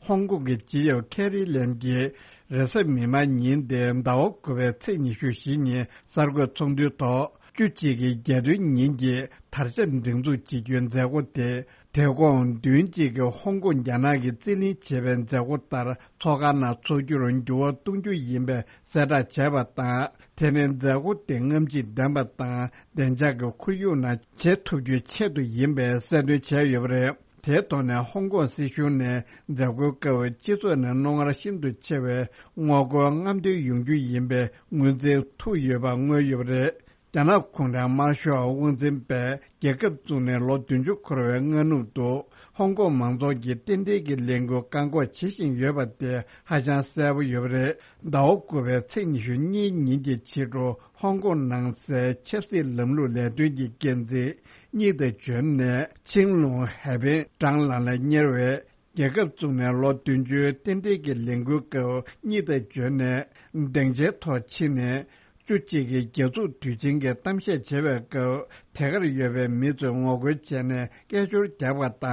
ཧོང་ཀོང་གི་སྤྱི་ཁྱབ་ཁེ་རི་ལེམ་གྱིས་རེས་གཟའ་མིག་དམར་ཉིན་ཏེ་ཟླ་བ་དགུ་པའི་ཚེས་ཉི་ཤུ་བཞི་ཉིན་གསར་འགོད་ཚོགས་འདུའི་ཐོག་བཅུ་གཅིག་གི་རྒྱལ་སྟོན་ཉིན་གྱི་དར་ཆ་སྒྲེང་འཛུགས་བྱེད་རྒྱུའི་མཛད་སྒོ་དེ། དེ་དགོང་བདུན་གཅིག་གི་ཧོང་ཀོང་རྒྱ་ནག་གིས་རྩིས་ལེན་བྱས་པའི་མཛད་སྒོ་ལྟར་ཚོགས་ཁང་ནང་འཚོགས་རྒྱུར་འགྱུར་བ་གཏོང་རྒྱུ་ཡིན་པའི་གསལ་བསྒྲགས་བྱས་པ་དང་། དེ་ནི་མཛད་སྒོ་དེ་རྔམ་བརྗིད་ལྡན་པ་དང་བདེ་འཇགས་ཀྱི་ཁོར་ཡུག་ནང་བྱེད་ཐུབ་རྒྱུའི་ཆེད་དུ་ཡིན་པའི་གསལ་སྟོན་བྱས་ཡོད་པ་རེད། དེའི་ཐོག་ནས་ཧོང་ཀོང་སྲིད་གཞུང་ནས་མཛད་སྒོའི་སྐབས་སྤྱི་ཚོགས་ནས་རྣོ་ངར་ཤིན་ཏུ་ཆེ་བའི་ངོ་རྒོལ་རྔམ་སྟོན་ཡོང་རྒྱུ་ཡིན་པའི་ངོས་འཛིན་ཐུག་ཡོད་པ་མངོན་ཡོད་པ་རེད། རྒྱ་ནག་གུང་ཁྲན་དམར་ཤོག་དབང་འཛིན་པས་རྒྱལ་ཁབ་བཙུགས་ནས་ལོ་བདུན་ཅུ་འཁོར་བའི་སྔ་ནུབ་ཏུ། ཧོང་ཀོང་མང་ཚོགས་ཀྱིས་རྟེན་འབྲེལ་གྱི་ལས་འགུལ་བཀག་འགོག་བྱེད་བཞིན་ཡོད་པ་དེ་ཧ་ཅང་གསལ་པོ་ཡོད་པ་རེད། ཟླ་བ་དགུ་པའི་ཚེས་ཉི་ཤུ་གཉིས་ཉིན་གྱི་ཕྱི་དྲོ་ཧོང་ཀོང་ནང་སའི་ཆབ་སྲིད་ལམ་ལུགས་ལས་དོན་གྱི་འགན་འཛིན་གཉིད་དུ་བྱོན་ནས་ཆིང་ལུང་ཧའེ་པེན་ཀྲང་ལ་ལ་གཉེར་བས། རྒྱལ་ཁབ་བཙུགས་ནས་ལོ་བདུན་ཅུའི་རྟེན་འབྲེལ་གྱི་ལས་འགུལ་སྐབས་གཉིད་དུ་བྱོན་ནས་སྡིངས་ཆའི་ཐོག་ཕྱིན་ནས། བཅུ་གཅིག་གི་རྒྱལ་འཛུགས་དུས་ཆེན་གྱི་གཏམ་བཤད་བྱེད་པའི་སྐབས་དེ་གར་ཡོད་པའི་མི་ཚོས་ངོ་རྒོལ་བྱས་ནས་སྐད་ཅོར་བརྒྱབ་པ་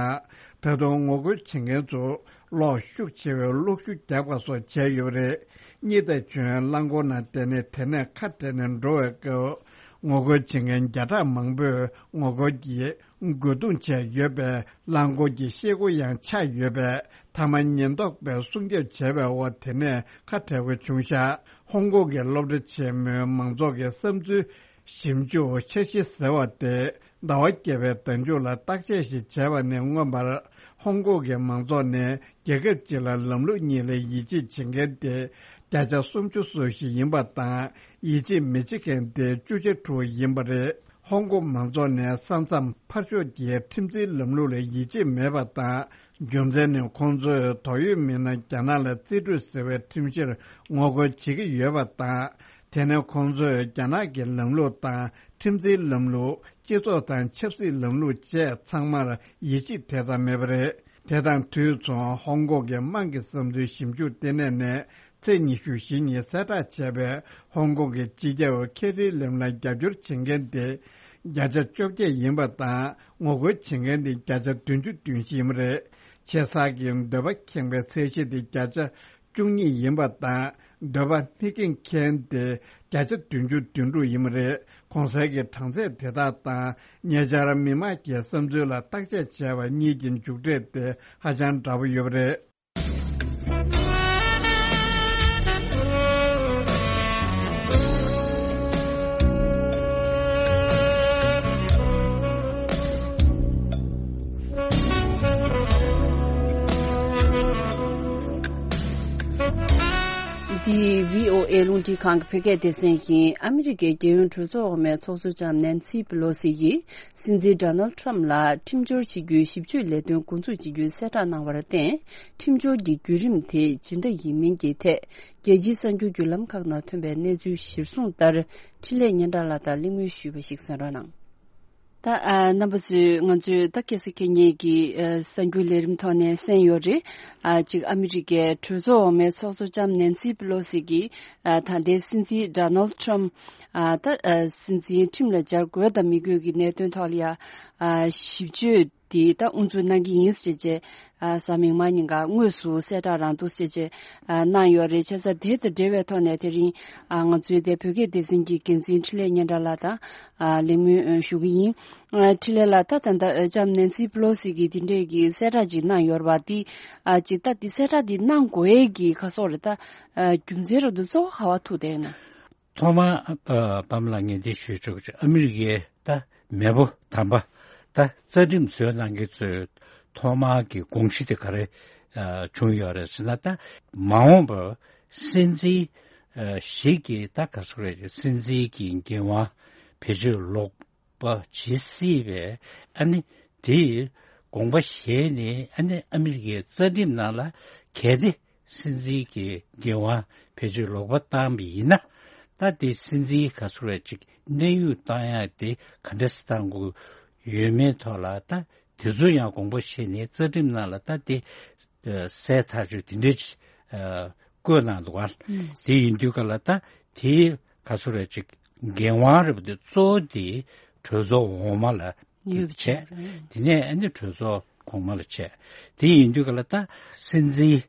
དང་། ད་དུང་ངོ་རྒོལ་བྱེད་མཁན་ཚོ་གློག་ཤུགས་ཆེ་བའི་གློག་ཤུགས་རྒྱག་པ་སོགས་བྱས་ཡོད་པ་རེད། གཉིད་དུ་བྱོན་རླངས་འཁོར་ནང་བསྡད་ནས་དེ་ནས་ཁ་བྲལ་ནས་འགྲོ་བའི་སྐབས་ངོ་རྒོལ་བྱེད་མཁན་བརྒྱ་ཕྲག་མང་པོས་ངོ་རྒོལ་གྱིས། རྒོལ་རྡུང་བྱས་ཡོད་པས་རླངས་འཁོར་གྱི་ཤེལ་སྒོ་ཡང་ཆག་ཡོད་པས། མཐའ་མ་ཉེན་རྟོག་པས་སྲུང་སྐྱོབ་བྱས་པའི་འོག་དེ་ནས་ཁ་བྲལ་དགོས་བྱུང་ཤག་ཧོང་ཀོང་གི་སློབ་གྲྭ་ཆེན་མོའི་མང་ཚོགས་ཀྱི་བསམ་ཚུལ་ཞིབ་འཇུག་འཆར་གཞི་ཟེར་བ་དེ་ཟླ་བ་བརྒྱད་པའི་ཟླ་མཇུག་ལ་བརྟག་དཔྱད་ཞིག་བྱས་པ་ནས་མངོན་པར། ཧོང་ཀོང་གི་མང་ཚོགས་ནས་རྒྱལ་ཁབ་གཅིག་ལ་ལམ་ལུགས་གཉིས་ལ་ཡིད་ཆེས་བྱེད་མཁན་དེ་བརྒྱ་ཆ་སུམ་ཅུ་སོ་བཞི་ཡིན་པ་དང་། ཡིད་ཆེས་མི་བྱེད་མཁན་དེ་བཅུ་ཆ་དྲུག་ཡིན་པ་རེད། ཧོང་ཀོང་མང་ཚོགས་ནས་ས་མཚམས་ཕར་ཕྱོགས་ཀྱི་ཁྲིམས་འཛིན་ལམ་ལུགས་ལ་ཡིད་ཆེས་མེད་པ་དང་། རྒྱུ་མཚན་ནི་ཁོང་ཚོས་དོགས་ཡོད་མི་སྣ་རྒྱ་ནག་ལ་རྩིས་སྤྲོད་ཟེར་བའི་ཁྲིམས་གཞིར་ངོ་རྒོལ་བྱེད་ཀྱི་ཡོད་པ་དང་། དེ་ནི་ཁོང་ཚོས་རྒྱ་ནག་གི་ལམ་ལུགས་དང་ཁྲིམས་འཛིན་ལམ་ལུགས། སྤྱི་ཚོགས་དང་ཆབ་སྲིད་ལམ་ལུགས་བཅས་ཚང་མར་ཡིད་ཆེས་དེ་ཙམ་མེད་པ་རེད། དེ་དང་དུས་མཚུངས་ཧོང་ཀོང་གི་དམངས་ཀྱི་བསམ་ཚུལ་ཞིབ་འཇུག་ལྟེ་གནས་ནས། ཚེས་ཉི་ཤུ་བཞི་ཉིན་གསལ་བསྒྲགས་བྱས་པའི་ཧོང་ཀོང་གི་སྤྱི་ཁྱབ་ཁེ་རི་ལེམ་ལ་རྒྱབ་སྐྱོར་བྱེད་མཁན་དེ་བརྒྱ་ཆ་བཅོ་བརྒྱད་ཡིན་པ་དང་། ངོ་རྒོལ་བྱེད་མཁན་དེ་བརྒྱ་ཆ་བདུན་ཅུ་དོན་བཞི་ཡིན་པ་རེད། ཆེ་ས་གི་འདོད་པ་ཁེངས་པའི་ཚད་གཞི་དེ་བརྒྱ་ཆ་བཅུ་གཉིས་ཡིན་པ་དང་། འདོད་པ་མི་ཁེངས་མཁན་དེ་བརྒྱ་ཆ་བདུན་ཅུ་དོན་དྲུག་ཡིན་པ་རེད། གོང་གསལ་གྱི་གྲངས་ཚད་དེ་དག་དང་ཉེ་ཆར་མི་དམངས་ཀྱི་བསམ་ཚུལ་ལ་བརྟག་དཔྱད་བྱས་པ་གཉིས་ཀྱི་མཇུག་འབྲས་དེ་ཧ་ཅང་འདྲ་པོ་ཡོད་པ་རེད། འདི་བྷི་ཨོ་ཨེ་རླུང་འཕྲིན་ཁང་གི་བོད་སྐད་སྡེ་ཚན་ཡིན། ཨ་མི་རི་ཀའི་རྒྱལ་ཡོངས་གྲོས་ཚོགས་འོག་མའི་ཚོགས་གཙོ་ལྕམ་ནན་སི་པི་ལོ་སི་ཡིས། སྲིད་འཛིན་ཌོ་ནལ་ཁྲམ་ལ་ཁྲིམས་སྦྱོར་བྱེད་རྒྱུའི་ཞིབ་དཔྱོད་ལས་དོན་འགོ་འཛུགས་བྱེད་རྒྱུའི་གསལ་བསྒྲགས་གནང་བར་བརྟེན། ཁྲིམས་སྦྱོར་གྱི་བརྒྱུད་རིམ་དེ་ཇི་འདྲ་ཡིན་མིན་གྱི་ཐད། རྒྱལ་སྤྱིའི་གསར་འགྱུར་བརྒྱུད་ལམ་ཁག་ནང་ཐོན་པའི་གནས་ཚུལ་གཞིར་བཟུང་ལྟར། འཕྲིན་ལས་སྙན་གྲགས་ལགས་དང་གླེང་མོལ་ཞུས་པ་ཞིག་གསན་རོགས་གནང་། ད་ཨ་རྣམ་པ་ཚོས་ང་ཚོས་ད་ཁ་སང་ཁ་ཉིན་གྱི་ཨ་གསར་འགྱུར་ལས་རིམ་ཐོག་ནས་གསན་ཡོད་རེད། ཨ་གཅིག་ཨ་མི་རི་ཀའི་གྲོས་ཚོགས་འོག་མའི་ཚོགས་གཙོ་ལྕམ་ནན་སི་པི་ལོ་སི་གིས་ཨ་ད་ལྟའི་སྲིད་འཛིན་ཌོ་ནལ་ཁྲམ་ཨ་ད་ཨ་སྲིད་འཛིན་ཁྲིམས་ལ་སྦྱར་དགོས་དང་མི་དགོས་ཀྱི་གནད་དོན་ཐོག་ལ་ཡ་ཨ་ཞིབ་དཔྱོད་དེ་ད་དབུ་འཛུགས་གནང་གི་ཡིན་ཟེར་བྱས་ཨ་གཟའ་མིག་དམར་ཉིན་ཀ་དངོས་སུ་གསལ་བསྒྲགས་རང་འདུག་ཟེར་བྱས་ཨ་གནང་ཡོད་རེད། བྱས་ཙང་དེ་དང་འབྲེལ་བའི་ཐོག་ནས་དེ་རིང་ཨ་ང་ཚོའི་དེ་བོད་སྐད་སྡེ་ཚན་གྱི་འགན་འཛིན་འཕྲིན་ལས་སྙན་གྲགས་ལགས་དང་ཨ་གླེང་མོལ་ཞུ་གི་ཡིན། ཨ་འཕྲིན་ལས་ལགས། ད་ད་ལྟ་ལྕམ་ནན་སི་པི་ལོ་སི་གིས་དེ་འདྲས་ཀྱི་གསལ་བསྒྲགས་ཅིག་གནང་ཡོད་རེད་པ། དེ་ཨ་ཅིག་ད་དེ་གསལ་བསྒྲགས་དེ་གནང་དགོས་ཡས་ཀྱི་ཁ་སོགས་རེད། ད་ཨ་རྒྱུ་མཚན་རེད་འདུག་གཙོ་བོ་ག་བ་ཐུག་བསྡད་ཡོད་ན། ཐོག་མར་ཨ་པདྨ་ལགས་ངས་འདི་ཞུ་ཆོག་གི། ཨ་མི་རི་ཀའི་ད་མེས་པོ་དམ་པ་ད་རྩ་ཁྲིམས་བཟོས་གནང་མཁན་ཚོས་ ཐོག་མར་གྱི་དགོངས་གཞི་དེ་ག་རེ་ཨ་བྱུང་ཡོད་རེད་ཟེར་ན། ད་མ་འོངས་པར་སྲིད་འཛིན་ཨ་ཞིག་གིས་ད་ག་ཟེར་རེད། སྲིད་འཛིན་གྱི་འགན་དབང་བེད་སྤྱོད་ལོག་པ་བྱེད་སྲིད་པས། ཨ་ནི་དེ་དགོངས་པ་བཞེས་ནས། ཨ་ནི་ཨ་མི་རི་ཀའི་རྩ་ཁྲིམས་ནང་ལ་གལ་ཏེ་སྲིད་འཛིན་གྱི་འགན་དབང་བེད་སྤྱོད་ལོག་པ་བཏང་བ་ཡིན་ན། ད་དེ་སྲིད་འཛིན་ག་ཟེར་རེད། ཅིག་གནས་དབྱུང་བཏང་ཡ་དེ་ག་འདྲ་སེ་བཏང་དགོས་ཡོད་མེད་ཐོག་ལ། ད་དེ་ཚོ་ཡང་དགོངས་པ་བཞེས་ནས་རྩ་ཁྲིམས་ནང་ལ་ད་དེ་ཨ་གསལ་ཐག་ཆོད་དེ་འདྲ་ཅིག་ཨ་བཀོད་གནང་འདུག་ག། ཨུམ། དེ་ཡིན་དུས་ག་ལ་ད་དེ་ག་ཟེར་རེད། ཅིག་འགན་དབང་རེད་པ། དེ་གཙོ་བོ་དེ་གྲོས་ཚོགས་འོག་མ་ལ་ཡོད་པ་བྱས། བྱས་རེད། དེ་ནས་ཨ་ནི་གྲོས་ཚོགས་གོང་མ་ལ་བྱས། དེ་ཡིན་དུས་ག་ལ་ད་སྲིད་འཛིན་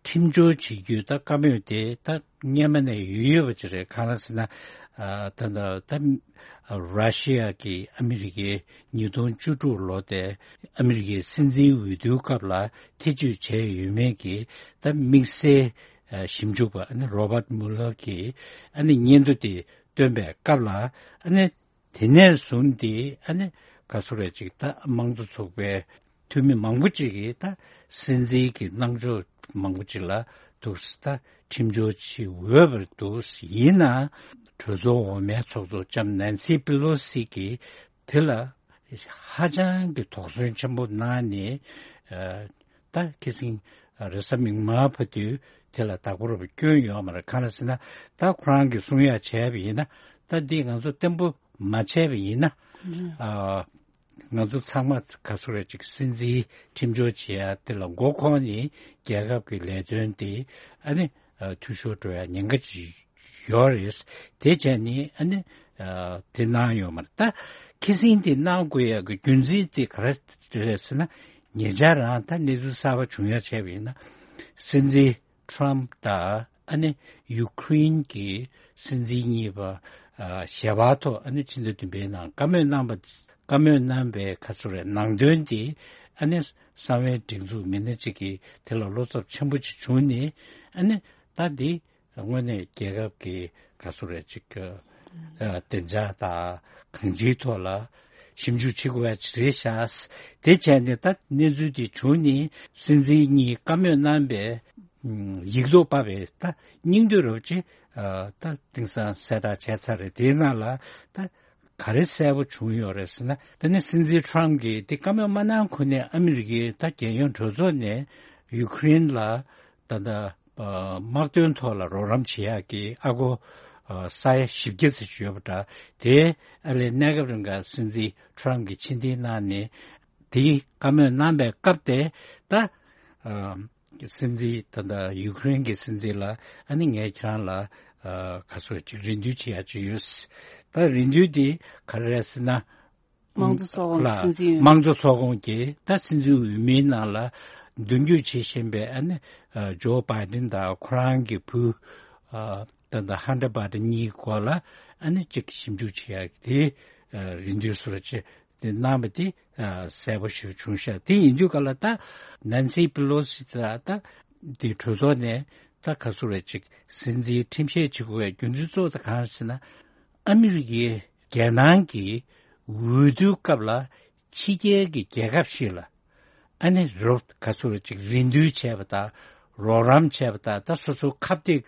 ཁྲིམས་སྦྱོར་བྱེད་རྒྱུའི་ད་བཀའ་མོལ་དེ་ད་སྔོན་མ་ནས་ཡོད་ཡོད་པ་ཅིག་རེད། གང་ལ་ཟེར་ན། ཨ་ད་ད་ད་ར་ཤི་ཡ་གིས་ཨ་མི་རི་ཀའི་ཉིས་སྟོང་བཅུ་དྲུག་ལོ་དེ་ཨ་མི་རི་ཀའི་སྲིད་འཛིན་འོས་བསྡུའི་སྐབས་ལ་ཐེ་བྱུས་བྱས་ཡོད་མེད་ཀྱི་ད་དམིགས་བསལ་ཨ་ཞིབ་འཇུག་པ་ཨ་ནི་Robert Mueller གིས་ཨ་ནི་སྙན་ཐོ་དེ་བཏོན་པའི་སྐབས་ལ། ཨ་ནི་དེ་ནས་བཟུང་སྟེ་ཨ་ནི་ག་ཟེར་རེད། ཅིག་ད་དམངས་གཙོ་ཚོགས་པའི་འཐུས་མི་མང་པོ་ཅིག་གིས་ད་སྲིད་འཛིན་གྱི་གནང་ཕྱོགས་མང་པོ་ཅིག་ལ་འདུག་སེ་ད་ཁྲིམས་སྦྱོར་བྱེད་འོས་པར་འདུག་སེ། ཡིན་ནའང་གྲོས་ཚོགས་འོག་མའི་ཚོགས་གཙོ་ལྕམ་ནན་སི་པི་ལོ་སི་གིས་དེ་ལ་ཧ་ཅང་གི་དོགས་ཟོན་ཆེན་པོ་གནང་ནས། ཨ་ད་ཁ་སང་རེས་གཟའ་མིག་དམར་བར་དུ་དེ་ལ་བདག་པོ་རེད་པ་སྐྱོན་ཡོད་མ་རེད། གང་ལ་ཟེར་ན། ད་ཁོ་རང་གིས་གསུང་ཡ་བྱས་པ་ཡིན་ན། ད་འདི་ང་ཚོ་བརྟན་པོ་མ་བྱས་པ་ཡིན་ན། ཨ་ང་ཚོ་ཚང་མ་ག་ཟེར་རེད། ཅིག་སྲིད་འཛིན་ཁྲིམས་སྦྱོར་བྱེད་ཡ་དེ་ལ་མགོ་འཁོར་ནས་རྒྱལ་ཁབ་ཀྱི་ལས་དོན་དེ་ཨ་ནི་ཨ་འཐུས་ཤོར་འགྲོ་ཡ་ཉེན་ཁ་ཅིག་ཡོད་རེད། དེ་བྱས་ནས་ཨ་ནི་ཨ་དེ་གནང་ཡོད་མ་རེད། ད་ཁ་སང་དེ་གནང་དགོས་ཡ་གི་རྒྱུ་མཚན་དེ་ག་རེ་རེད་ཟེར་ན། ཉེ་ཆར་རང་ད་གནས་ཚུལ་གསར་པ་བྱུང་ཡ་བྱས་པ་ཡིན་ན། སྲིད་འཛིན་ཁྲམ་དང་ཨ་ནི་ཡུ་ཁུ་རེན་གྱི་སྲིད་འཛིན་གཉིས་པ་ཨ་ཞལ་པར་ཐོག་ཨ་ནི་ཕྱི་ཟླ་བདུན་པའི་ནང་བཀའ་མོལ་གནང་བ། བཀའ་མོལ་གནང་བའི་ག་ཚོད་རེད། ནང་དོན་དེ་ཨ་ནི་གསང་བའི་སྒྲིག་འཛུགས་མི་སྣ་གཅིག་གིས་དེ་ལ་བློ་འཚབ་ཆེན་པོ་ཅིག་བྱུང་ནས། ཨ་ནི་ད་འདི་དངོས་གནས་རྒྱལ་ཁབ་ཀྱི་ག་ཚོད་རེད། ཅིག་ཨ་བདེ་འཇགས་དང་གང་ཅིའི་ཐོག་ལ་ཞིབ་འཇུག་བྱེད་དགོས་ཡ་ཅིག་རེད་ཤག། དེ་བྱས་ནས་ད་གནས་ཚུལ་དེ་བྱུང་ནས་སྲིད་འཛིན་གཉིས་བཀའ་མོལ་གནང་བའི་ཡིག་ཐོག་ཕབ་པའི་ད་སྙིང་བསྡུས་རོབ་ཅིག་ཨ་ད་དེང་སང་གསལ་བསྒྲགས་བྱས་ཚར་རེད། དེའི་ནང་ལ་ད་ག་རེ་གསལ་པོ་བྱུང་ཡོད་རེད་ཟེར་ན། ད་ནི་སྲིད་འཛིན་ཁྲམ་གྱིས་དེ་བཀའ་མོལ་མ་གནང་གོང་ནས་ཨ་མི་རི་ཀའི་ད་རྒྱལ་ཡོངས་གྲོས་ཚོགས་ནས་ཡུ་ཁུ་རེན་ལ་ད་ལྟ་ཨ་དམག་དོན་ཐོག་ལ་རོགས་རམ་བྱེད་ཡག་གི་ཨ་སྒོར་ཨ་ས་ཡ་བཞི་བརྒྱ་ཙམ་ཞིག་ཡོད་པ་འདྲ། དེ་ཨ་ལས་གནས་སྐབས་རིང་ག་སྲིད་འཛིན་ཁྲམ་གྱིས་ཕྱིར་འཐེན་གནང་ནས། དེའི་བཀའ་མོལ་གནང་པའི་སྐབས་དེ་ད་ཨ་སྲིད་འཛིན་ད་ལྟ་ཡུ་ཁུ་རེན་གྱི་སྲིད་འཛིན་ལ་ཨ་ནི་ངས་ཁྱེད་རང་ལ་ཨ་ག་ཚོད་ཅིག་རེ་འདུན་བྱེད་ཡ་ཅིག་ཡོད། ད་རེ་འདུན་དེ་ག་རེ་རེད་ཟེར་ན། དམངས་གཙོ་ཚོགས་ཁོངས་ལ་སྲིད་འཛིན་འོས། དམངས་གཙོ་ཚོགས་ཁོངས་ཀྱི་ད་སྲིད་འཛིན་འོས་མིའི་ནང་ལ་མདུན་སྐྱོད་བྱེད་བཞིན་པའི་ཨ་ནི་ཨ་ཇོ་བྷའི་ཌེན་དང་ཁོ་རང་གི་བུ་ཨ་ད་ལྟ་ཧན་ཏར་བྷའི་ཌེན་གཉིས་སྐོར་ལ་ཨ་ནི་ཅིག་ཞིབ་འཇུག་བྱེད་ཡག་དེ་ཨ་རེ་འདུན་བཟོ་འདྲ་ཅིག་དེ་གནང་བ་དེ་ཨ་གསལ་པོ་ཞིག་བྱུང་ཤག། དེ་ཡིན་དུས་ག་ལ་ད་ནན་སི་པི་ལོ་སི་ད་ད་དེ་གྲོས་ཚོགས་ནས་ད་ག་ཚོད་རེད། ཅིག་སྲིད་འཛིན་ཁྲིམས་བཤེར་བྱེད་དགོས་པའི་རྒྱུ་མཚན་གཙོ་བོ་དེ་གང་ཟེར་ན། ཨ་མི་རི་ཀའི་རྒྱལ་ནང་གི་འོས་བསྡུའི་སྐབས་ལ་ཕྱི་རྒྱལ་གྱི་རྒྱལ་ཁབ་ཞིག་ལ་ཨ་ནི་རོབ་ག་ཚོད་ཅིག་རེ་འདུན་བྱས་པ་དང་། རོགས་རམ་བྱས་པ་དང་། ད་སོ་སོའི་ཁ་གཏད་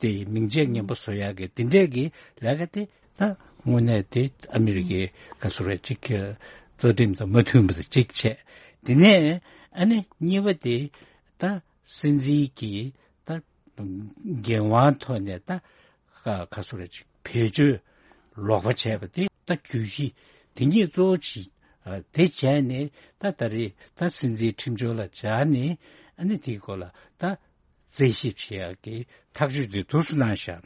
དེ་མིང་ཆད་ངན་པ་བཟོ་ཡག་གི་དེ་འདྲས་ཀྱི་ལས་ཀ་དེ་ད་དངོས་གནས་དེ་ཨ་མི་རི་ཀའི་ག་ཚོད་ཅིག་གི་རྩ་ཁྲིམས་དང་མ་མཐུན་པ་དང་གཅིག་བྱས། དེ་ནས་ཨ་ནི་གཉིས་པ་དེ་ད་སྲིད་འཛིན་གྱིས་ད་འགན་དབང་ཐོག་ནས་ད་ཁ་ཁ་སོ་རེ་ཅིག་བེད་སྤྱོད་ལོག་པ་བྱས་པ་དེ་ད་གྱོད་གཞི་དེ་ཉིད་གཙོ་བོ་བྱས། ཨ་དེ་བྱས་ནས་ད་ད་རེས་ད་སྲིད་འཛིན་ཁྲིམས་སྦྱོར་ལ་སྦྱར་ནས་ཨ་ནི་དེའི་སྐོར་ལ་ད་རྩད་ཞིབ་བྱེད་ཡག་གི་ཐག་གཅོད་དེ་དུས་སུ་གནང་བཞག།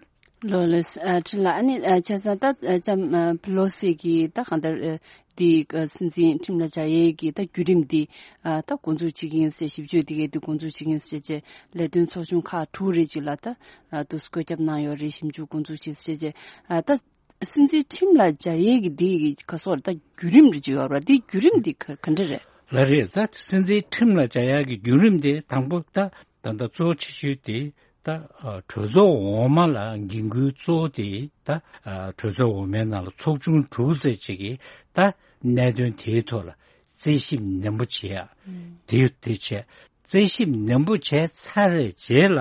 ལོ་ལེགས། ཨ་ཁྲི་ལ་ཨ་ནི་ཨ་བྱས་ཙང་ད་ཨ་ལྕམ་ཨ་པི་ལོ་སི་གིས་ད་གང་ལྟར་ཨ་དེ་ཨ་སྲིད་འཛིན་ཁྲིམས་ལ་སྦྱར་ཡས་ཀྱི་ད་བརྒྱུད་རིམ་དེ་ཨ་ད་འགོ་འཛུགས་བྱེད་ཀྱི་ཡིན་ཟེར། ཞིབ་དཔྱོད་དེ་གས་དེ་འགོ་འཛུགས་བྱེད་ཀྱི་ཡིན་ཟེར་བྱས། ལས་དོན་ཚོགས་ཆུང་ཁག་དྲུག་རེ་ཅིག་ལ་ད་ཨ་དུས་སུ་བཀོད་ཁྱབ་གནང་ཡོད་རེད། ཞིབ་འཇུག་འགོ་འཛུགས་བྱེད་ཟེར་བྱས། ཨ་ད་སྲིད་འཛིན་ཁྲིམས་ལ་སྦྱར་ཡས་ཀྱི་དེ་གི་ག་སོགས་ད་བརྒྱུད་རིམ་རེ་ཅིག་ཡོད་རེད། དེ་བརྒྱུད་རིམ་དེ་ག་ག་འདྲ་རེད། ལགས་རེད། ད་སྲིད་འཛིན་ཁྲིམས་ལ་སྦྱར་ཡག་གི་བརྒྱུད་རིམ་དེ་དང་པོ་ད་ད་ལྟ་གཙོ་ཆེ་ཤོས་དེ་ད་ཨ་གྲོས་ཚོགས་འོག་མ་ལ་འགན་ཁུར་གཙོ་བོ་དེ་ད་ཨ་གྲོས་ཚོགས་འོག་མའི་ནང་ལ་ཚོགས་ཆུང་དྲུག་ཙམ་ཅིག་གིས་ད་གནད་དོན་དེའི་ཐོག་ལ་ རྩད་ཞིབ་ནན་པོ་བྱེད་ཡ། ཨུམ། དེ་དེ་བྱས། རྩད་ཞིབ་ནན་པོ་བྱས་ཚར་བའི་རྗེས་ལ་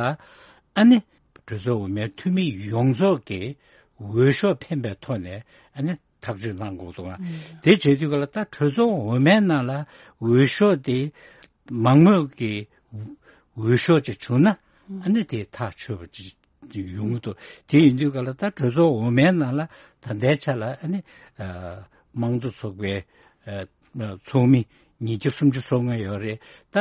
ཨ་ནི་གྲོས་ཚོགས་འོག་མའི་འཐུས་མི་ཡོངས་རྫོགས་ཀྱིས་འོས་ཤོག་འཕེན་པའི་ཐོག་ནས་ཨ་ནི་ཐག་གཅོད་གནང་དགོས་འདུག་ཨ། ཨུམ། དེ་བྱེད་དུས་ག་ལ་ད་གྲོས་ཚོགས་འོག་མའི་ནང་ལ་འོས་ཤོག་དེ་མང་མོས་ཀྱི་འོས་ཤོག་ཅིག་བྱུང་ན་ཨ་ནི་དེ་ཐག་ཆོད་པ་ཅིག་ཡོང་གི་འདུག་དེ་ཡིན་དུས་ག་ལ་ད་གྲོས་ཚོགས་འོག་མའི་ནང་ལ་ད་ལྟའི་ཆ་ལ་ཨ་ནི་ཨ་དམངས་གཙོ་ཚོགས་པའི་ཨ་ཚོགས་མི་ཉིས་བརྒྱ་སུམ་ཅུ་སོ་ལྔ་ཡོད་རེད། ད་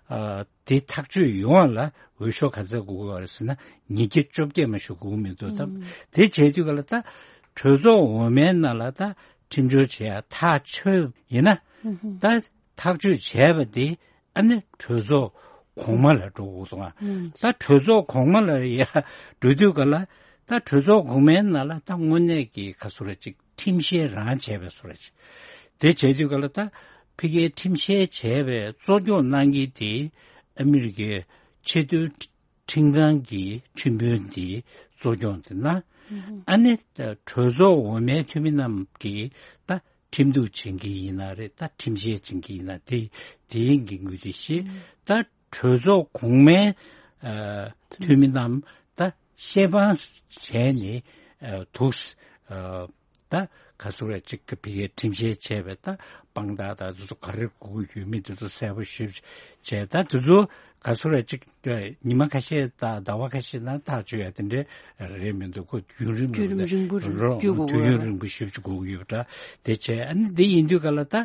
ཨ་དེ་ཐག་གཅོད་ཡོང་བ་ལ་འོས་ཤོག་ག་ཚད་དགོས་ཀྱི་ཡོད་རེད་ཟེར་ན་ཉིས་བརྒྱ་བཅོ་བརྒྱད་མ་ཞིག་དགོས་ཀྱི་མི་འདུག་ད་ཨུམ། དེ་བྱས་དུས་ག་ལ་ད་གྲོས་ཚོགས་འོག་མའི་ནང་ལ་ད་ཁྲིམས་སྦྱོར་བྱེད་ཡ་ཐག་ཆོད་ཡིན་ན་ཨུམ། ད་ཐག་གཅོད་བྱས་པ་དེ་ཨ་ནི་གྲོས་ཚོགས་གོང་མ་ལ་འགྲོ་དགོས་སོང་ང་། ཨུམ། ད་གྲོས་ཚོགས་གོང་མ་ལ་ཡ་འགྲོ་དུས་ག་ལ་ད་གྲོས་ཚོགས་གོང་མའི་ནང་ལ་ད་དངོས་གནས་ཀྱི་ག་སུ་ར་ཅིག་ཁྲིམས་བཤེར་རང་བྱས་པའི་སུ་ར་ཅིག་དེ་བྱས་དུས་ག་ལ་ད་ཕ་གིའི་ཁྲིམས་བཤེར་བྱས་པའི་གཙོ་སྐྱོང་གནང་མཁན་དེ་ཨ་མི་རི་ཀའི་ཆེས་མཐོའི་ཁྲིམས་ཁང་གི་ཁྲིམས་དཔོན་དེ་གཙོ་སྐྱོང་དེ་ན་ཨ་ནི་གྲོས་ཚོགས་འོག་མའི་འཐུས་མི་རྣམས་ཀྱིས་ད་ཁྲིམས་གཏུག་བྱེད་མཁན་ཡིན་ན་རེད། ད་ཁྲིམས་བཤེར་བྱེད་མཁན་ཡིན་ན་དེ་དེའི་འགན་ཁུར་དེ་བཞེས། ད་གྲོས་ཚོགས་གོང་མའི་ཨ་འཐུས་མི་རྣམས་ད་བཤེར་དཔང་བྱས་ནས་ཨ་འདུག་ཨ་ད་ག་ཚོད་རེ་གཅིག་གི་བི་གའི་ཁྲིམས་བཤེར་བྱས་པའི་ད་དཔང་རྟགས་དང་དེ་ཚོ་ག་རེ་དགོས་ཀྱི་ཡོད་མེད་དེ་ཚོ་གསལ་པོ་ཞིབ་བྱས། ད་དེ་ཚོ་ག་ཚོད་རེ་གཅིག་ཉི་མ་ཁ་ཤས་དང་ཟླ་བ་ཁ་ཤས་ནང་ཐག་གཅོད་ཡ་དེ་འདྲའི་རེད་མི་འདུག་ཁོ་བརྒྱུད་རིམ་བརྒྱུད་རིམ་རིང་པོ་རོ་བརྒྱུད་དགོས་དུས་ཡུན་ཡོད་རེད། རིང་པོ་ཞིབ་ཅིག་དགོས་ཀྱི་ཡོད་པ་འདྲ། དེ་བྱས་ཨ་ནི་འདི་ཡིན་དུས་ག་ལ་ད་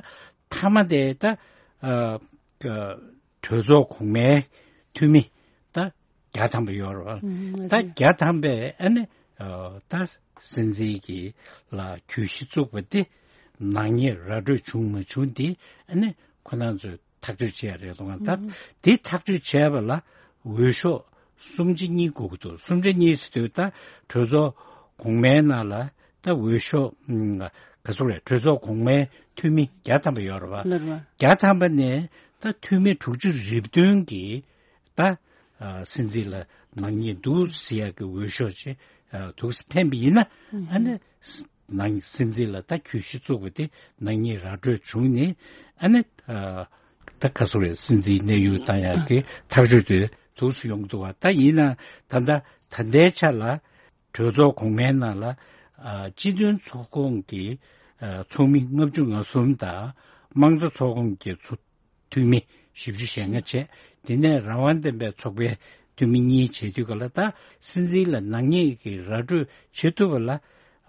མཐའ་མ་དེ་ད་ཨ་གྲོས་ཚོགས་གོང་མའི་འཐུས་མི་ད་བརྒྱ་ཐམ་པ་ཡོད་རེད་བ། ཨུམ། ད་བརྒྱ་ཐམ་པས་ཨ་ནི་ཨ་ད་སྲིད་འཛིན་གྱི་ལ་གྱོད་གཞི་བཙུགས་པ་དེ་ནག་ཉེས་ར་སྤྲོད་བྱུང་མ་བྱུང་དེ་ཨ་ནི་ཁོ་རང་ཚོས་ཐག་གཅོད་བྱས་རེད་དོ། ད་ཨུམ། དེ་ཐག་གཅོད་བྱས་པ་ལ་འོས་ཤོག་སུམ་ཆ་གཉིས་དགོས་ཀྱི་འདུག་སུམ་ཆ་གཉིས་ཟེར་དུས་ད་གྲོས་ཚོགས་གོང་མའི་ནང་ལ་ད་འོས་ཤོག་ཨུམ་ག་ཚོད་རེད། གྲོས་ཚོགས་གོང་མའི་འཐུས་མི་བརྒྱ་ཐམ་པ་ཡོད་རེད་བ། ལར་བ། བརྒྱ་ཐམ་པ་ནས་ད་འཐུས་མི་དྲུག་ཅུ་རེ་བདུན་གྱིས་ད་ཨ་སྲིད་འཛིན་ལ་ནག་ཉེས་འདུག་ཟེར་ཡག་གི་འོས་ཤོག་ཅིག་ཨ་འདུག་སེ་འཕེན་པ་ཡིན་ན་ཨ་ནི་ནང་སྲིད་འཛིན་ལ་ད་གྱོད་གཞི་བཙུགས་པ་དེ་ནག་ཉེས་ར་སྤྲོད་བྱུང་ནས་ཨ་ནི་ཨ་ད་ག་སུ་རེད། སྲིད་འཛིན་གནས་དབྱུང་བཏང་ཡག་གི་ཐག་གཅོད་དེ་འདུག་སེ་ཡོང་གི་འདུག་བ། ད་ཡིན་ན་ད་ལྟ་ད་ལྟའི་ཆ་ལ་གྲོས་ཚོགས་གོང་མའི་ནང་ལ་ཨ་སྤྱི་མཐུན་ཚོགས་ཁོངས་ཀྱི་ཨ་ཚོགས་མི་ལྔ་བཅུ་ང་གསུམ་དང་དམངས་གཙོ་ཚོགས་ཁོངས་ཀྱི་ཚོ་འཐུས་མི་བཞི་བཅུ་ཞེ་ལྔ་བྱས། དེ་ནས་རང་དབང་ལྡན་པའི་ཚོགས་པའི་འཐུས་མི་གཉིས་བྱེད་དུས་ག་ལ་ད་སྲིད་འཛིན་ལ་ནག་ཉེས་ཀྱི་ར་སྤྲོད་བྱེད་ཐུབ་པ་ལ་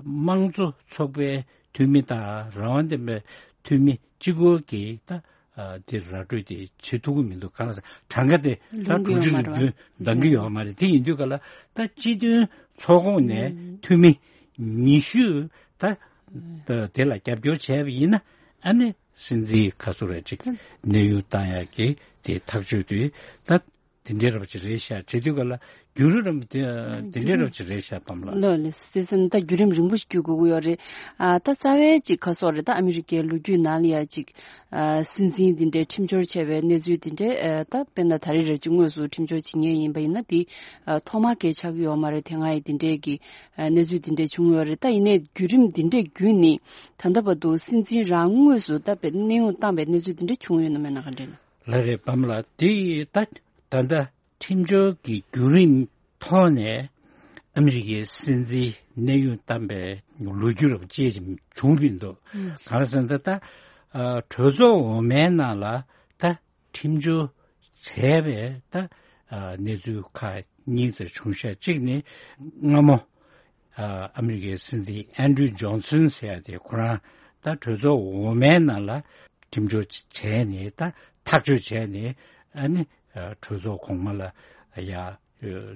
དམངས་གཙོ་ཚོགས་པའི་འཐུས་མི་དང་རང་དབང་ལྡན་པའི་འཐུས་མི་གཅིག་པོ་གིས་ད་ཨ་དེ་ར་སྤྲོད་དེ་བྱེད་ཐུབ་ཀྱི་མི་འདུག་གང་ཟེར་གྲངས་ཀ་དེ་ད་ལོངས་ཀྱི་དྲུག་ཅུ་ཡོད་མ་རེད་བ། རེ་བདུན་འདང་གི་ཡོད་མ་རེད། དེ་ཡིན་དུས་ག་ལ་ད་སྤྱི་མཐུན་ཚོགས་ཁོངས་ནས་ཨུམ་འཐུས་མི་ཉི་ཤུ་ད་ད་དེ་ལ་རྒྱབ་སྐྱོར་བྱས་པ་ཡིན་ན་ཨ་ནི་སྲིད་འཛིན་ག་ཚོད་རེ་ཅིག་གནས་དབྱུང་བཏང་ཡག་གི་དེ་ཐག་གཅོད་དུས་ད་དེ་འདྲའི་རབ་ཅིག་རེད་ཤག་བྱེད་དུས་ག་ལ་བརྒྱུད་རིམ་དེ་དེ་འདྲའི་རབ་ཅིག་རེད་ཤག་བམ་ལགས། ལགས་ལགས། སྲིད་འཛིན་ད་བརྒྱུད་རིམ་རིང་པོ་ཞིག་བརྒྱུད་དགོས་ཀྱི་ཡོད་རེད། ཨ་ད་རྩ་བའི་ཅིག་ག་ཚོད་རེད། ད་ཨ་མི་རི་ཀའི་ལོ་རྒྱུས་ནང་ལ་ཡ་ཅིག་ཨ་སྲིད་འཛིན་འདི་འདྲའི་ཁྲིམས་སྦྱོར་བྱས་པའི་གནས་ཚུལ་འདི་འདྲའི་ཨ་ད་དཔེར་ན་ད་རེས་རེད་ཅིག་དངོས་སུ་ཁྲིམས་སྦྱོར་བྱེད་མཁན་ཡིན་པ་ཡིན་ན་འདི་ཨ་ཐོག་མ་གལ་ཆགས་ཀྱི་ཡོད་མ་རེད། དེ་སྔ་ཡི་འདི་འདྲའི་གི་ཨ་གནས་ཚུལ་འདི་འདྲའི་བྱུང་ཡོད་རེད། ད་ཡིན་ནའི་བརྒྱུད་རིམ་འདི་འདྲའི་བརྒྱུད་ནས་ད་ལྟ་བར་དུ་སྲིད་འཛིན་རང་དངོས་སུ་ད་དཔེ་གནས་དབྱུང་བཏང་པའི་གནས་ཚུལ་འདི་འདྲ་བྱུང་ཡོད་ན་མེད་ན་ག་འདྲ་ཡིན་ན། ལགས་རེད་བམ་ལགས། དེ་ད་ད་ལྟ་ཁྲིམས་སྦྱོར་གྱི་བརྒྱུད་རིམ་ཐོག་ནས་ཨ་མི་རི་ཀའི་སྲིད་འཛིན་གནས་དབྱུང་བཏང་པའི་ལོ་རྒྱུས་རབ་ཅེས་ཀྱི་བྱུང་བཞིན་འདུག་ཨུམ། གང་ཟེར་ན་ད་ཨ་གྲོས་ཚོགས་འོག་མའི་ནང་ལ་ད་ཁྲིམས་སྦྱོར་བྱས་པའི་ད་ཨ་གནས་ཚུལ་ཁག་གཉིས་ཙམ་བྱུང་ཤག་གཅིག་ནི་སྔ་མོ་ཨ་ཨ་མི་རི་ཀའི་སྲིད་འཛིན་ཨན་ཌྲུ་ཇོན་སན་ཟེར་ཡ་དེ་ཁོ་རང་ད་གྲོས་ཚོགས་འོག་མའི་ནང་ལ་ཁྲིམས་སྦྱོར་བྱས་ནས་ད་ཐག་གཅོད་བྱས་ནས་ཨ་ནི་ཨ་གྲོས་ཚོགས་གོང་མ་ལ་ཡ་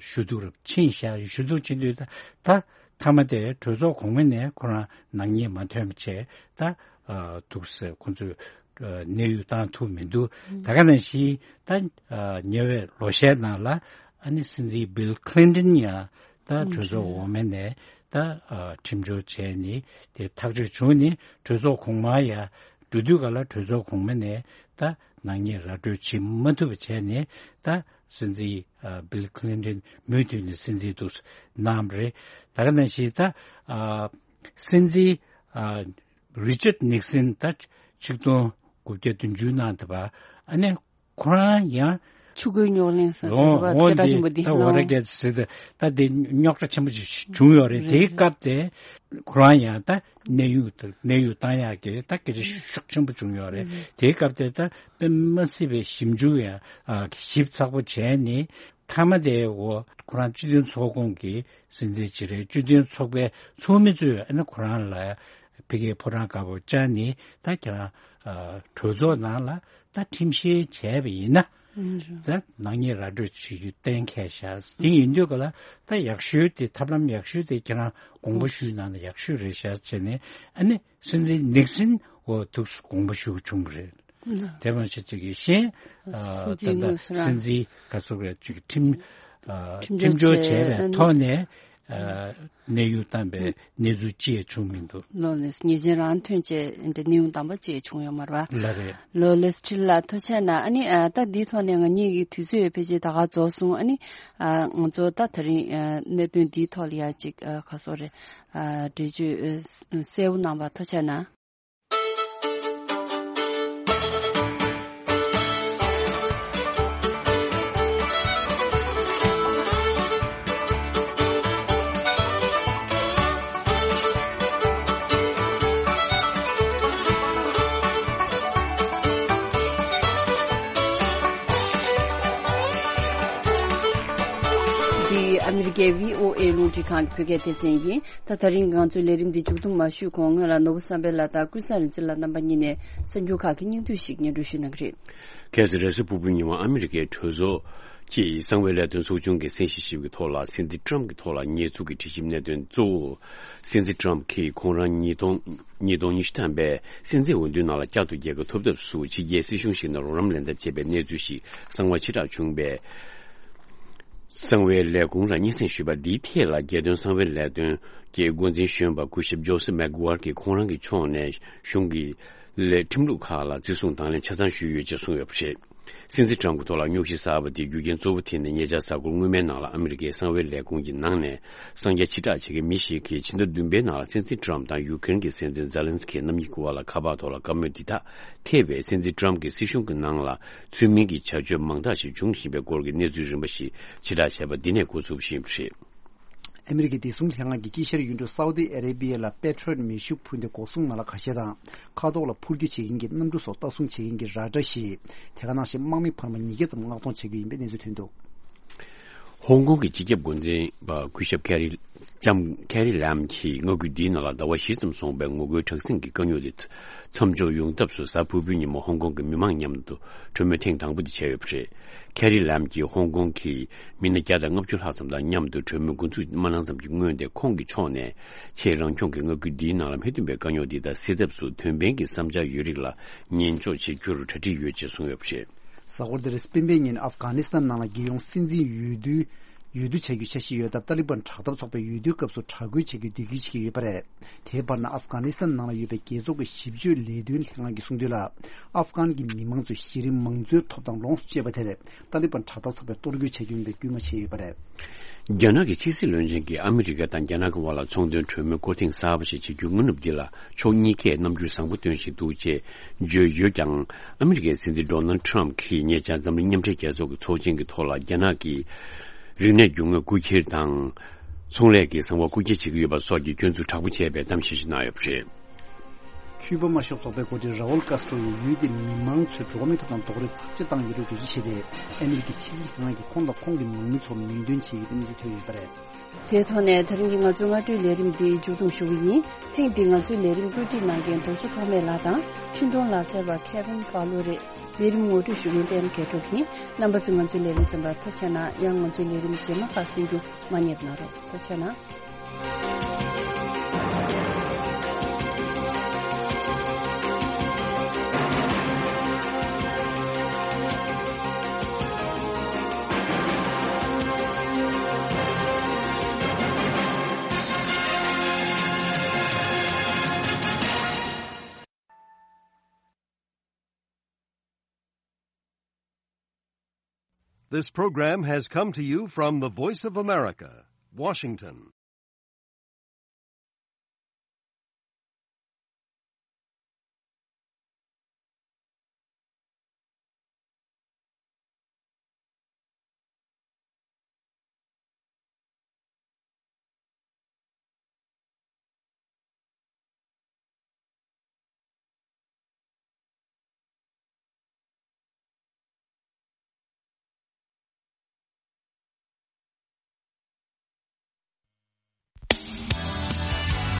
ཞུ་གཏུག་རབ་ཕྱིན་ཤག་ཞུ་གཏུག་ཕྱིན་དུས་ད་ད་མཐའ་མ་དེ་གྲོས་ཚོགས་གོང་མ་ནས་ཁོ་རང་ནག་ཉེས་མ་ཐོན་པ་བྱས་ད་ཨ་འདུག་སེ་ཁོ་ཚོས་ཨ་གནས་དབྱུང་བཏང་ཐུབ་མི་འདུག་ཨུམ། ད་ག་ནང་བཞིན་ད་ཨ་ཉེ་བའི་ལོ་ཤས་ནང་ལ་ཨ་ནི་སྲིད་འཛིན་བིལ་ཁི་ལིན་ཏོན་ཡང་ད་ཨུམ་གྲོས་ཚོགས་འོག་མ་ནས་ད་ཨ་ཁྲིམས་སྦྱོར་བྱས་ནས་དེ་ཐག་གཅོད་བྱུང་ནས་གྲོས་ཚོགས་གོང་མ་ཡ་འགྲོ་དུས་ག་ལ་གྲོས་ཚོགས་གོང་མ་ནས་ད་ནག་ཉེས་ར་སྤྲོད་བྱེད་མ་ཐུབ་པ་བྱས་ནས་ད་སྲིད་འཛིན་ཨ་བིལ་ཁི་ལིན་ཏོན་མུ་མཐུད་ནས་སྲིད་འཛིན་དུ་གནང་བ་རེད། ད་ག་ནང་བཞིན་ད་ཨ་སྲིད་འཛིན་ཨ་རི་ཅར་ནིག་སན་ད་ཆིག་སྟོང་ དགུ་བརྒྱ་བདུན་ཅུ་ནང་དུ་བ་ཨ་ནི་ཁོ་རང་ཡང་ཆུ་ཁོལ་རྙོག་གླེང་ཟེར་འོ་དེ་འོ་སྐད་གྲགས་ཆེན་པོ་འདི་འདི་ད་ཝ་ར་ལོ་གེ་ཟེར་ཏེ་ད་དེ་རྙོག་དྲ་ཆེན་པོ་ཞིག་བྱུང་ཡོད་རེད། རེད། དེའི་སྐབས་དེ་ཁོ་རང་ཡང་ད་གནས་དབྱུང་དང་གནས་དབྱུང་བཏང་ཡག་གི་ད་སྐད་ཆ་ཤུགས་ཆེན་པོ་བྱུང་ཡོད་རེད། དེའི་སྐབས་དེ་ད་དཔེ་མ་སྲིད་པའི་ཞིབ་འཇུག་ཡང་ཞིབ་ཚགས་པོ་བྱས་ནས་མཐའ་མ་དེ་འོ་ཁོ་རང་སྤྱི་མཐུན་ཚོགས་ཁོངས་ཀྱི་སྲིད་འཛིན་ཅིག་རེད། སྤྱི་མཐུན་ཚོགས་པའི་ཚོགས་མི་ཚོས་ཨ་ནི་ཁོ་རང་ལ་ཕ་གིའི་ཕོ་བྲང་དཀར་པོ་བཅར་ནས་ད་ཁྱེད་རང་གྲོས་ཚོགས་ནང་ལ་ད་ཁྲིམས་བཤེར་བྱས་པ་ཡིན་ན་ད་ནག་ཉེས་ར་སྤྲོད་བྱེད་རྒྱུ་གཏན་འཁེལ་བཞག་དེ་ཡིན་དུས་ག་ལ་ད་ཡག་ཤོས་དེ་ཐབས་ལམ་ཡག་ཤོས་དེ་ཁྱེད་རང་དགོངས་པ་ཞུས་ན་ཡག་ཤོས་རེད་ཤག་བྱས་ནས་ཨ་ནི་སྲིད་འཛིན་ནིག་སིན་འོ་ཐུགས་སུ་དགོངས་པ་ཞུ་བྱུང་བ་རེད། དེ་མ་ཚད་ཅིག་གི་གཞན་ཨ་སྲིད་འཛིན་ད་ལྟ་དངོས་སུ་རང་སྲིད་འཛིན་ག་ཚོད་རེད་ཅིག་ཁྲིམས་ཨ་ཁྲིམས་ཁྲིམས་སྦྱོར་བྱས་པའི་ཐོག་ནས་ཨ་གནས་དབྱུང་བཏང་པའི་གནས་ཚུལ་ཅི་ཡང་བྱུང་མི་འདུག་ལོ་ནས་ཉེས་ཅན་རང་ཐོན་བྱས་འདི་གནས་དབྱུང་བཏང་པ་ཅི་ཡང་བྱུང་ཡོད་མ་རེད་པ། ལགས་རེད། ལོ་ལེས་ཁྲིལ་ལ་ཐུགས་རྗེ་ཆེ་གནང་། ཨ་ནི་ཨ་ད་འདིའི་ཐོག་ནས་ང་གཉིས་ཀྱི་དུས་ཚོད་ཕལ་ཆེར་ད་ག་རྫོགས་སོང་། ཨ་ནི་ཨ་ང་ཚོ་ད་ད་རིང་ཨ་གནད་དོན་འདིའི་ཐོག་ལ་ཡ་ཅིག་ཨ་ག་སོ་རེད་ཨ་འགྲེལ་བརྗོད་ཨ་གསལ་པོ་གནང་བ་ཐུགས་རྗེ་ཆེ་གནང་། འདི་ཨ་མི་རི་ཀའི་བྷི་ཨོ་ཨེ་རླུང་འཕྲིན་ཁང་གི་བོད་སྐད་སྡེ་ཚན་ཡིན། ད་ད་རིང་ང་ཚོའི་ལས་རིམ་འདི་མཇུག་བསྡོམས་མ་ཞུས་གོང་སྔོན་ལ་ནོར་བུ་བསམ་འཕེལ་ལགས་དང་ཀུན་བཟང་རིག་འཛིན་ལགས་རྣམ་པ་གཉིས་ནས་གསར་འགྱུར་ཁག་གི་སྙིང་བསྡུས་ཤིག་སྙན་སྒྲོན་ཞུ་གནང་གི་རེད། ཁ་སང་རེས་གཟའ་ཕུར་བུའི་ཉིན་མོ་ཨ་མི་རི་ཀའི་གྲོས་ཚོགས་ཀྱིས་གསང་བའི་ལས་དོན་ཚོགས་ཆུང་གི་གསན་བཞེས་ཞིབ་ཀྱི་ཐོག་ལ་སྲིད་འཛིན་ཊམ་གྱི་ཐོག་ལ་ཉེས་འཛུགས་ཀྱི་དྲི་ཞིབ་གནད་དོན་གཙོ་བོ། སྲིད་འཛིན་ཊམ་གྱིས་ཁོང་རང་ཉིས་སྟོང་ཉིས་སྟོང་ཉི་ཤུ་ཐམ་པའི་སྲིད་འཛིན་འོས་བསྡུའི་ནང་ལ་བསྐྱར་དུ་རྒྱལ་ཁ་ཐོབ་ཐབས་སུ་ཕྱི་རྒྱལ་སྲིད་གཞུང་ཞིག་ནས་རོགས་རམ་ལེན་ཐབས་བྱས་པའི་གནས་ཚུལ་ཞིག་གསང་བ་ཕྱིར་བསྒྲགས་བྱུང་བས། གསང་བའི་ལས་ཁུངས་ལ་སྙན་སེང་ཞུས་པ་འདིའི་ཐད་ལ་རྒྱལ་དོན་གསང་བའི་ལས་དོན་གྱི་འགོ་འཛིན་གཞོན་པ་སྐུ་ཞབས་ཇོ་སེ་མེག་གུ་ཝར་གྱིས་ཁོང་རང་གི་ཕྱོགས་ནས་གཞུང་གི་ལས་ཁྲིམས་ལུགས་ཁག་ལ་བརྩི་སྲུང་དང་ལེན་ཆ་ཚང་ཞུས་ཡོད་ཅེས་གསུངས་ཡོད་པ་རེད། སྲིད་འཛིན་ཊམ་གྱི་ཐོག་ལ་རྙོག་གཞི་གསར་པ་དེའི་རྒྱུ་རྐྱེན་གཙོ་བོ་དེ་ནི་ཉེ་ཆར་གཟའ་འཁོར་སྔོན་མའི་ནང་ལ་ཨ་མི་རི་ཀའི་གསང་བའི་ལས་ཁུངས་ཀྱི་ནང་ནས་གསང་རྒྱ་ཕྱིར་བསྒྲགས་བྱེད་མཁན་མི་ཞིག་གིས་ཕྱི་ཟླ་བདུན་པའི་ནང་ལ་སྲིད་འཛིན་ཊམ་དང་ཡུ་ཀེ་རེན་གྱི་སྲིད་འཛིན་ཛེ་ལན་སི་ཀི་རྣམ་གཉིས་ཀྱི་བར་ལ་ཁ་པར་ཐོག་ལ་བཀའ་མོལ་འདི་དག་ཐེ་བའི་སྲིད་འཛིན་ཊམ་གྱི་སྲིད་གཞུང་གི་ནང་ལ་ཚུལ་མིན་གྱི་བྱ་སྤྱོད་མང་དག་ཞིག་འབྱུང་བཞིན་པའི་སྐོར་གྱི་གནས་ཚུལ་རིམ་པ་ཞིག་ཕྱིར་བསྒྲགས་བྱས་པ་འདི་ནས་འགོ་ཚུགས་པ་ཞིག་ཡིན་པ་རེད། ཨ་མི་རི་ཀའི་བདེ་སྲུང་ལྷན་ཁང་གི་དཀྱིལ་ཤར་ཡུལ་གྲུ་སའུ་ཏི་ཨ་རེ་བྷི་ཡ་ལ་པེ་ཊི་རོ་ཡེཊ་མེ་ཤུགས་འཕུར་མདེལ་འགོག་སྲུང་མ་ལག་ཁ་ཤས་དང་། མཁའ་ཐོག་ལ་འཕུར་སྐྱོད་བྱེད་མཁན་གྱི་གནམ་གྲུ་སོགས་ལྟ་སྲུང་བྱེད་མཁན་གྱི་ར་ཌར་ཞིག་དེ་ག་ནང་བཞིན་དམག་མི་འཕར་མ་ཉིས་བརྒྱ་ཙམ་མངགས་གཏོང་བྱེད་ཀྱི་ཡོད་པའི་གནས་ཚུལ་ཐོན་འདུག་ཧོང་ཀོང་གི་སྤྱི་ཁྱབ་འགོ་འཛིན་པ་སྐུ་ཞབས་ཁེ་རི་ལྕམ་ཁེ་རི་ལམ་གྱིས་མངའ་ཁུལ་འདིའི་ནང་ལ་ཟླ་བ་བཞི་ཙམ་སོང་བའི་ངོ་རྒོལ་དྲག་ཟིང་གི་དཀའ་རྙོག་དེ་མཚམས་འཇོག་ཡོང་ཐབས་སུ་གཟའ་ཕུར་བུའི་ཉིན་མོ་ཧོང་ཀོང་གི་མི་མང་མཉམ་དུ་གྲོས་མོལ་ཐེངས་དང་པོ་དེ་བྱས་ཡོད་པ་རེད། ཁེ་རི་ལམ་གྱིས་ཧོང་ཀོང་གི་མི་སྣ་བརྒྱ་དང་ལྔ་བཅུ་ལྷག་ཙམ་དང་མཉམ་དུ་གྲོས་མོལ་འགོ་འཛུགས་མ་གནང་ཙམ་གྱི་སྔོན་དེ་ཁོང་གི་ཕྱོགས་ནས་ཆེས་རང་སྐྱོང་གི་མངའ་ཁུལ་འདིའི་ནང་ལ་སྨས་ཐུན་པའི་དཀའ་རྙོག་འདི་དག་སེལ་ཐབས་སུ་དོན་ཕན་གྱི་བསམ་འཆར་ཡོད་རིགས་ལ་ཉན་འཇོག་བྱེད་རྒྱུར་གྲ་སྒྲིག་ཡོད་ཅེས་གསུངས་ཡོད་པ་རེད། གཟའ་འཁོར་འདིར་སྤེན་པའི་ཉིན་ཨབ་གྷ་ནི་སི་ཐན་ནང་ལ་རྒྱལ་ཡོངས་སྲིད་འཛིན་འོས་བསྡུ་འོས་བསྡུ་བྱ་རྒྱུའི་འཆར་གཞི་ཡོད་སྟབས་ཏཱ་ལི་བན་དྲག་འཐབ་ཚོགས་པས་འོས་བསྡུའི་སྐབས་སུ་དྲག་རྒོལ་བྱ་རྒྱུའི་འདོད་སྐུལ་བྱེད་ཀྱི་ཡོད་པ་རེད། དེའི་བར་ན་ཨབ་གྷ་ནི་སི་ཐན་ནང་ལ་ཡོད་པའི་རྒྱལ་ཚོགས་ཀྱི་ཞིབ་དཔྱོད་ལས་དོན་ལྷན་ཁང་གིས་གསུངས་དོན་ལ། ཨབ་གྷན་གྱི་མི་མང་ཚོས་གཞི་རིམ་མང་གཙོའི་ཐོབ་ཐང་ལོངས་སུ་སྤྱད་པ་དེར་ཏཱ་ལི་བན་དྲག་འཐབ་ཚོགས་པས་གཏོར་རྒོལ་བྱ་རྒྱུ་ཡིན་པའི་སྐུལ་མ་བྱས་ཡོད་པ་རེད། རྒྱ་ནག་གི་ཕྱི་སྲིད་བློན་ཆེན་གྱིས་ཨ་མི་རི་ཀ་དང་རྒྱ་ནག་གི་དབར་ལ་ཚོང་དོན་གྲོས་མོལ་སྐོར་ཐེངས་གསར་པ་ཞིག་བྱེད་རྒྱུའི་སྔ་ནུབ་འདི་ལ་ཕྱོགས་གཉིས་ཀས་རྣམ་འགྱུར་བཟང་པོ་སྟོན་བཞིན་འདུག་ཅེས་བརྗོད་ཡོད་ཀྱང་། ཨ་མི་རི་ཀའི་སྲིད་འཛིན་ཌོ་ནལ་ཌི་ཊརམ་ཕི་གིས་ཉེ་ཆར་འཛམ་གླིང་མཉམ་འབྲེལ་རྒྱལ་ཚོགས་ཀྱི་ཚོགས་ཆེན་གྱི་ཐོག་ལ་རྒྱ་ནག་གི་རིག་གནས་རྒྱུ་དངོས་རྐུ་འཁྱེར་དང་། ཚོང་ལས་ཀྱི་གསང་བ་རྐུ་འཁྱེར་བྱེད་ཀྱི་ཡོད་པ་སོགས་ཀྱི་སྐྱོན་འཛུགས་དྲག་པོ་བྱས་པའི་གཏམ་བཤད་ཞིག་གནང་ཡོད་པ་རེད། ཁྱུ་པ་དམར་ཤོག་ཚོགས་པའི་འགོ་ཁྲིད་ར་ཨུལ་ཀཱས་ཊྲོ་ཡིས་ཡུལ་དེའི་མི་མང་ཚོས་འགྲོ་བ་མིའི་ཐོབ་ཐང་རྡོག་རོལ་ཚབས་ཆེ་བཏང་ཡོད་པའི་འགྲེལ་བརྗོད་བྱས་ཏེ། ཨ་མི་རི་ཀའི་ཕྱི་སྲིད་ལྷན་ཁང་གིས་ཁོང་དང་ཁོང་གི་མང་མི་ཚོར་མིང་འདོན་བྱས་ཡོད་པའི་གནས་ཚུལ་ཐོན་ཡོད་པ་རེད། དེའི་ཐོག་ནས་ད་རིང་གི་ང་ཚོའི་སྔ་དྲོའི་ལས་རིམ་འདི་མཇུག་བསྡོམས་ཞུ་གི་ཡིན། ཐེངས་འདིའི་ང་ཚོའི་ལས་རིམ་བཀོད་སྒྲིག་གནང་མཁན་རྡོ་རྗེ་ཐོགས་མེད་ལགས་དང་། འཕྲིན་གཏོང་ལག་རྩལ་བ་ཁེ་ཝིན་ཕ་ལོ་རེད། ལས་རིམ་ངོ་སྤྲོད་ཞུ་མཁན་པད་མ་རྒྱལ་སྒྲོལ་ཡིན། རྣམ་པ་ཚོས་ང་ཚོའི་ལས་རིམ་གསན་པར་ཐུགས་རྗེ་ཆེ་གནང་། ཡང་ང་ཚོའི་ལས་རིམ་རྗེས་མ་ཁག་གསན་རྒྱུ་མ་བསྙེལ་གནང་རོགས། ཐུགས་རྗེ་ཆེ་གནང་། This program has come to you from the Voice of America, Washington.